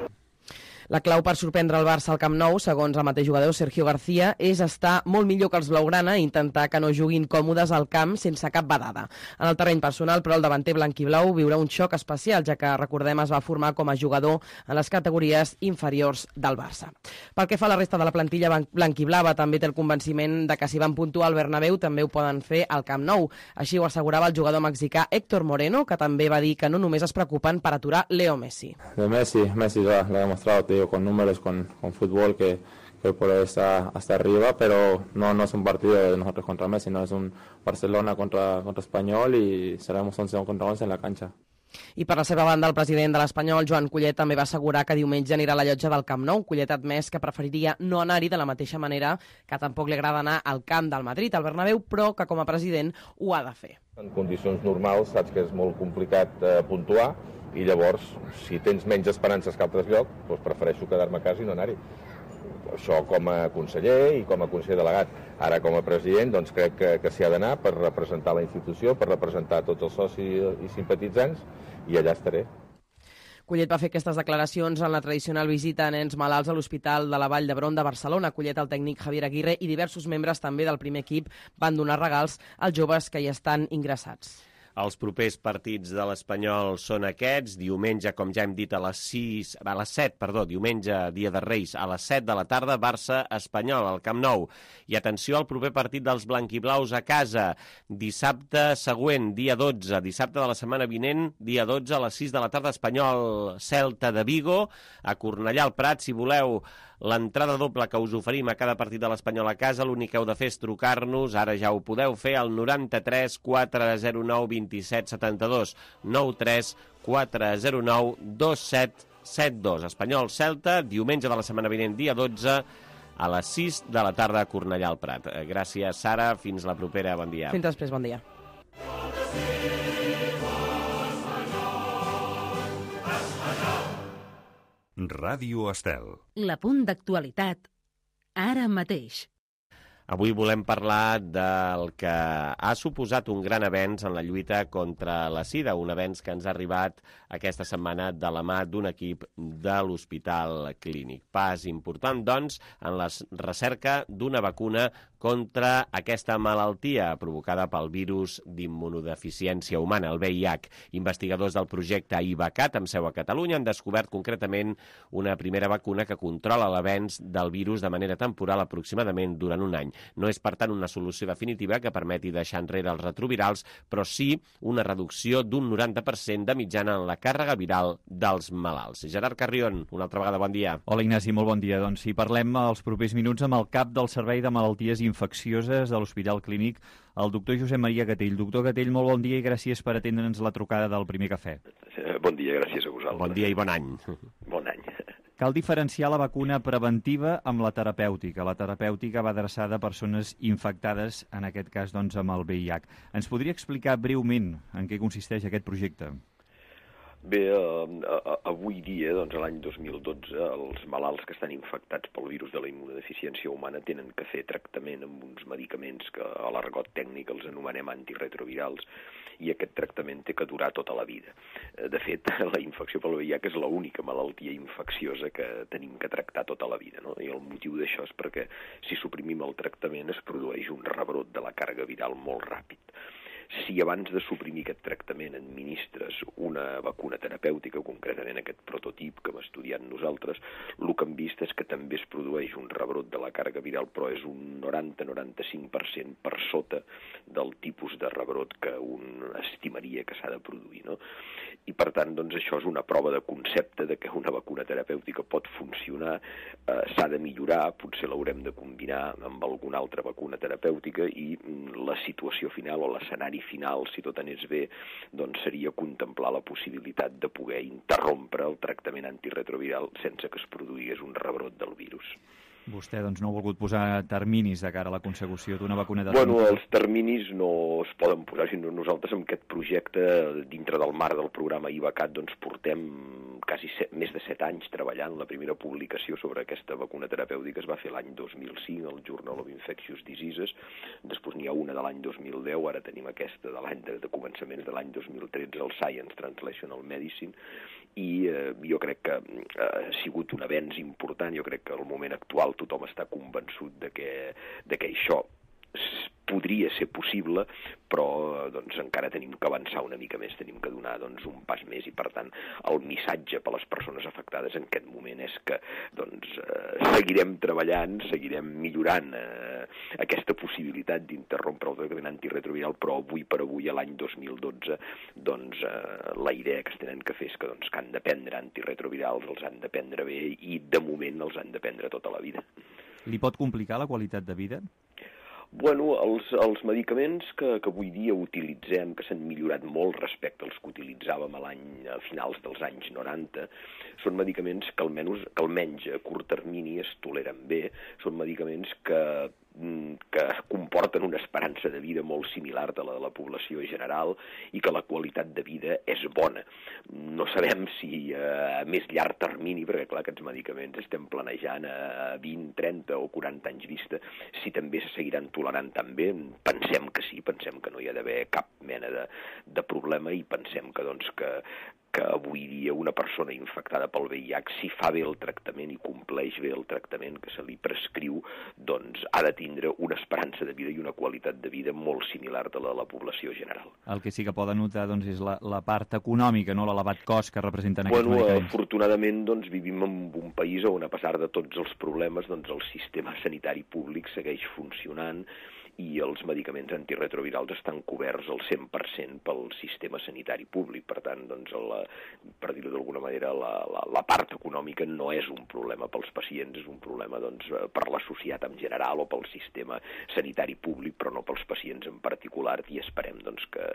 La clau per sorprendre el Barça al Camp Nou, segons el mateix jugador Sergio García, és estar molt millor que els blaugrana i intentar que no juguin còmodes al camp sense cap badada. En el terreny personal, però, el davanter blanquiblau viurà un xoc especial, ja que, recordem, es va formar com a jugador en les categories inferiors del Barça. Pel que fa a la resta de la plantilla blanquiblava, també té el convenciment de que si van puntuar al Bernabéu també ho poden fer al Camp Nou. Així ho assegurava el jugador mexicà Héctor Moreno, que també va dir que no només es preocupen per aturar Leo Messi. De Messi, Messi lo ha demostrado, con números, con, con fútbol que, que puede estar hasta arriba, pero no, no es un partido de nosotros contra Messi, no es un Barcelona contra, contra Espanyol y seremos once contra once en la cancha. I per la seva banda, el president de l'Espanyol, Joan Collet, també va assegurar que diumenge anirà a la llotja del Camp Nou. Collet ha admès que preferiria no anar-hi de la mateixa manera que tampoc li agrada anar al camp del Madrid, al Bernabéu, però que com a president ho ha de fer. En condicions normals saps que és molt complicat eh, puntuar, i llavors, si tens menys esperances que altres llocs, doncs prefereixo quedar-me a casa i no anar-hi. Això com a conseller i com a conseller delegat. Ara, com a president, doncs crec que, que s'hi ha d'anar per representar la institució, per representar tots els socis i simpatitzants, i allà estaré. Collet va fer aquestes declaracions en la tradicional visita a nens malalts a l'Hospital de la Vall d'Hebron de Barcelona. Collet, el tècnic Javier Aguirre i diversos membres també del primer equip van donar regals als joves que hi estan ingressats. Els propers partits de l'Espanyol són aquests. Diumenge, com ja hem dit, a les sis, a les set, perdó, diumenge, dia de Reis, a les set de la tarda, Barça-Espanyol, al Camp Nou. I atenció al proper partit dels blanquiblaus a casa. Dissabte següent, dia dotze, dissabte de la setmana vinent, dia dotze, a les sis de la tarda, Espanyol-Celta de Vigo, a Cornellà al Prat. Si voleu l'entrada doble que us oferim a cada partit de l'Espanyol a casa, l'únic que heu de fer és trucar-nos, ara ja ho podeu fer, al noranta-tres quatre zero nou vint-i-set setanta-dos, noranta-tres quatre zero nou dos set set dos. Espanyol-Celta, diumenge de la setmana vinent, dia dotze, a les sis de la tarda a Cornellà al Prat. Gràcies, Sara. Fins la propera. Bon dia. Fins després. Bon dia. Ràdio Estel. La punt d'actualitat, ara mateix. Avui volem parlar del que ha suposat un gran avenç en la lluita contra la sida, un avenç que ens ha arribat aquesta setmana de la mà d'un equip de l'Hospital Clínic. Pas important, doncs, en la recerca d'una vacuna contra aquesta malaltia provocada pel virus d'immunodeficiència humana, el V I H. Investigadors del projecte IVACAT, amb seu a Catalunya, han descobert concretament una primera vacuna que controla l'avenç del virus de manera temporal aproximadament durant un any. No és, per tant, una solució definitiva que permeti deixar enrere els retrovirals, però sí una reducció d'un noranta per cent de mitjana en la càrrega viral dels malalts. Gerard Carrion, una altra vegada, bon dia. Hola, Ignasi, molt bon dia. Doncs si parlem els propers minuts amb el cap del Servei de Malalties Infeccioses de l'Hospital Clínic, el doctor Josep Maria Gatell. Doctor Gatell, molt bon dia i gràcies per atendre'ns la trucada del Primer Cafè. Bon dia, gràcies a vosaltres. Bon dia i bon any. Bon any. Cal diferenciar la vacuna preventiva amb la terapèutica. La terapèutica va adreçada a persones infectades, en aquest cas doncs, amb el V I H. Ens podria explicar breument en què consisteix aquest projecte? Bé, eh, avui dia, doncs, l'any dos mil dotze, els malalts que estan infectats pel virus de la immunodeficiència humana tenen que fer tractament amb uns medicaments que a l'argot tècnic els anomenem antiretrovirals, i aquest tractament té que durar tota la vida. De fet, la infecció pel V I H és l'única malaltia infecciosa que tenim que tractar tota la vida, no? I el motiu d'això és perquè si suprimim el tractament es produeix un rebrot de la càrrega viral molt ràpid. Si abans de suprimir aquest tractament administres una vacuna terapèutica, concretament aquest prototip que hem estudiat nosaltres, el que hem vist és que també es produeix un rebrot de la càrrega viral, però és un noranta a noranta-cinc per cent per sota del tipus de rebrot que un estimaria que s'ha de produir, no? I per tant, doncs, això és una prova de concepte de que una vacuna terapèutica pot funcionar, eh, s'ha de millorar, potser l'haurem de combinar amb alguna altra vacuna terapèutica i la situació final o l'escenari final, si tot anés bé, doncs seria contemplar la possibilitat de poder interrompre el tractament antiretroviral sense que es produís un rebrot del virus. Vostè doncs, no ha volgut posar terminis de cara a la consecució d'una vacuna de... Bueno, els terminis no es poden posar, sinó nosaltres amb aquest projecte, dintre del marc del programa IVACAT, doncs portem quasi set, més de set anys treballant. La primera publicació sobre aquesta vacuna terapèutica es va fer l'any dos mil cinc, al Journal of Infectious Diseases, després n'hi ha una de l'any dos mil deu, ara tenim aquesta de l'any de, de començaments de l'any dos mil tretze, el Science Translational Medicine, i eh, jo crec que eh, ha sigut un avenç important. Jo crec que al moment actual tothom està convençut de que, de que això podria ser possible, però doncs, encara tenim que avançar una mica més, tenim que donar doncs, un pas més, i per tant el missatge per a les persones afectades en aquest moment és que doncs, eh, seguirem treballant, seguirem millorant eh, aquesta possibilitat d'interrompre el tractament antiretroviral, però avui per avui, a l'any dos mil dotze, doncs, eh, la idea que es tenen que fer és que, doncs, que han de prendre antiretrovirals, els han de prendre bé, i de moment els han de prendre tota la vida. Li pot complicar la qualitat de vida? Bueno, els, els medicaments que, que avui dia utilitzem, que s'han millorat molt respecte als que utilitzàvem a l'any, a finals dels anys noranta, són medicaments que almenys, que almenys a curt termini es toleren bé, són medicaments que que comporten una esperança de vida molt similar a la de la població general i que la qualitat de vida és bona. No sabem si a més llarg termini, perquè clar, aquests medicaments estem planejant a vint, trenta o quaranta anys vista, si també se seguiran tolerant tan bé. Pensem que sí, pensem que no hi ha d'haver cap mena de, de problema, i pensem que, doncs, que, que avui dia una persona infectada pel V I H, si fa bé el tractament i compleix bé el tractament que se li prescriu, doncs ha de tindre una esperança de vida i una qualitat de vida molt similar a la de la població general. El que sí que poden notar doncs, és la, la part econòmica, no? L'elevat cost que representen aquests bueno, medicaments. Afortunadament doncs, vivim en un país on, a pesar de tots els problemes, doncs, el sistema sanitari públic segueix funcionant i els medicaments antiretrovirals estan coberts al cent per cent pel sistema sanitari públic. Per tant, doncs, la, per dir-ho d'alguna manera, la, la, la part econòmica no és un problema pels pacients, és un problema doncs, per la societat en general o pel sistema sanitari públic, però no pels pacients en particular, i esperem doncs, que,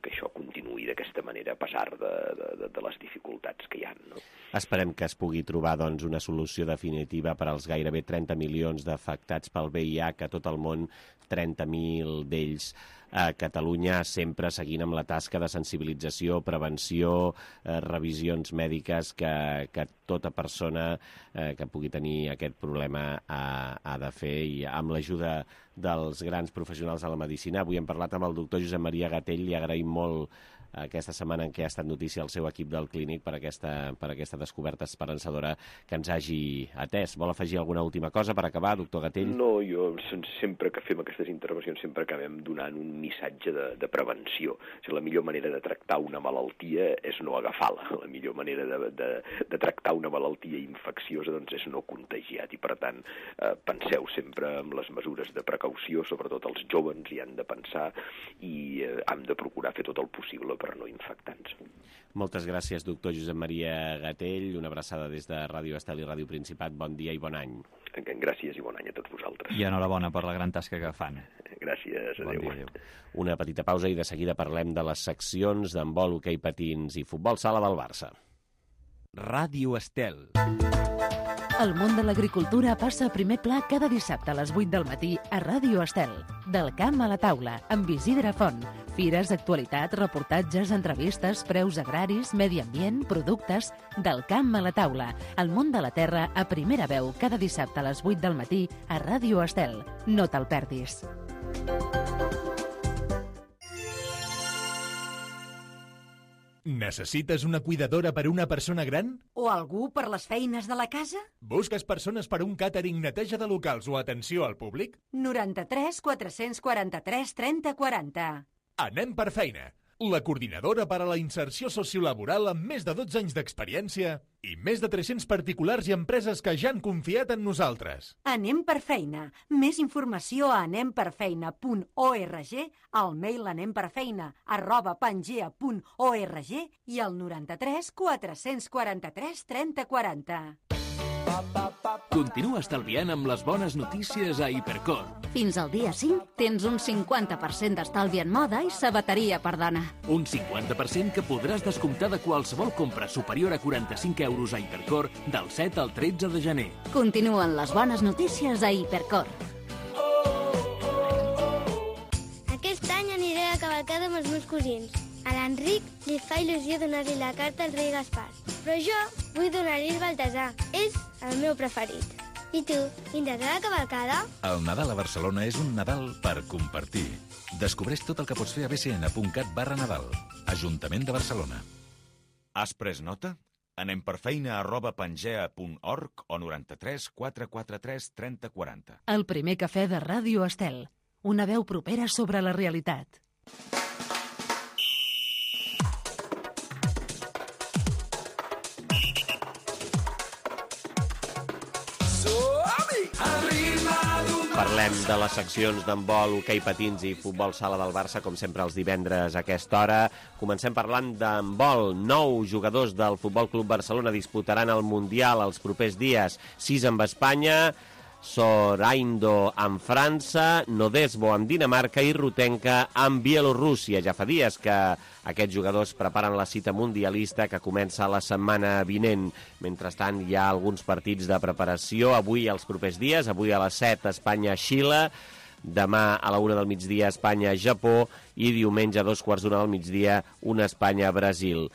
que això continuï d'aquesta manera a pesar de, de, de les dificultats que hi ha. No? Esperem que es pugui trobar doncs, una solució definitiva per als gairebé trenta milions d'afectats pel V I H a tot el món, trenta mil d'ells a Catalunya, sempre seguint amb la tasca de sensibilització, prevenció, eh, revisions mèdiques que, que tota persona eh, que pugui tenir aquest problema ha, ha de fer, i amb l'ajuda dels grans professionals de la medicina. Avui hem parlat amb el doctor Josep Maria Gatell, li agraïm molt aquesta setmana en què ha estat notícia el seu equip del Clínic per aquesta, per aquesta descoberta esperançadora que ens hagi atès. Vol afegir alguna última cosa per acabar, doctor Gatell? No, jo sempre que fem aquestes intervencions sempre acabem donant un missatge de, de prevenció. O sigui, la millor manera de tractar una malaltia és no agafar-la. La millor manera de, de, de tractar una malaltia infecciosa doncs, és no contagiat, i per tant eh, penseu sempre en les mesures de precaució, sobretot els joves hi han de pensar, i eh, hem de procurar fer tot el possible per no infectar-nos. Moltes gràcies, doctor Josep Maria Gatell. Una abraçada des de Ràdio Estel i Ràdio Principat. Bon dia i bon any. Gràcies i bon any a tots vosaltres. I enhorabona per la gran tasca que fan. Gràcies, adéu. Bon dia, adéu. Una petita pausa i de seguida parlem de les seccions d'handbol, hoquei patins i futbol sala del Barça. Ràdio Estel. El món de l'agricultura passa a primer pla cada dissabte a les vuit del matí a Ràdio Estel. Del camp a la taula, amb Isidre Font. Fires, actualitat, reportatges, entrevistes, preus agraris, medi ambient, productes... Del camp a la taula. El món de la terra a primera veu cada dissabte a les vuit del matí a Ràdio Estel. No te'l perdis. Necessites una cuidadora per una persona gran? O algú per les feines de la casa? Busques persones per un càtering, neteja de locals o atenció al públic? noranta-tres quatre-cents quaranta-tres trenta quaranta. Anem per feina. La coordinadora per a la inserció sociolaboral amb més de dotze anys d'experiència i més de tres-cents particulars i empreses que ja han confiat en nosaltres. Anem per feina. Més informació a anemperfeina punt org, al mail anemperfeina arroba pangea punt org i al noranta-tres quatre-cents quaranta-tres trenta quaranta. Continua estalviant amb les bones notícies a Hipercor. Fins al dia cinc tens un cinquanta per cent d'estalvi en moda i sabateria per dona. Un cinquanta per cent que podràs descomptar de qualsevol compra superior a quaranta-cinc euros a Hipercor del set al tretze de gener. Continuen les bones notícies a Hipercor. Aquest any aniré a cavalcada amb els meus cosins. A l'Enric li fa il·lusió donar-li la carta al rei Gaspar, però jo vull donar-li el Baltasar. És el meu preferit. I tu, vindràs a la cavalcada? El Nadal a Barcelona és un Nadal per compartir. Descobreix tot el que pots fer a bcn.cat barra Nadal. Ajuntament de Barcelona. Has pres nota? Anem per feina arroba pangea punt org o noranta-tres quatre quaranta-tres trenta quaranta. El primer cafè de Ràdio Estel. Una veu propera sobre la realitat. Parlem de les seccions d'handbol, hoquei patins i futbol sala del Barça, com sempre els divendres a aquesta hora. Comencem parlant d'handbol. Nou jugadors del Futbol Club Barcelona disputaran el Mundial els propers dies. Sis amb Espanya, Soraindo amb França, Nodesbo amb Dinamarca i Rutenka amb Bielorússia. Ja fa dies que aquests jugadors preparen la cita mundialista que comença la setmana vinent. Mentrestant, hi ha alguns partits de preparació avui als propers dies. Avui a les set, Espanya-Xile. Demà a la una del migdia, Espanya-Japó. I diumenge a dos quarts d'una del migdia, una Espanya-Brasil.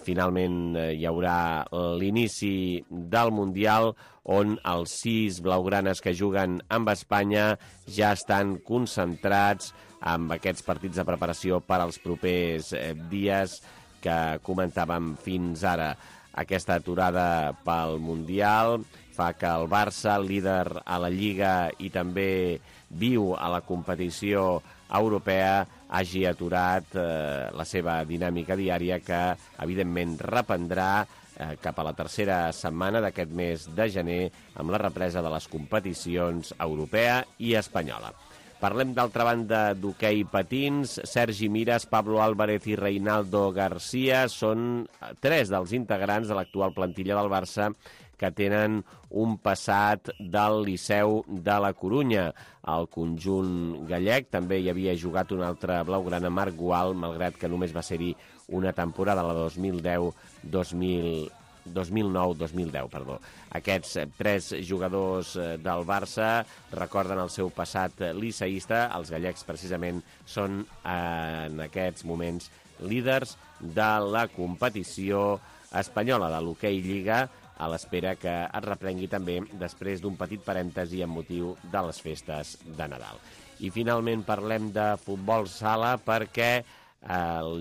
Finalment hi haurà l'inici del Mundial on els sis blaugranes que juguen amb Espanya ja estan concentrats amb aquests partits de preparació per als propers dies que comentàvem fins ara. Aquesta aturada pel Mundial fa que el Barça, líder a la Lliga i també viu a la competició europea, hagi aturat eh, la seva dinàmica diària que, evidentment, reprendrà eh, cap a la tercera setmana d'aquest mes de gener amb la represa de les competicions europea i espanyola. Parlem, d'altra banda, d'hoquei patins. Sergi Miras, Pablo Álvarez i Reinaldo García són tres dels integrants de l'actual plantilla del Barça que tenen un passat del Liceu de la Corunya. Al conjunt gallec també hi havia jugat un altre blaugrana, Marc Gual, malgrat que només va ser-hi una temporada, la dos mil deu dos mil dos mil nou dos mil deu, perdó. Aquests tres jugadors del Barça recorden el seu passat liceísta. Els gallecs, precisament, són en aquests moments líders de la competició espanyola de l'hoquei Lliga, a l'espera que es reprengui també després d'un petit parèntesi amb motiu de les festes de Nadal. I finalment parlem de futbol sala perquè el,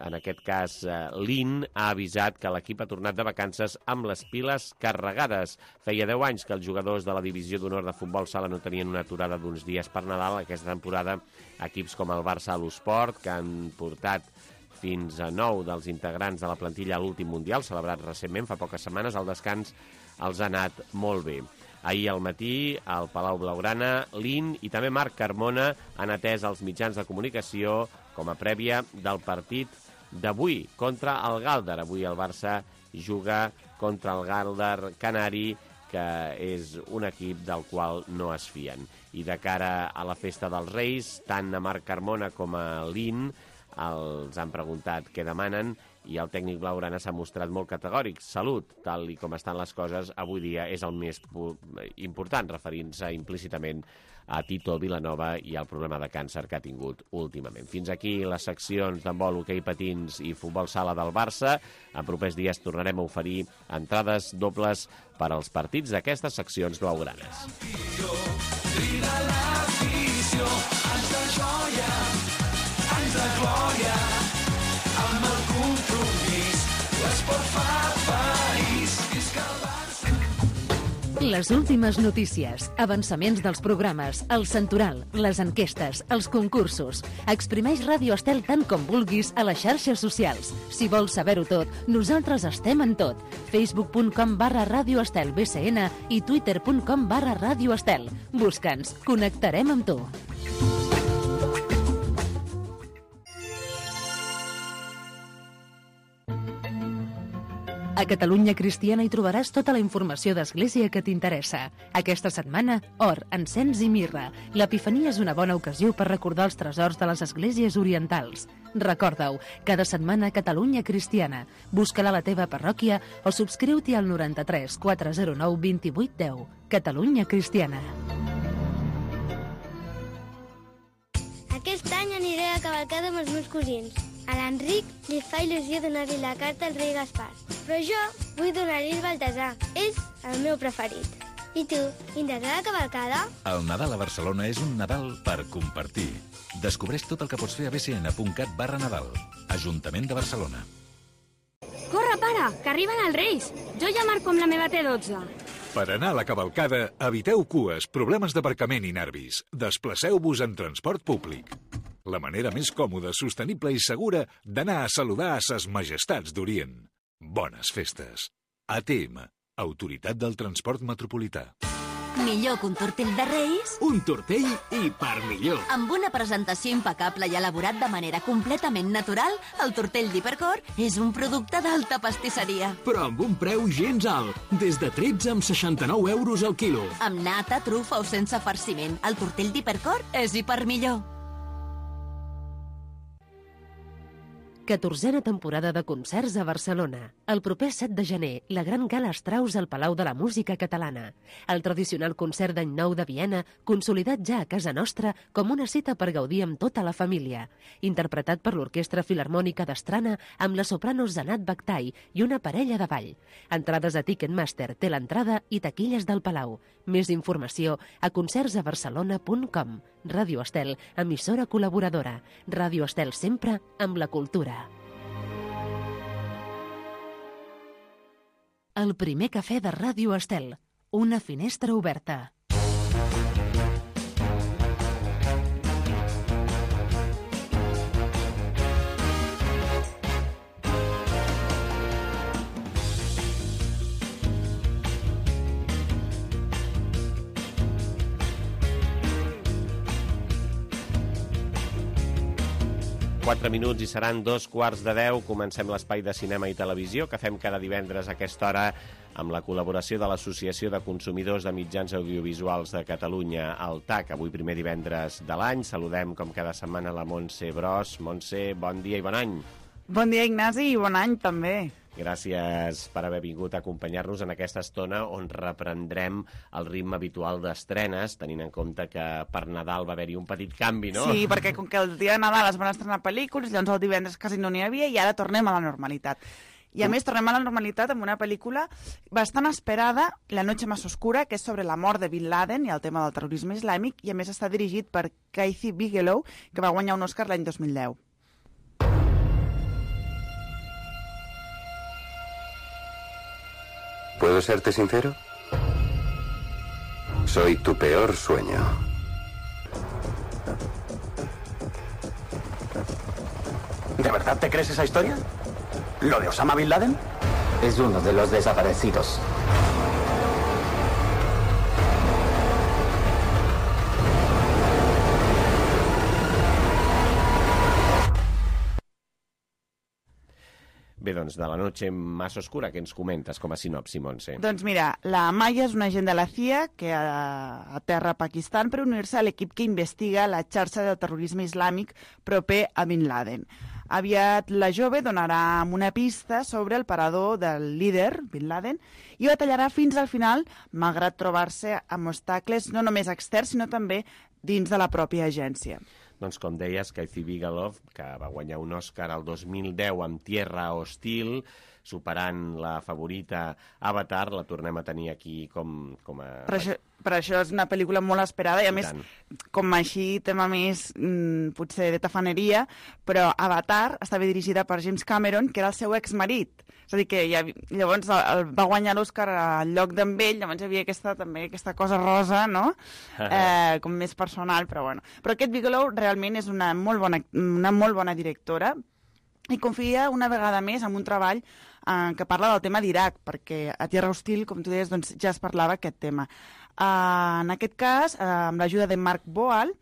en aquest cas l'I N ha avisat que l'equip ha tornat de vacances amb les piles carregades. Feia deu anys que els jugadors de la divisió d'honor de futbol sala no tenien una aturada d'uns dies per Nadal. Aquesta temporada equips com el Barça a l'Esport, que han portat fins a nou dels integrants de la plantilla a l'últim Mundial, celebrat recentment, fa poques setmanes, el descans els ha anat molt bé. Ahir al matí, al Palau Blaugrana, l'I N i també Marc Carmona han atès els mitjans de comunicació com a prèvia del partit d'avui contra el Gàlder. Avui el Barça juga contra el Gàlder Canari, que és un equip del qual no es fien. I de cara a la festa dels Reis, tant a Marc Carmona com a l'I N els han preguntat què demanen i el tècnic blaugrana s'ha mostrat molt categòric. Salut, tal i com estan les coses, avui dia és el més important, referint-se implícitament a Tito Vilanova i al problema de càncer que ha tingut últimament. Fins aquí les seccions d'handbol, hoquei patins i futbol sala del Barça. En propers dies tornarem a oferir entrades dobles per als partits d'aquestes seccions blaugranes. Crida l'afició, anys de joia, anys de glòria, amb el compromís, l'esport fa país, visca el Barça. Les últimes notícies, avançaments dels programes, el santoral, les enquestes, els concursos. Exprimeix Ràdio Estel tant com vulguis a les xarxes socials. Si vols saber-ho tot, nosaltres estem en tot. facebook punt com barra Ràdio Estel B C N i twitter punt com barra Ràdio Estel. Busca'ns, connectarem amb tu. A Catalunya Cristiana hi trobaràs tota la informació d'Església que t'interessa. Aquesta setmana, or, encens i mirra. L'Epifania és una bona ocasió per recordar els tresors de les esglésies orientals. Recorda-ho, cada setmana a Catalunya Cristiana. Busca-la a la teva parròquia o subscriu-t'hi al noranta-tres quatre zero nou vint vuit deu. Catalunya Cristiana. Aquest any aniré a cavalcada amb els meus cosins. A l'Enric li fa il·lusió donar-li la carta al rei Gaspar. Però jo vull donar-li el Baltasar. És el meu preferit. I tu, vindràs a la cavalcada? El Nadal a Barcelona és un Nadal per compartir. Descobreix tot el que pots fer a b c n punt cat barra Nadal. Ajuntament de Barcelona. Corre, pare, que arriben els Reis. Jo ja marco amb la meva T dotze. Per anar a la cavalcada, eviteu cues, problemes d'aparcament i nervis. Desplaceu-vos en transport públic. La manera més còmoda, sostenible i segura d'anar a saludar a ses majestats d'Orient. Bones festes. A T M, Autoritat del Transport Metropolità. Millor que un tortell de Reis? Un tortell i per millor. Amb una presentació impecable i elaborat de manera completament natural, el tortell d'Hipercor és un producte d'alta pastisseria. Però amb un preu gens alt, des de tretze amb seixanta-nou euros al quilo. Amb nata, trufa o sense farciment, el tortell d'Hipercor és hiper millor. catorzena temporada de concerts a Barcelona. El proper set de gener, la gran gala Strauss al Palau de la Música Catalana. El tradicional concert d'any nou de Viena, consolidat ja a casa nostra com una cita per gaudir amb tota la família. Interpretat per l'Orquestra Filharmònica d'Estrana amb la soprano Zanat Baktai i una parella de ball. Entrades a Ticketmaster, té l'entrada i taquilles del Palau. Més informació a concerts a barcelona punt com. Ràdio Estel, emissora col·laboradora. Ràdio Estel sempre amb la cultura. El primer cafè de Ràdio Estel. Una finestra oberta. Quatre minuts i seran dos quarts de deu. Comencem l'espai de cinema i televisió que fem cada divendres a aquesta hora amb la col·laboració de l'Associació de Consumidors de Mitjans Audiovisuals de Catalunya, el T A C. Avui primer divendres de l'any. Saludem com cada setmana la Montse Bros. Montse, bon dia i bon any. Bon dia, Ignasi, i bon any també. Gràcies per haver vingut a acompanyar-nos en aquesta estona on reprendrem el ritme habitual d'estrenes, tenint en compte que per Nadal va haver-hi un petit canvi, no? Sí, perquè com que el dia de Nadal es van estrenar pel·lícules, llavors el divendres quasi no n'hi havia i ara tornem a la normalitat. I a més tornem a la normalitat amb una pel·lícula bastant esperada, La noche más oscura, que és sobre la mort de Bin Laden i el tema del terrorisme islàmic, i a més està dirigit per Kathy Bigelow, que va guanyar un Oscar l'any dos mil deu. ¿Puedo serte sincero? Soy tu peor sueño. ¿De verdad te crees esa historia? ¿Lo de Osama Bin Laden? Es uno de los desaparecidos. Bé, doncs, de La noche más oscura, què ens comentes com a sinopsi, Montse? Doncs mira, la Maya és una agent de la C I A que aterra a Pakistan per unir-se a l'equip que investiga la xarxa de terrorisme islàmic proper a Bin Laden. Aviat la jove donarà una pista sobre el parador del líder, Bin Laden, i batallarà fins al final, malgrat trobar-se amb obstacles no només externs, sinó també dins de la pròpia agència. Doncs com deies, Kathy Bigelow, que va guanyar un Òscar el dos mil deu amb Tierra Hostil, superant la favorita Avatar, la tornem a tenir aquí com, com a... Per això, per això és una pel·lícula molt esperada i a I més, tant. Com així, tema més mmm, potser de tafaneria, però Avatar estava dirigida per James Cameron, que era el seu exmarit. És a dir, que ja, llavors el, el va guanyar l'Òscar al lloc d'en ell, llavors hi havia aquesta, també aquesta cosa rosa, no? eh, com més personal, però bueno. Però aquest Bigelow realment és una molt bona, una molt bona directora i confia una vegada més en un treball eh, que parla del tema d'Iraq, perquè a Tierra Hostil, com tu deies, doncs, ja es parlava aquest tema. Eh, en aquest cas, eh, amb l'ajuda de Mark Boal,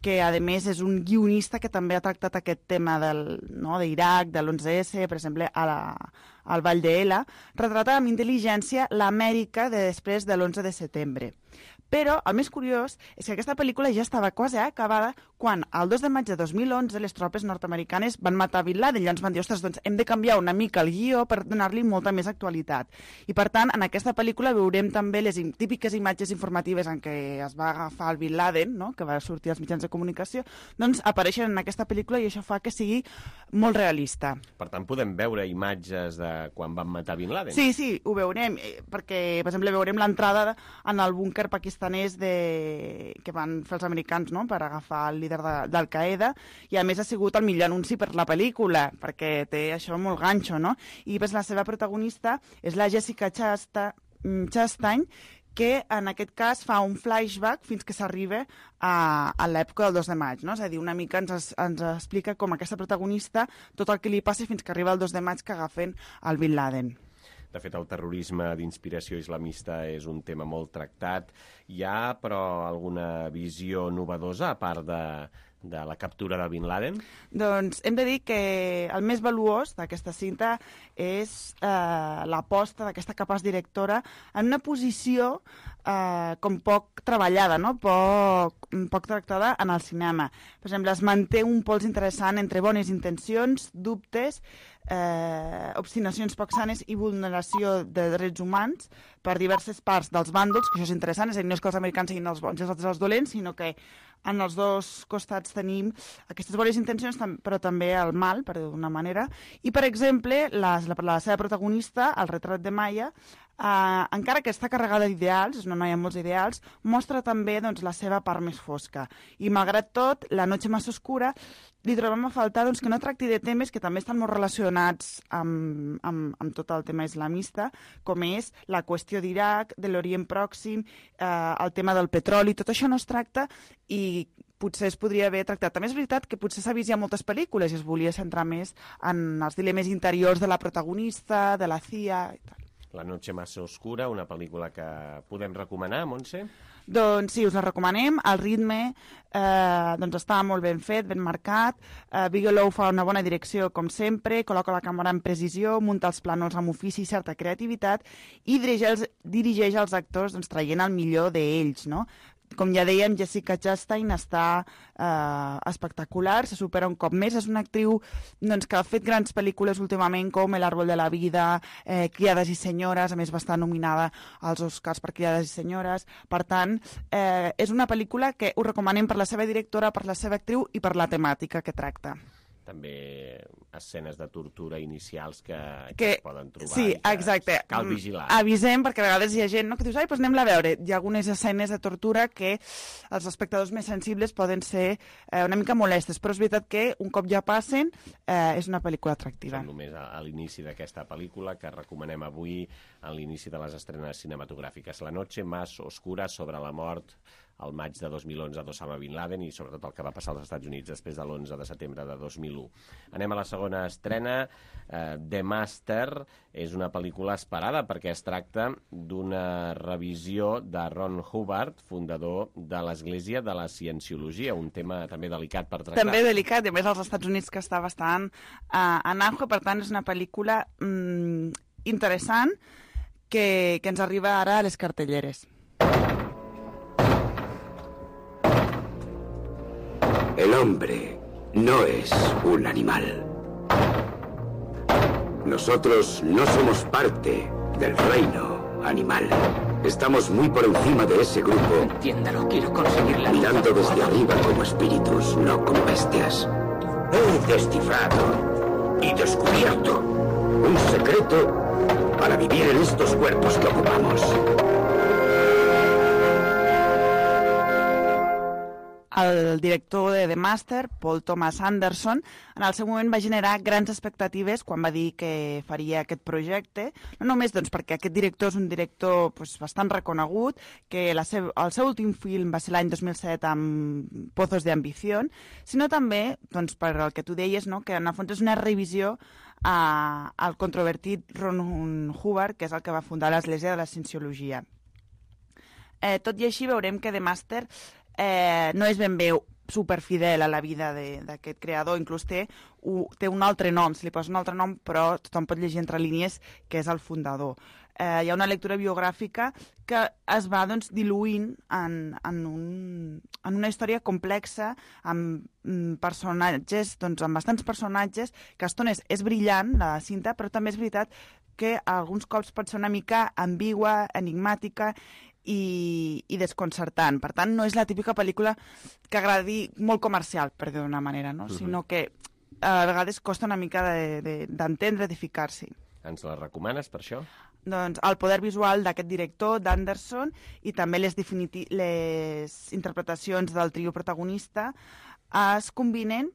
que a més és un guionista que també ha tractat aquest tema del, no, d'Iraq, de l'onze esse, per exemple, a la, al Vall d'Ela, retrata amb intel·ligència l'Amèrica de després de l'onze de setembre. Però el més curiós és que aquesta pel·lícula ja estava quasi acabada quan el dos de maig de dos mil onze les tropes nord-americanes van matar Bin Laden i llavors van dir, ostres, doncs hem de canviar una mica el guió per donar-li molta més actualitat. I per tant, en aquesta pel·lícula veurem també les típiques imatges informatives en què es va agafar el Bin Laden, no?, que va sortir als mitjans de comunicació, doncs apareixen en aquesta pel·lícula i això fa que sigui molt realista. Per tant, podem veure imatges de quan van matar Bin Laden? Sí, sí, ho veurem, perquè, per exemple, veurem l'entrada en el búnquer pakistanès de... que van fer els americans, no?, per agafar el líder de, d'Al-Qaeda, i a més ha sigut el millor anunci per la pel·lícula, perquè té això molt ganxo, no? I pues, la seva protagonista és la Jessica Chasta, Chastain, que en aquest cas fa un flashback fins que s'arriba a, a l'època del dos de maig, no? És a dir, una mica ens, ens explica com aquesta protagonista tot el que li passa fins que arriba el dos de maig que agafen el Bin Laden. De fet, el terrorisme d'inspiració islamista és un tema molt tractat. Hi ha, però, alguna visió novedosa, a part de, de la captura de Bin Laden? Doncs hem de dir que el més valuós d'aquesta cinta és eh, l'aposta d'aquesta capaç directora en una posició eh, com poc treballada, no? poc, poc tractada en el cinema. Per exemple, es manté un pols interessant entre bones intencions, dubtes, eh, obstinacions poc sanes i vulneració de drets humans per diverses parts dels bàndols, que això és interessant, és a dir, no és que els americans siguin els bons i els altres els dolents, sinó que en els dos costats tenim aquestes bones intencions, però també el mal, per dir d'una manera. I, per exemple, la, la, la seva protagonista, el retrat de Maya, eh, encara que està carregada d'ideals, és una noia amb molts ideals, mostra també doncs, la seva part més fosca. I, malgrat tot, La noche más oscura li trobem a faltar doncs, que no tracti de temes que també estan molt relacionats amb, amb, amb tot el tema islamista, com és la qüestió d'Iraq, de l'Orient Pròxim, eh, el tema del petroli, tot això no es tracta i potser es podria haver tractat. També és veritat que potser s'ha vist ja moltes pel·lícules i es volia centrar més en els dilemes interiors de la protagonista, de la C I A i tal. La noche más oscura, una pel·lícula que podem recomanar, Montse? Doncs sí, us la recomanem. El ritme eh, doncs està molt ben fet, ben marcat. Eh, Bigelow fa una bona direcció, com sempre, col·loca la càmera en precisió, munta els plànols amb ofici i certa creativitat i dirigeix els, dirigeix els actors doncs, traient el millor d'ells, no? Com ja dèiem, Jessica Chastain està eh, espectacular, se supera un cop més. És una actriu doncs, que ha fet grans pel·lícules últimament, com El árbol de la vida, eh, Criades i senyores, a més va estar nominada als Oscars per Criades i senyores. Per tant, eh, és una pel·lícula que us recomanem per la seva directora, per la seva actriu i per la temàtica que tracta. També escenes de tortura inicials que, que, que es poden trobar. Sí, exacte. Cal vigilar. Avisem, perquè a vegades hi ha gent no, que dius, ai, doncs anem-la a veure. Hi ha algunes escenes de tortura que els espectadors més sensibles poden ser eh, una mica molestes, però és veritat que un cop ja passen eh, és una pel·lícula atractiva. Som només a, a l'inici d'aquesta pel·lícula que recomanem avui a l'inici de les estrenes cinematogràfiques. La noche más oscura, sobre la mort, el maig de dos mil onze d'Osama Bin Laden i sobretot el que va passar als Estats Units després de l'onze de setembre de dos mil u. Anem a la segona estrena. eh, The Master és una pel·lícula esperada perquè es tracta d'una revisió de Ron Hubbard, fundador de l'Església de la Cienciologia, un tema també delicat per tractar. També delicat, i a més als Estats Units que està bastant uh, en auge, per tant és una pel·lícula mm, interessant que, que ens arriba ara a les cartelleres. El hombre no es un animal. Nosotros no somos parte del reino animal. Estamos muy por encima de ese grupo. Entiéndalo, quiero conseguir la mirando desde arriba como espíritus, no como bestias. He descifrado y descubierto un secreto para vivir en estos cuerpos que ocupamos. El director de The Master, Paul Thomas Anderson, en el seu moment va generar grans expectatives quan va dir que faria aquest projecte, no només doncs, perquè aquest director és un director doncs, bastant reconegut, que la seu, el seu últim film va ser l'any dos mil set amb Pozos de Ambición, sinó també doncs, per el que tu deies, no? Que en el fons és una revisió a, al controvertit Ron Hubbard, que és el que va fundar l'Església de la Cienciologia. Eh, tot i així veurem que The Master Eh, no és ben bé superfidel a la vida d'aquest creador, inclús té, u, té un altre nom, se li posa un altre nom, però tothom pot llegir entre línies que és el fundador. Eh, hi ha una lectura biogràfica que es va doncs, diluint en, en, un, en una història complexa, amb personatges, doncs, amb bastants personatges, que a estones és brillant, la cinta, però també és veritat que alguns cops pot ser una mica ambigua, enigmàtica, I, i desconcertant. Per tant, no és la típica pel·lícula que agradi molt comercial, per dir d'una manera, no? Uh-huh. Sinó que a vegades costa una mica d'entendre, de, de, de ficar-s'hi. Ens la recomanes per això? Doncs el poder visual d'aquest director, d'Anderson, i també les, les interpretacions del trio protagonista es combinen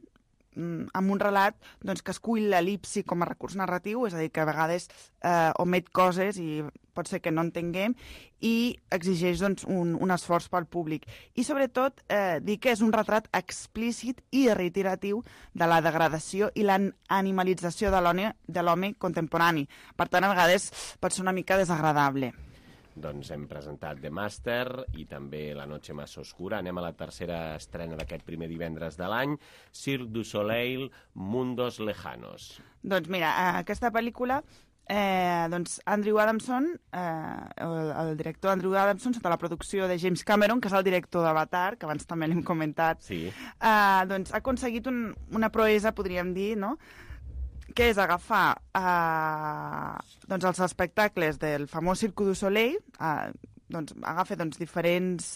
amb un relat doncs, que escull l'el·lipsi com a recurs narratiu, és a dir, que a vegades eh, omet coses i pot ser que no entenguem, i exigeix doncs, un, un esforç pel públic. I sobretot eh, dir que és un retrat explícit i reiteratiu de la degradació i l'animalització de l'home contemporani. Per tant, a vegades pot ser una mica desagradable. Doncs hem presentat The Master i també La noche más oscura. Anem a la tercera estrena d'aquest primer divendres de l'any, Cirque du Soleil, Mundos Lejanos. Doncs mira, aquesta pel·lícula, eh, doncs Andrew Adamson, eh, el, el director Andrew Adamson, sota la producció de James Cameron, que és el director d'Avatar, que abans també l'hem comentat, sí. eh, doncs ha aconseguit un, una proesa, podríem dir, no?, que és agafar eh, doncs els espectacles del famós Cirque du Soleil, eh, doncs agafa doncs, diferents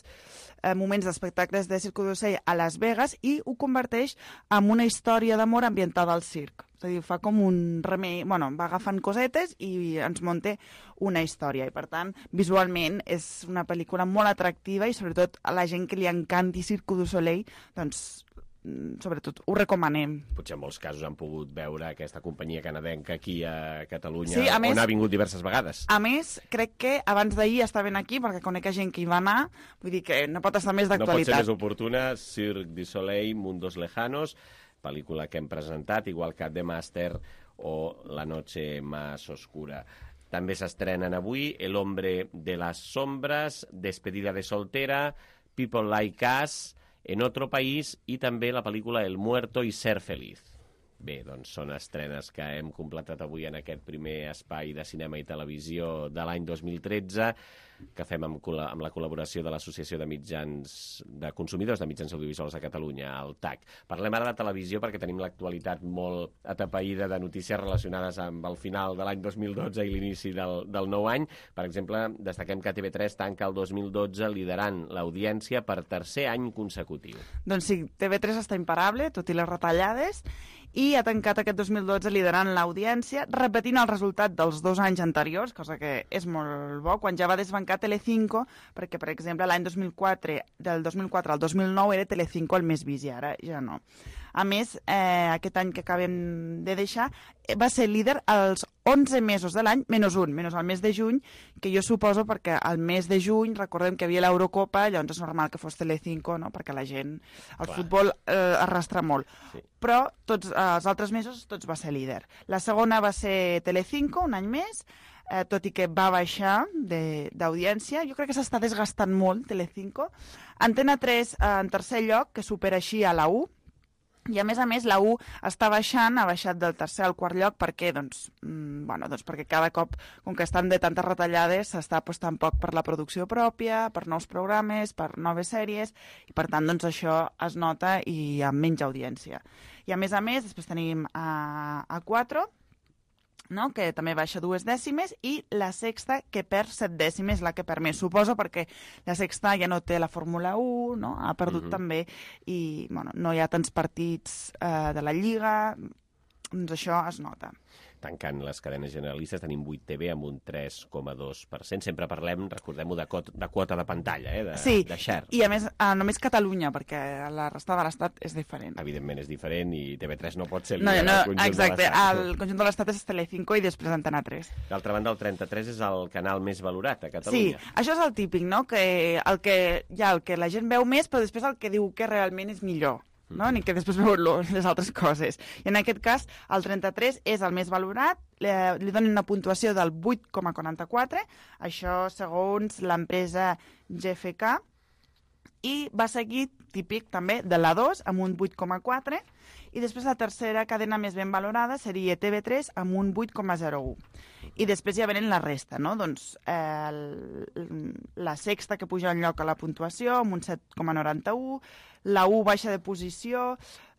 eh, moments d'espectacles de Cirque du Soleil a Las Vegas i ho converteix en una història d'amor ambientada al circ. És a dir, fa com un remei... Bueno, va agafant cosetes i ens munta una història. I, per tant, visualment és una pel·lícula molt atractiva i, sobretot, a la gent que li encanti Cirque du Soleil, doncs, sobretot ho recomanem. Potser en molts casos han pogut veure aquesta companyia canadenca aquí a Catalunya, sí, a més, on ha vingut diverses vegades. A més, crec que abans d'ahir estaven aquí, perquè conec gent que hi va anar, vull dir que no pot estar més d'actualitat. No pot ser més oportuna, Cirque du Soleil, Mundos Lejanos, pel·lícula que hem presentat, igual que The Master o La noche más oscura. També s'estrenen avui El hombre de las sombras, Despedida de soltera, People Like Us, En otro país i també la pel·lícula El muerto y ser feliz. Bé, doncs són estrenes que hem completat avui en aquest primer espai de cinema i televisió de l'any dos mil tretze, que fem amb, amb la col·laboració de l'Associació de Mitjans de Consumidors de Mitjans Audiovisuals de Catalunya, el T A C. Parlem ara de televisió perquè tenim l'actualitat molt atapeïda de notícies relacionades amb el final de l'any dos mil dotze i l'inici del, del nou any. Per exemple, destaquem que T V tres tanca el dos mil dotze liderant l'audiència per tercer any consecutiu. Doncs sí, T V tres està imparable, tot i les retallades, i ha tancat aquest dos mil dotze liderant l'audiència, repetint el resultat dels dos anys anteriors, cosa que és molt bo, quan ja va desbancar tancar Telecinco, perquè, per exemple, l'any dos mil quatre, del dos mil quatre al dos mil nou era Telecinco el més vist i ara ja no. A més, eh, aquest any que acabem de deixar, va ser líder als onze mesos de l'any, menys un, menys el mes de juny, que jo suposo perquè al mes de juny, recordem que hi havia l'Eurocopa, llavors és normal que fos Telecinco, no? Perquè la gent, el Clar. futbol eh, arrastra molt. Sí. Però tots eh, els altres mesos tots va ser líder. La segona va ser Telecinco, un any més, eh, tot i que va baixar d'audiència. Jo crec que s'està desgastant molt, Telecinco. Antena tres, eh, en tercer lloc, que supera així a la u, i a més a més la u està baixant, ha baixat del tercer al quart lloc perquè, doncs, mmm, bueno, doncs perquè cada cop, com que estan de tantes retallades, s'està apostant poc per la producció pròpia, per nous programes, per noves sèries, i per tant doncs, això es nota i amb menys audiència. I a més a més, després tenim a, a quatre, no? Que també baixa dues dècimes, i la sexta, que perd set dècimes, la que perd més. Suposo perquè la sexta ja no té la Fórmula u, no? Ha perdut mm-hmm. també, i bueno, no hi ha tants partits eh, de la Lliga, doncs això es nota. Tancant les cadenes generalistes, tenim vuit T V amb un tres coma dos per cent. Sempre parlem, recordem-ho, de, de quota de pantalla, eh? de, sí, de share. I a més, eh, només Catalunya, perquè la resta de l'Estat és diferent. Evidentment és diferent, i T V tres no pot ser no, líder no, al conjunt exacte, de l'Estat. El conjunt de l'Estat és Telecinco i després Antena tres. D'altra banda, el trenta-tres és el canal més valorat a Catalunya. Sí, això és el típic, no? Que el que hi ha el que la gent veu més, però després el que diu que realment és millor. No? Ni que després veu les altres coses. I en aquest cas, el trenta-tres és el més valorat, li, li donen una puntuació del vuit coma quaranta-quatre, això segons l'empresa G F K, i va seguir, típic també, de la dos, amb un vuit coma quatre, i després la tercera cadena més ben valorada seria T V tres amb un vuit coma zero u. I després ja venen la resta, no? Doncs eh, el, la sexta que puja un lloc a la puntuació amb un set coma noranta-u, la u baixa de posició,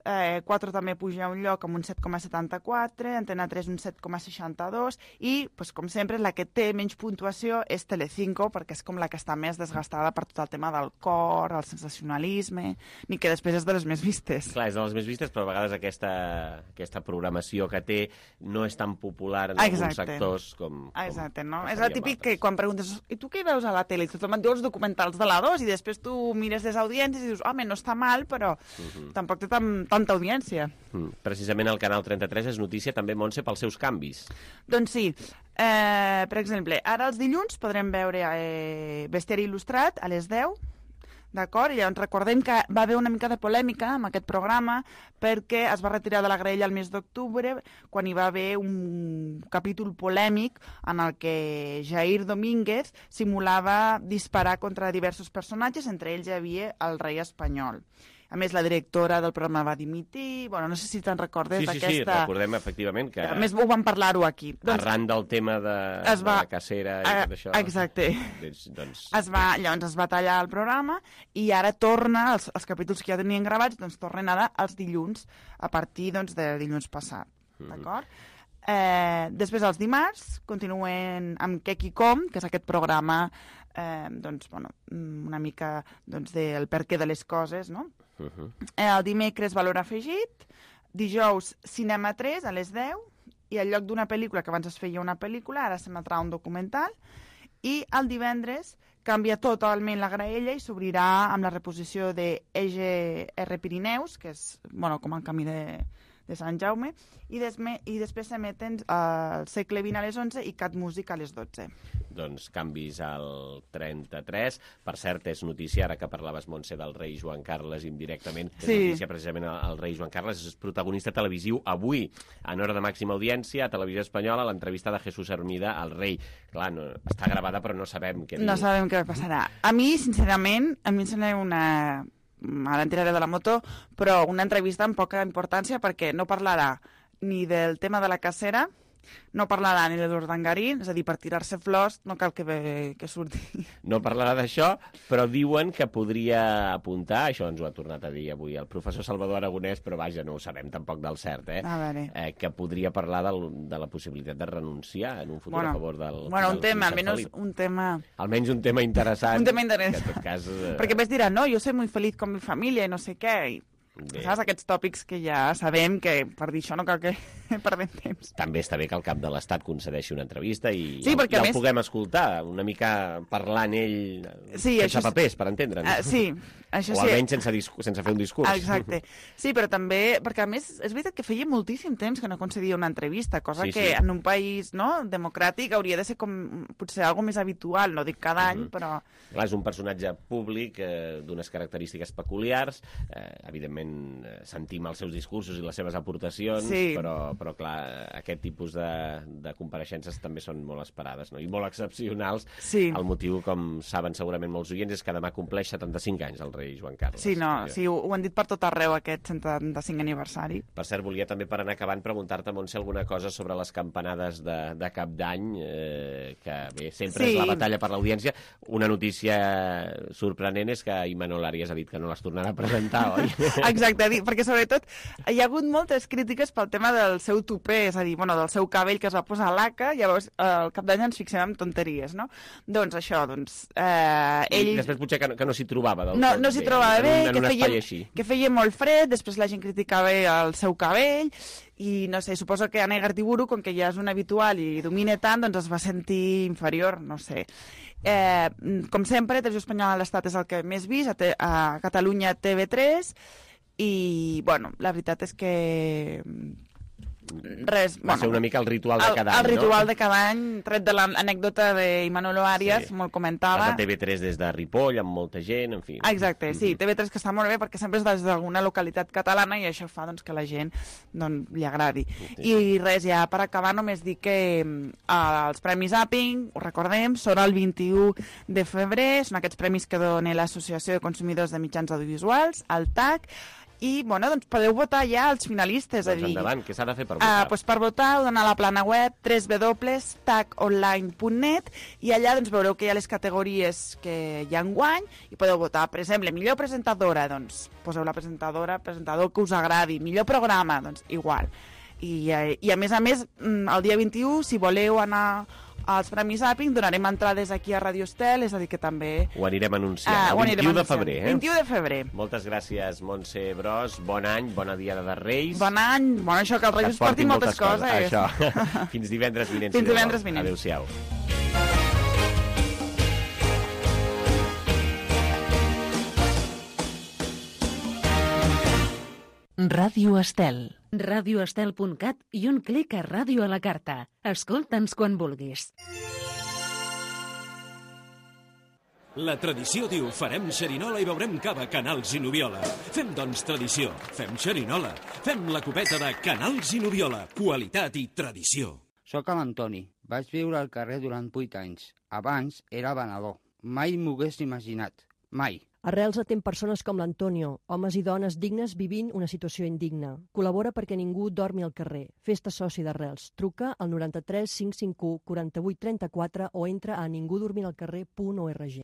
eh, quatre també puja un lloc amb un set coma setanta-quatre, Antena tres un set coma seixanta-dos, i, doncs, com sempre, la que té menys puntuació és Telecinco, perquè és com la que està més desgastada per tot el tema del cor, el sensacionalisme, ni que després és de les més vistes. Clar, és de les més vistes, però a vegades aquesta, aquesta programació que té no és tan popular en Exacte. alguns sectors com... com Exacte, no? És el típic que quan preguntes i tu què veus a la tele? I tothom et diu els documentals de la dos, i després tu mires les audiències i dius, home, no està mal, però uh-huh. tampoc té tan, tanta audiència. Mm. Precisament el canal trenta-tres és notícia també, Montse, pels seus canvis. Doncs sí. Eh, per exemple, ara els dilluns podrem veure eh, Bestiari il·lustrat a les deu, d'acord? I llavors recordem que va haver una mica de polèmica amb aquest programa perquè es va retirar de la graella el mes d'octubre quan hi va haver un capítol polèmic en el que Jair Domínguez simulava disparar contra diversos personatges, entre ells hi havia el rei espanyol. A més, la directora del programa va dimitir. Bueno, no sé si te'n recordes d'aquesta... Sí, sí, sí, recordem efectivament que... A més, ho vam parlar-ho aquí. Doncs... Arran del tema de, es va... de la cacera i tot això... Exacte. Doncs, doncs... Es va... Llavors es va tallar el programa i ara torna, els, els capítols que ja tenien gravats, doncs tornen ara els dilluns, a partir doncs, de dilluns passat. Mm. D'acord? Eh, després, els dimarts, continuen amb Què qui com, que és aquest programa eh, doncs, bueno, una mica doncs, del perquè de les coses, no? Uh-huh. El dimecres Valor Afegit, dijous Cinema tres a les deu, i al lloc d'una pel·lícula, que abans es feia una pel·lícula, ara s'emetrà un documental, i el divendres canvia totalment la graella i s'obrirà amb la reposició de E G R Pirineus, que és bueno, com el camí de, de Sant Jaume, i, desme, i després s'emeten al uh, segle vint a les onze i Cat Música a les dotze. Doncs canvis al trenta-tres. Per cert, és notícia, ara que parlaves, Montse, del rei Joan Carles indirectament, és sí. notícia precisament el rei Joan Carles, és protagonista televisiu avui, en hora de màxima audiència, a Televisió Espanyola, l'entrevista de Jesús Hermida al rei. Clar, no, està gravada, però no sabem què diu. No sabem què passarà. A mi, sincerament, a mi em sembla una... Ara en tiraré de la moto, però una entrevista amb poca importància perquè no parlarà ni del tema de la cacera, no parlarà ni de l'Urdangarín, és a dir, per tirar-se flors no cal que, que surti. No parlarà d'això, però diuen que podria apuntar, això ens ho ha tornat a dir avui el professor Salvador Aragonès, però vaja, no ho sabem tampoc del cert, eh? A veure. eh que podria parlar del, de la possibilitat de renunciar en un futur bueno, a favor del Bueno, del un tema, almenys almenys un tema... Almenys un tema interessant. Un tema interessant. Que en tot cas... Eh... Perquè més dirà, no, jo soy muy feliz con mi familia i no sé què, i Bé. Saps? Aquests tòpics que ja sabem que per dir això no cal que perdem temps. També està bé que el cap de l'Estat concedeixi una entrevista i sí, ja, ja més... el puguem escoltar, una mica parlant ell sí, sense papers, per entendre'ns. Uh, sí, això o sí. almenys sense, sense fer un discurs. Exacte. Sí, però també, perquè a més és veritat que feia moltíssim temps que no concedia una entrevista, cosa sí, que sí. en un país no, democràtic hauria de ser com potser algo més habitual, no dic cada any, uh -huh. però... Clar, és un personatge públic eh, d'unes característiques peculiars, eh, evidentment eh, sentim els seus discursos i les seves aportacions, sí. però, però clar, aquest tipus de, de compareixences també són molt esperades, no? I molt excepcionals. Sí. El motiu, com saben segurament molts oients, és que demà compleix setanta-cinc anys el rei Joan Carles. Sí, no, sí, ho, ho han dit per tot arreu aquest setanta-cinc aniversari. Per cert, volia també per anar acabant preguntar-te, Montse, alguna cosa sobre les campanades de, de Cap d'Any, eh, que bé, sempre sí. és la batalla per l'audiència. Una notícia sorprenent és que Imanol Arias ha dit que no les tornarà a presentar, oi? Exacte, perquè sobretot hi ha hagut moltes crítiques pel tema del seu tupé, és a dir, bueno, del seu cabell que es va posar a l'A C A, llavors al Cap d'Any ens fixem en tonteries, no? Doncs això, doncs... Eh, ell... I després potser que no, que no s'hi trobava del no, tot no s'hi bé, trobava bé, en un, que, en un feia, que feia molt fred, després la gent criticava el seu cabell, i no sé, suposo que Anna Igartiburu, com que ja és un habitual i domina tant, doncs es va sentir inferior, no sé. Eh, com sempre, Televisió Espanyola a l'Estat és el que més vist, a, te, a Catalunya T V tres, i, bueno, la veritat és que... Res, va bueno, ser una mica el ritual de cada el, any, el ritual no? de cada any, tret de l'anècdota d'Imanolo Arias, sí. Molt comentava. Vas a T V tres des de Ripoll, amb molta gent, en fi. Exacte, sí, T V tres que està molt bé perquè sempre és des d'alguna localitat catalana i això fa doncs, que la gent doncs, li agradi. Sí. I res, ja per acabar només dir que eh, els Premis Zapping, ho recordem, són el vint-i-u de febrer, són aquests premis que dona l'Associació de Consumidors de Mitjans Audiovisuals, el T A C, i bueno, doncs podeu votar ja els finalistes. Doncs a dir, endavant, què s'ha de fer per votar? Uh, doncs per votar heu d'anar a la plana web w w w punt tac online punt net i allà doncs, veureu que hi ha les categories que hi ha enguany i podeu votar, per exemple, millor presentadora, doncs poseu la presentadora, presentador que us agradi, millor programa, doncs igual. I, i a més a més, el dia vint-i-u, si voleu anar als Premis Zapping, donarem entrades aquí a Radio Estel, és a dir que també... Ho anirem anunciant, uh, el vint-i-u de febrer, eh? vint-i-u de febrer. Moltes gràcies, Montse Bros, bon any, bona Diada de Reis. Bon any, bon això, que els Reis us portin moltes, moltes coses. coses. Això, fins divendres vinent. Fins divendres vinent. Adéu-siau. Ràdio Estel. radioestel punt cat i un clic a Ràdio a la Carta. Escolta'ns quan vulguis. La tradició diu farem xerinola i beurem cava, Canals i Noviola. Fem, doncs, tradició. Fem xerinola. Fem la copeta de Canals i Noviola. Qualitat i tradició. Soc l'Antoni. Vaig viure al carrer durant vuit anys. Abans era venedor. Mai m'ho hagués imaginat. Mai. Arrels atén persones com l'Antonio, homes i dones dignes vivint una situació indigna. Col·labora perquè ningú dormi al carrer. Fes-te soci d'Arrels. Truca al noranta-tres cinc cinc u quaranta-vuit trenta-quatre o entra a ningudormiralcarrer punt org.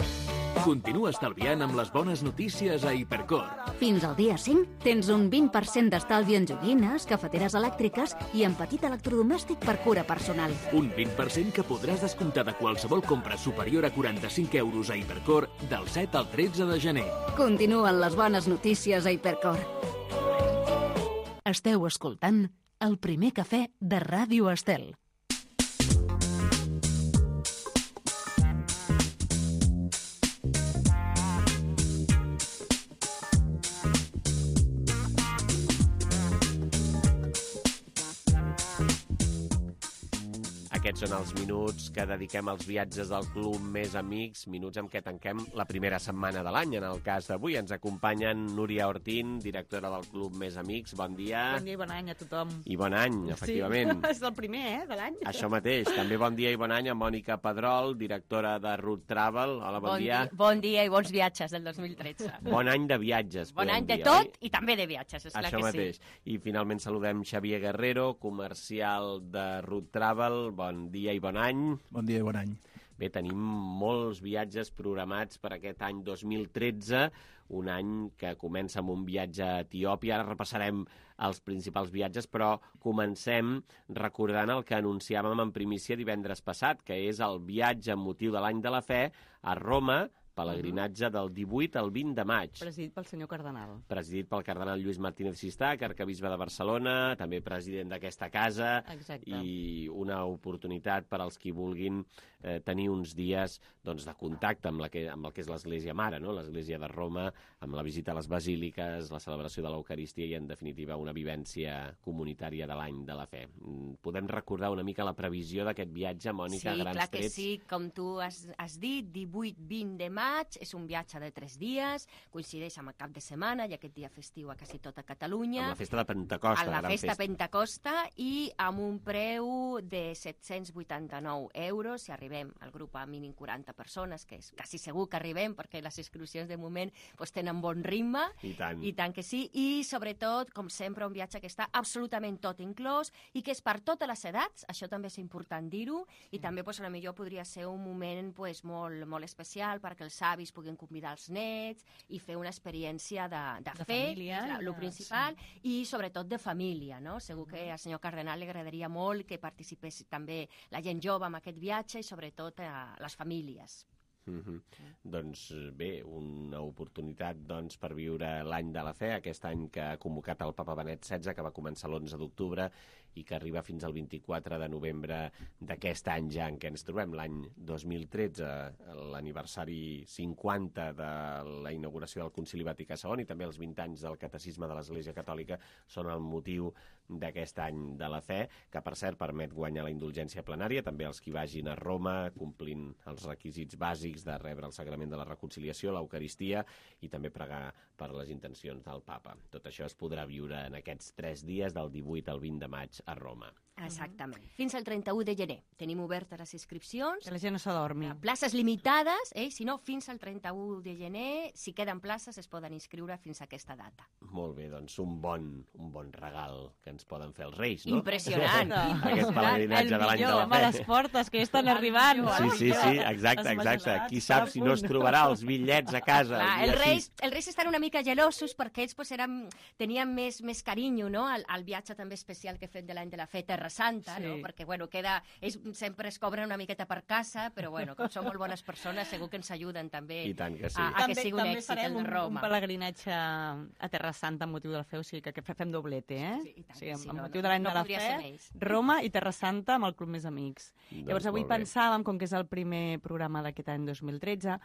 Continua estalviant amb les bones notícies a Hipercor. Fins al dia cinc tens un vint per cent d'estalvi en joguines, cafeteres elèctriques i en petit electrodomèstic per cura personal. Un vint per cent que podràs descomptar de qualsevol compra superior a quaranta-cinc euros a Hipercor del set al tretze de gener. Continuen les bones notícies a Hipercor. Esteu escoltant el primer cafè de Ràdio Estel. Aquests són els minuts que dediquem als viatges del Club Més Amics, minuts amb què tanquem la primera setmana de l'any. En el cas d'avui ens acompanyen Núria Ortín, directora del Club Més Amics. Bon dia. Bon dia i bon any a tothom. I bon any, efectivament. Sí, és el primer, eh, de l'any. Això mateix. També bon dia i bon any a Mònica Pedrol, directora de Route Travel. Hola, bon, bon dia. dia. Bon dia i bons viatges del dos mil tretze. Bon any de viatges, Bon any de dir, tot oi? i també de viatges, esclar Això que mateix. sí. I finalment saludem Xavier Guerrero, comercial de Route Travel. Bon dia i bon any. Bon dia i bon any. Bé, tenim molts viatges programats per aquest any dos mil tretze, un any que comença amb un viatge a Etiòpia. Ara repassarem els principals viatges, però comencem recordant el que anunciàvem en primícia divendres passat, que és el viatge amb motiu de l'any de la fe a Roma, pelegrinatge del divuit al vint de maig. Presidit pel senyor cardenal. Presidit pel cardenal Lluís Martínez Sistac, arcabisbe de Barcelona, també president d'aquesta casa. Exacte. I una oportunitat per als qui vulguin eh, tenir uns dies doncs, de contacte amb, la que, amb el que és l'Església Mare, no? l'Església de Roma, amb la visita a les basíliques, la celebració de l'Eucaristia i, en definitiva, una vivència comunitària de l'any de la fe. Podem recordar una mica la previsió d'aquest viatge, Mònica, sí, a grans clar que trets? sí, com tu has, has dit, divuit vint de maig, és un viatge de tres dies, coincideix amb el cap de setmana i aquest dia festiu a quasi tota Catalunya. Amb la festa de Pentecosta, la gran festa festa. Pentecosta, i amb un preu de set-cents vuitanta-nou euros, si arribem al grup a mínim quaranta persones, que és quasi segur que arribem, perquè les inscripcions de moment pues, tenen bon ritme. I tant. I tant que sí, i sobretot, com sempre, un viatge que està absolutament tot inclòs i que és per totes les edats, això també és important dir-ho, i també pues, a la millor podria ser un moment pues, molt, molt especial perquè els avis puguin convidar els nets i fer una experiència de, de, De fe, família, que és el de- principal, sí. I sobretot de família, no? Segur que al senyor cardenal li agradaria molt que participés també la gent jove en aquest viatge i sobretot a les famílies. Mm-hmm. Doncs bé, una oportunitat doncs, per viure l'any de la fe, aquest any que ha convocat el papa Benet setze, que va començar l'onze d'octubre i que arriba fins al vint-i-quatre de novembre d'aquest any ja en què ens trobem, l'any dos mil tretze, l'aniversari cinquanta de la inauguració del Concili Vaticà segon i també els vint anys del Catecisme de l'Església Catòlica són el motiu d'aquest any de la fe, que per cert permet guanyar la indulgència plenària, també els qui vagin a Roma complint els requisits bàsics de rebre el sagrament de la reconciliació, l'Eucaristia i també pregar per les intencions del papa. Tot això es podrà viure en aquests tres dies del divuit al vint de maig a Roma. Exactament. Fins al trenta-u de gener. Tenim obertes les inscripcions. Que la gent no s'adormi. Places limitades, eh? Si no, fins al trenta-u de gener, si queden places, es poden inscriure fins a aquesta data. Molt bé, doncs un bon, un bon regal que ens poden fer els Reis, no? Impressionant. Aquest pelegrinatge de l'any de la home, fe. les portes, que ja estan arribant. Sí, sí, sí, exacte, exacte. Qui sap si no es trobarà els bitllets a casa. Clar, el els dia reis, sis. els reis estan una mica gelosos perquè ells pues, eren, tenien més, més carinyo, no?, al, al viatge també especial que he fet de l'any de la fe, Terra Santa, Sí. no?, perquè, bueno, queda, ells sempre es cobren una miqueta per casa, però, bueno, com són molt bones persones, segur que ens ajuden també I tant que sí. a, a que També- sigui un també èxit farem el de un- Roma. Un pelegrinatge a Terra Santa amb motiu de la fe, o sigui que, que fem doblete, eh? Sí, tant sí, que amb, sí, amb no, motiu no, de l'any no de la podria fe, ser menys. Roma i Terra Santa amb el Club Més Amics. Doncs Llavors avui molt bé. pensàvem, com que és el primer programa d'aquest any dos mil tretze,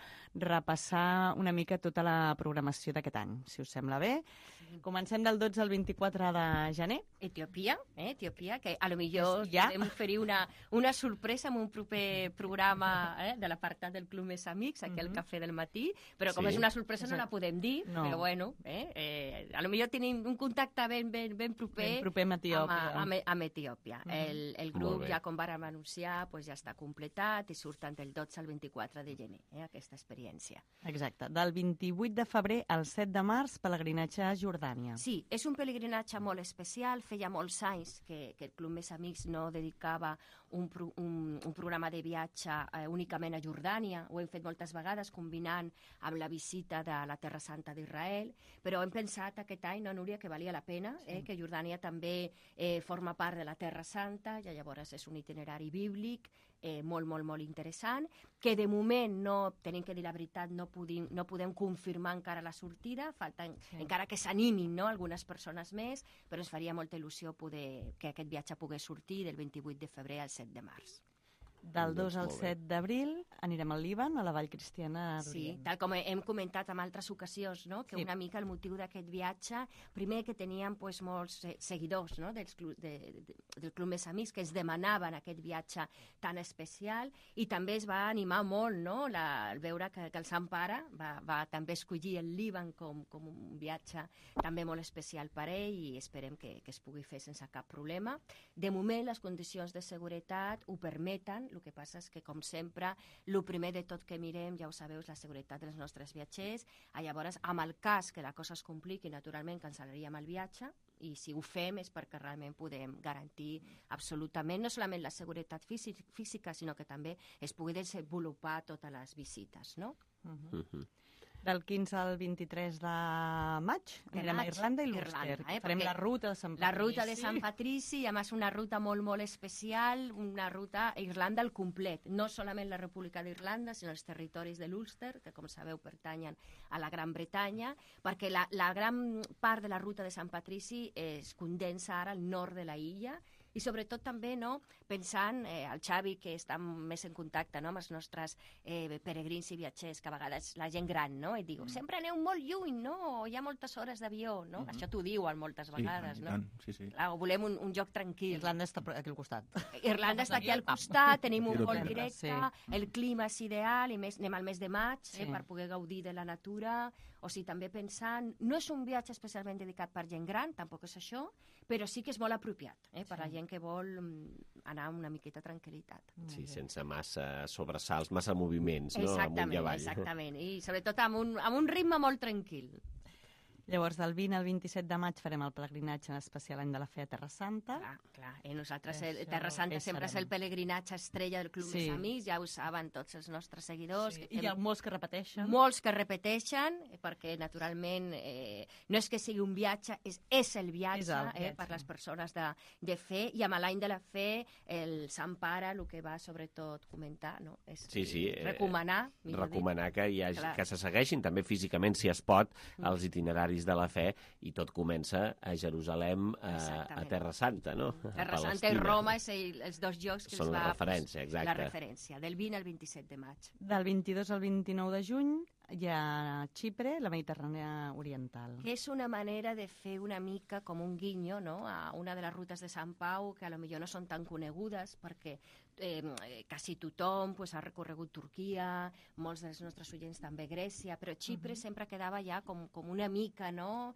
repassar una mica tota la programació d'aquest any, si us sembla bé. Comencem del dotze al vint-i-quatre de gener. Etiòpia, eh, Etiòpia, que a lo millor Ja. podem oferir una, una sorpresa amb un proper programa eh, de l'apartat del Club Més Amics, aquí al Cafè del Matí, però com Sí. és una sorpresa no la podem dir, No. però bueno, eh, eh, a lo millor tenim un contacte ben, ben, ben proper, Ben proper amb Etiòpia. Amb, amb, amb Etiòpia. Mhm. el, el Molt grup, bé. ja com vàrem anunciar, pues ja està completat i surten del dotze al vint-i-quatre de gener, eh, aquesta experiència. Exacte. Del vint-i-vuit de febrer al set de març, pelegrinatge a Jordània. Sí, és un pelegrinatge molt especial. Feia molts anys que, que el Club Més Amics no dedicava un, pro, un, un programa de viatge eh, únicament a Jordània. Ho hem fet moltes vegades combinant amb la visita de la Terra Santa d'Israel, però hem pensat aquest any, no, Núria, que valia la pena, eh, Sí. que Jordània també eh, forma part de la Terra Santa, i llavors és un itinerari bíblic eh, molt, molt, molt interessant, que de moment no, tenim que dir la veritat, no podem, no podem confirmar encara la sortida, falten, Sí. encara que s'animin, no?, algunes persones més, però ens faria molta il·lusió poder, que aquest viatge pogués sortir del vint-i-vuit de febrer al set de març. Del dos al Molt bé. set d'abril anirem al Líban, a la Vall Cristiana Sí, d'Orient. tal com hem comentat en altres ocasions, no?, que Sí. una mica el motiu d'aquest viatge, primer que teníem pues, molts eh, seguidors, no?, dels clu de, de, del Club Més Amics que ens demanaven aquest viatge tan especial, i també es va animar molt, no?, la, el veure que, que el Sant Pare va, va també escollir el Líban com, com un viatge també molt especial per ell, i esperem que, que es pugui fer sense cap problema. De moment les condicions de seguretat ho permeten. El que passa és que, com sempre, el primer de tot que mirem, ja ho sabeu, és la seguretat dels nostres viatgers. Ah, llavors, amb el cas que la cosa es compliqui, naturalment cancel·laríem el viatge, i si ho fem és perquè realment podem garantir absolutament no solament la seguretat físic, física, sinó que també es pugui desenvolupar totes les visites, no? Uh -huh. Mhm. Del quinze al vint-i-tres de maig anirem a Irlanda i l'Ulster. Irlanda, eh? Farem Perquè la ruta de Sant Patrici. La ruta de Sant Patrici, i a més una ruta molt, molt especial, una ruta a Irlanda al complet. No solament la República d'Irlanda, sinó els territoris de l'Ulster, que com sabeu pertanyen a la Gran Bretanya, perquè la, la gran part de la ruta de Sant Patrici es condensa ara al nord de la illa, i sobretot també no, pensant, eh, el Xavi, que està més en contacte no, amb els nostres eh, peregrins i viatgers, que a vegades la gent gran, no? I diu, mm. sempre aneu molt lluny, no? Hi ha moltes hores d'avió, no? Mm-hmm. Això t'ho diuen moltes vegades, sí, no? Sí, sí. Clar, volem un, un lloc tranquil. Irlanda està aquí al costat. Irlanda està aquí al costat, tenim un vol directe, sí. El clima és ideal, i més, anem al mes de maig, Sí. eh, per poder gaudir de la natura, o sigui, també pensant, no és un viatge especialment dedicat per gent gran, tampoc és això, però sí que és molt apropiat, eh, per sí. la gent que vol mm, anar amb una miqueta tranquil·litat. Sí, sense massa sobresalts, massa moviments, no? Exactament, amunt i avall. exactament, i sobretot amb un, amb un ritme molt tranquil. Llavors, del vint al vint-i-set de maig farem el pelegrinatge especial any de la fe a Terra Santa. Clar, clar. Eh, nosaltres, Això, el, Terra Santa és sempre és el pelegrinatge estrella del Club Sí. Més Amics, ja ho saben tots els nostres seguidors. Sí. que I hi ha fem- molts que repeteixen. Molts que repeteixen, eh, perquè naturalment eh, no és que sigui un viatge, és, és el viatge, És el eh, viatge. per les persones de, de fe, i amb l'any de la fe el Sant Pare el que va sobretot comentar, no? És Sí, sí. eh, recomanar, millor dit. recomanar que, hi hagi, Clar. que se segueixin també físicament, si es pot, els itineraris de la fe, i tot comença a Jerusalem, a, a Exactament. Terra Santa, no? A Terra Santa i Palestina. Roma és el, els dos llocs que Són els la va... referència, exacte. La referència, del vint al vint-i-set de maig. Del vint-i-dos al vint-i-nou de juny hi ha Xipre, la Mediterrània Oriental. Que és una manera de fer una mica com un guinyo, no?, a una de les rutes de Sant Pau, que a lo millor no són tan conegudes, perquè eh, quasi tothom pues, ha recorregut Turquia, molts dels nostres oients també Grècia, però Xipre uh-huh. sempre quedava ja com, com una mica, no?,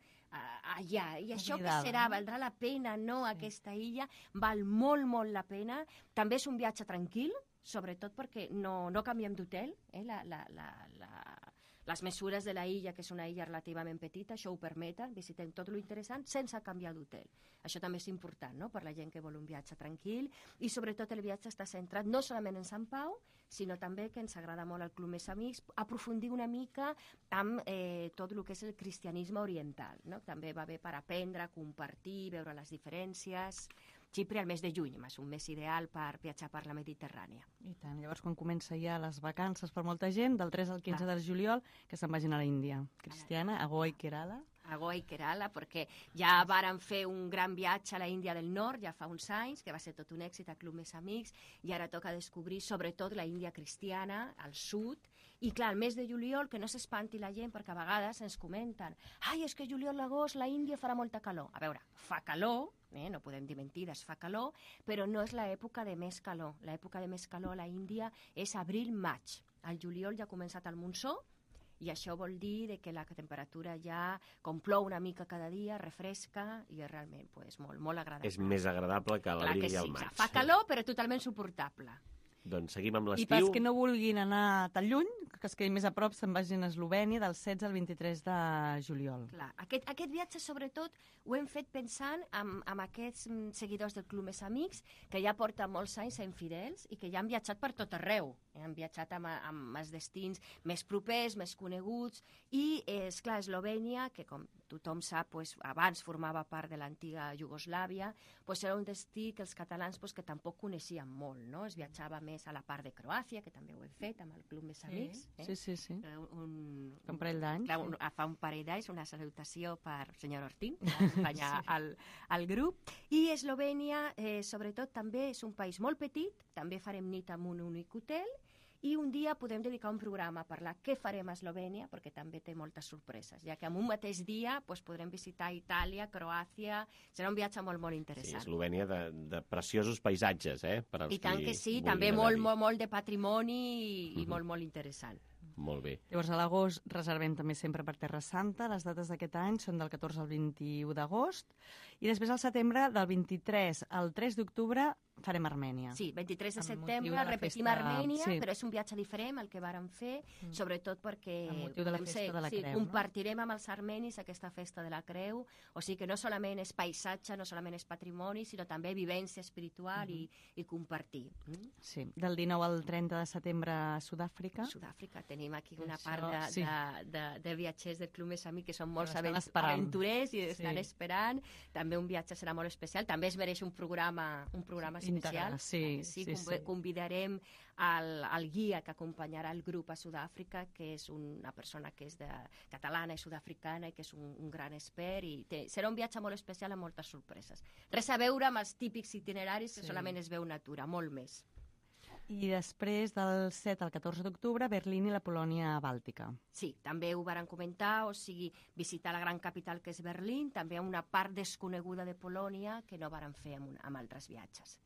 allà. I això Oblidada, què serà? no? Valdrà la pena, no?, sí. Aquesta illa val molt, molt la pena. També és un viatge tranquil, sobretot perquè no, no canviem d'hotel, eh? la, la, la, la, les mesures de la illa, que és una illa relativament petita, això ho permeten, visitem tot lo interessant sense canviar d'hotel. Això també és important, no?, per la gent que vol un viatge tranquil, i sobretot el viatge està centrat no solament en Sant Pau, sinó també, que ens agrada molt al Club Més Amics, aprofundir una mica amb eh, tot el que és el cristianisme oriental, no? També va bé per aprendre, compartir, veure les diferències. Xipre al mes de juny, és un mes ideal per viatjar per la Mediterrània. I tant. Llavors, quan comença ja les vacances per molta gent, del tres al quinze Clar. de juliol, que se'n vagin a la Índia. Cristiana, a Goa i Kerala. A Goa i Kerala, perquè ja varen fer un gran viatge a la Índia del Nord, ja fa uns anys, que va ser tot un èxit a Club Més Amics, i ara toca descobrir sobretot la Índia cristiana, al sud, i clar, el mes de juliol, que no s'espanti la gent, perquè a vegades ens comenten ai, és que juliol, l'agost, la Índia farà molta calor. A veure, fa calor, eh? No podem dir mentides, fa calor, però no és l'època de més calor. L'època de més calor a la Índia és abril-maig. Al juliol ja ha començat el monsó, i això vol dir de que la temperatura ja, com plou una mica cada dia, refresca, i és realment pues, molt, molt agradable. És més agradable que l'abril i el maig. Fa calor, però totalment suportable. Doncs seguim amb I l'estiu. pels que no vulguin anar tan lluny, que es quedin més a prop, se'n vagin a Eslovènia del setze al vint-i-tres de juliol. Clar, aquest, aquest viatge, sobretot, ho hem fet pensant en, en aquests mm, seguidors del Club Més Amics, que ja porten molts anys sent fidels i que ja han viatjat per tot arreu. Eh? Han viatjat amb, amb els destins més propers, més coneguts, i, eh, esclar, Eslovènia, que com tothom sap, pues, abans formava part de l'antiga Iugoslàvia, pues, era un destí que els catalans pues, que tampoc coneixien molt, no? Es viatjava més a la part de Croàcia, que també ho hem fet amb el Club Més Amics. Sí, eh? sí, sí. sí. Un, Fa un parell d'anys. Clar, un, fa un parell d'anys, una salutació per senyor Ortín, que va acompanyar sí. al, al grup. I Eslovènia, eh, sobretot, també és un país molt petit, també farem nit en un únic hotel, i un dia podem dedicar un programa a parlar què farem a Eslovènia, perquè també té moltes sorpreses, ja que en un mateix dia pues, podrem visitar Itàlia, Croàcia, serà un viatge molt, molt Sí, interessant. Eslovènia de, de preciosos paisatges, eh? Per als I tant qui que sí, vulguin també anar-hi. molt, molt, molt de patrimoni i, i Mhm. molt, molt interessant. Molt bé. Llavors, a l'agost reservem també sempre per Terra Santa. Les dates d'aquest any són del catorze al vint-i-u d'agost. I després, al setembre, del vint-i-tres al tres d'octubre, farem Armènia. Sí, vint-i-tres de Amb motiu setembre de la repetim festa- Armènia, sí. però és un viatge diferent el que vàrem fer, Mm. sobretot perquè Amb motiu de la vam festa de la sí, Creu, no? compartirem amb els armenis aquesta festa de la Creu, o sigui que no solament és paisatge, no solament és patrimoni, sinó també vivència espiritual i, i compartir. Mm? Sí, del dinou al trenta de setembre a Sud-àfrica. Sud-àfrica, tenim aquí una Això, part de, sí. de, de, de viatgers del Club Més Amic que són molt estan avent- esperant. aventurers i estan Sí. esperant. També un viatge serà molt especial. També es mereix un programa, un programa especial. Integral, sí, sí, sí, conv- sí. Convidarem al, al guia que acompanyarà el grup a Sud-àfrica, que és una persona que és de, catalana i sud-africana i que és un, un gran expert. I té, serà un viatge molt especial amb moltes sorpreses. Res a veure amb els típics itineraris que Sí. solament es veu natura, molt més. I després, del set al catorze d'octubre, Berlín i la Polònia Bàltica. Sí, també ho varen comentar, o sigui, visitar la gran capital que és Berlín, també una part desconeguda de Polònia que no varen fer amb, un, amb altres viatges.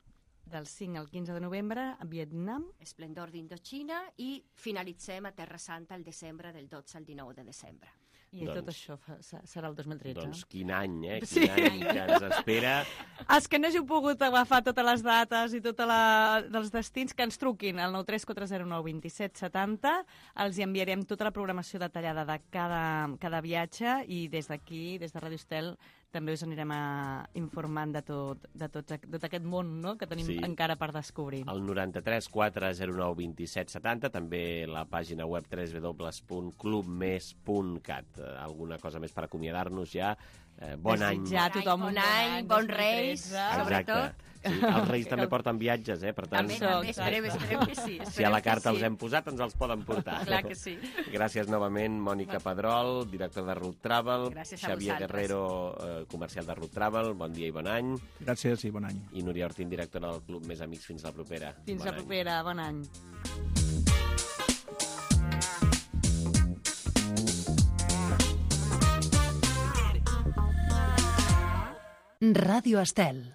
Del cinc al quinze de novembre, a Vietnam. Esplendor d'Indochina i finalitzem a Terra Santa el desembre del dotze al dinou de desembre. I doncs, tot això fa, serà el dos mil tretze. Doncs quin any, eh? Quin Sí. any que ens espera. Els que no hàgiu pogut agafar totes les dates i tots els destins, que ens truquin al nou tres quatre zero nou dos set set zero, els hi enviarem tota la programació detallada de cada, cada viatge i des d'aquí, des de Ràdio Estel, també us anirem a, informant de tot, de tot, de tot aquest món, no?, que tenim Sí. encara per descobrir. El noranta-tres quatre zero nou dos set set zero, també la pàgina web w w w punt club més punt cat. Alguna cosa més per acomiadar-nos ja. Eh, bon any. Desitjar a tothom Bon un any, bon bons dos mil reis, tretze. sobretot. Sí, els reis també porten viatges, eh? Per tant, També, també, esperem, esperem que sí. si a la esperem que carta sí. els hem posat, ens els poden portar. Clar que sí. Gràcies novament, Mònica Pedrol, director de Root Travel, Gràcies a Xavier vosaltres. Guerrero, eh, comercial de Root Travel, bon dia i bon any. Gràcies i bon any. I Núria Ortín, directora del Club Més Amics. Fins la propera. Fins Bon la any. propera, bon any. Ràdio Estel.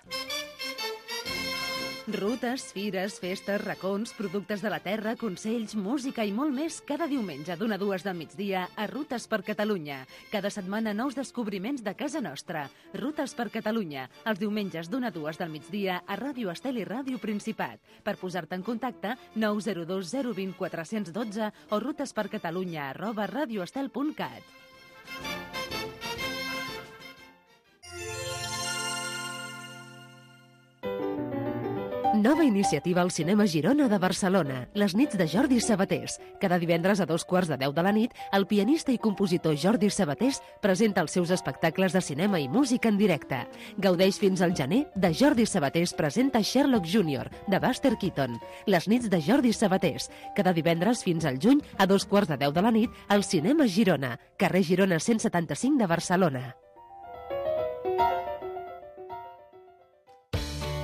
Rutes, fires, festes, racons, productes de la terra, consells, música i molt més cada diumenge d'una a dues del migdia a Rutes per Catalunya. Cada setmana nous descobriments de casa nostra. Rutes per Catalunya, els diumenges d'una a dues del migdia a Ràdio Estel i Ràdio Principat. Per posar-te en contacte, nou zero dos zero dos zero quatre un dos o rutespercatalunya arroba radioestel punt cat. Nova iniciativa al Cinema Girona de Barcelona, les nits de Jordi Sabatés. Cada divendres a dos quarts de deu de la nit, el pianista i compositor Jordi Sabatés presenta els seus espectacles de cinema i música en directe. Gaudeix fins al gener de Jordi Sabatés presenta Sherlock júnior, de Buster Keaton. Les nits de Jordi Sabatés. Cada divendres fins al juny, a dos quarts de deu de la nit, al Cinema Girona, carrer Girona cent setanta-cinc de Barcelona.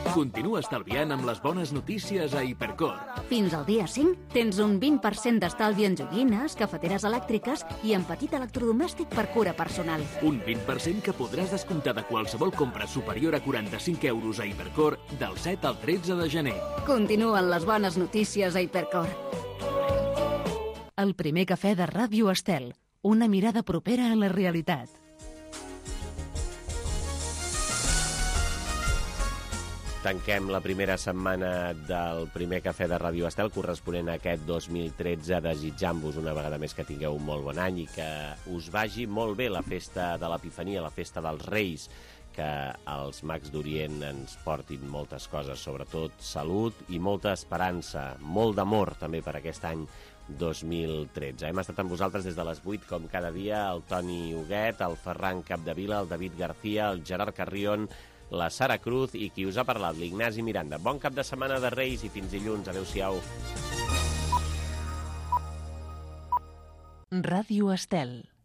Continua estalviant amb les bones notícies a Hipercor. Fins al dia cinc tens un vint per cent d'estalvi en joguines, cafeteres elèctriques i en petit electrodomèstic per cura personal. Un vint per cent que podràs descomptar de qualsevol compra superior a quaranta-cinc euros a Hipercor del set al tretze de gener. Continuen les bones notícies a Hipercor. El primer cafè de Ràdio Estel. Una mirada propera a la realitat. Tanquem la primera setmana del primer cafè de Ràdio Estel corresponent a aquest dos mil tretze, desitjant-vos una vegada més que tingueu un molt bon any i que us vagi molt bé la festa de l'Epifania, la festa dels Reis, que els mags d'Orient ens portin moltes coses, sobretot salut i molta esperança, molt d'amor també per aquest any dos mil tretze. Hem estat amb vosaltres des de les vuit, com cada dia, el Toni Huguet, el Ferran Capdevila, el David García, el Gerard Carrion, la Sara Cruz i qui us ha parlat, l'Ignasi Miranda. Bon cap de setmana de Reis i fins dilluns. Adéu-siau. Ràdio Estel.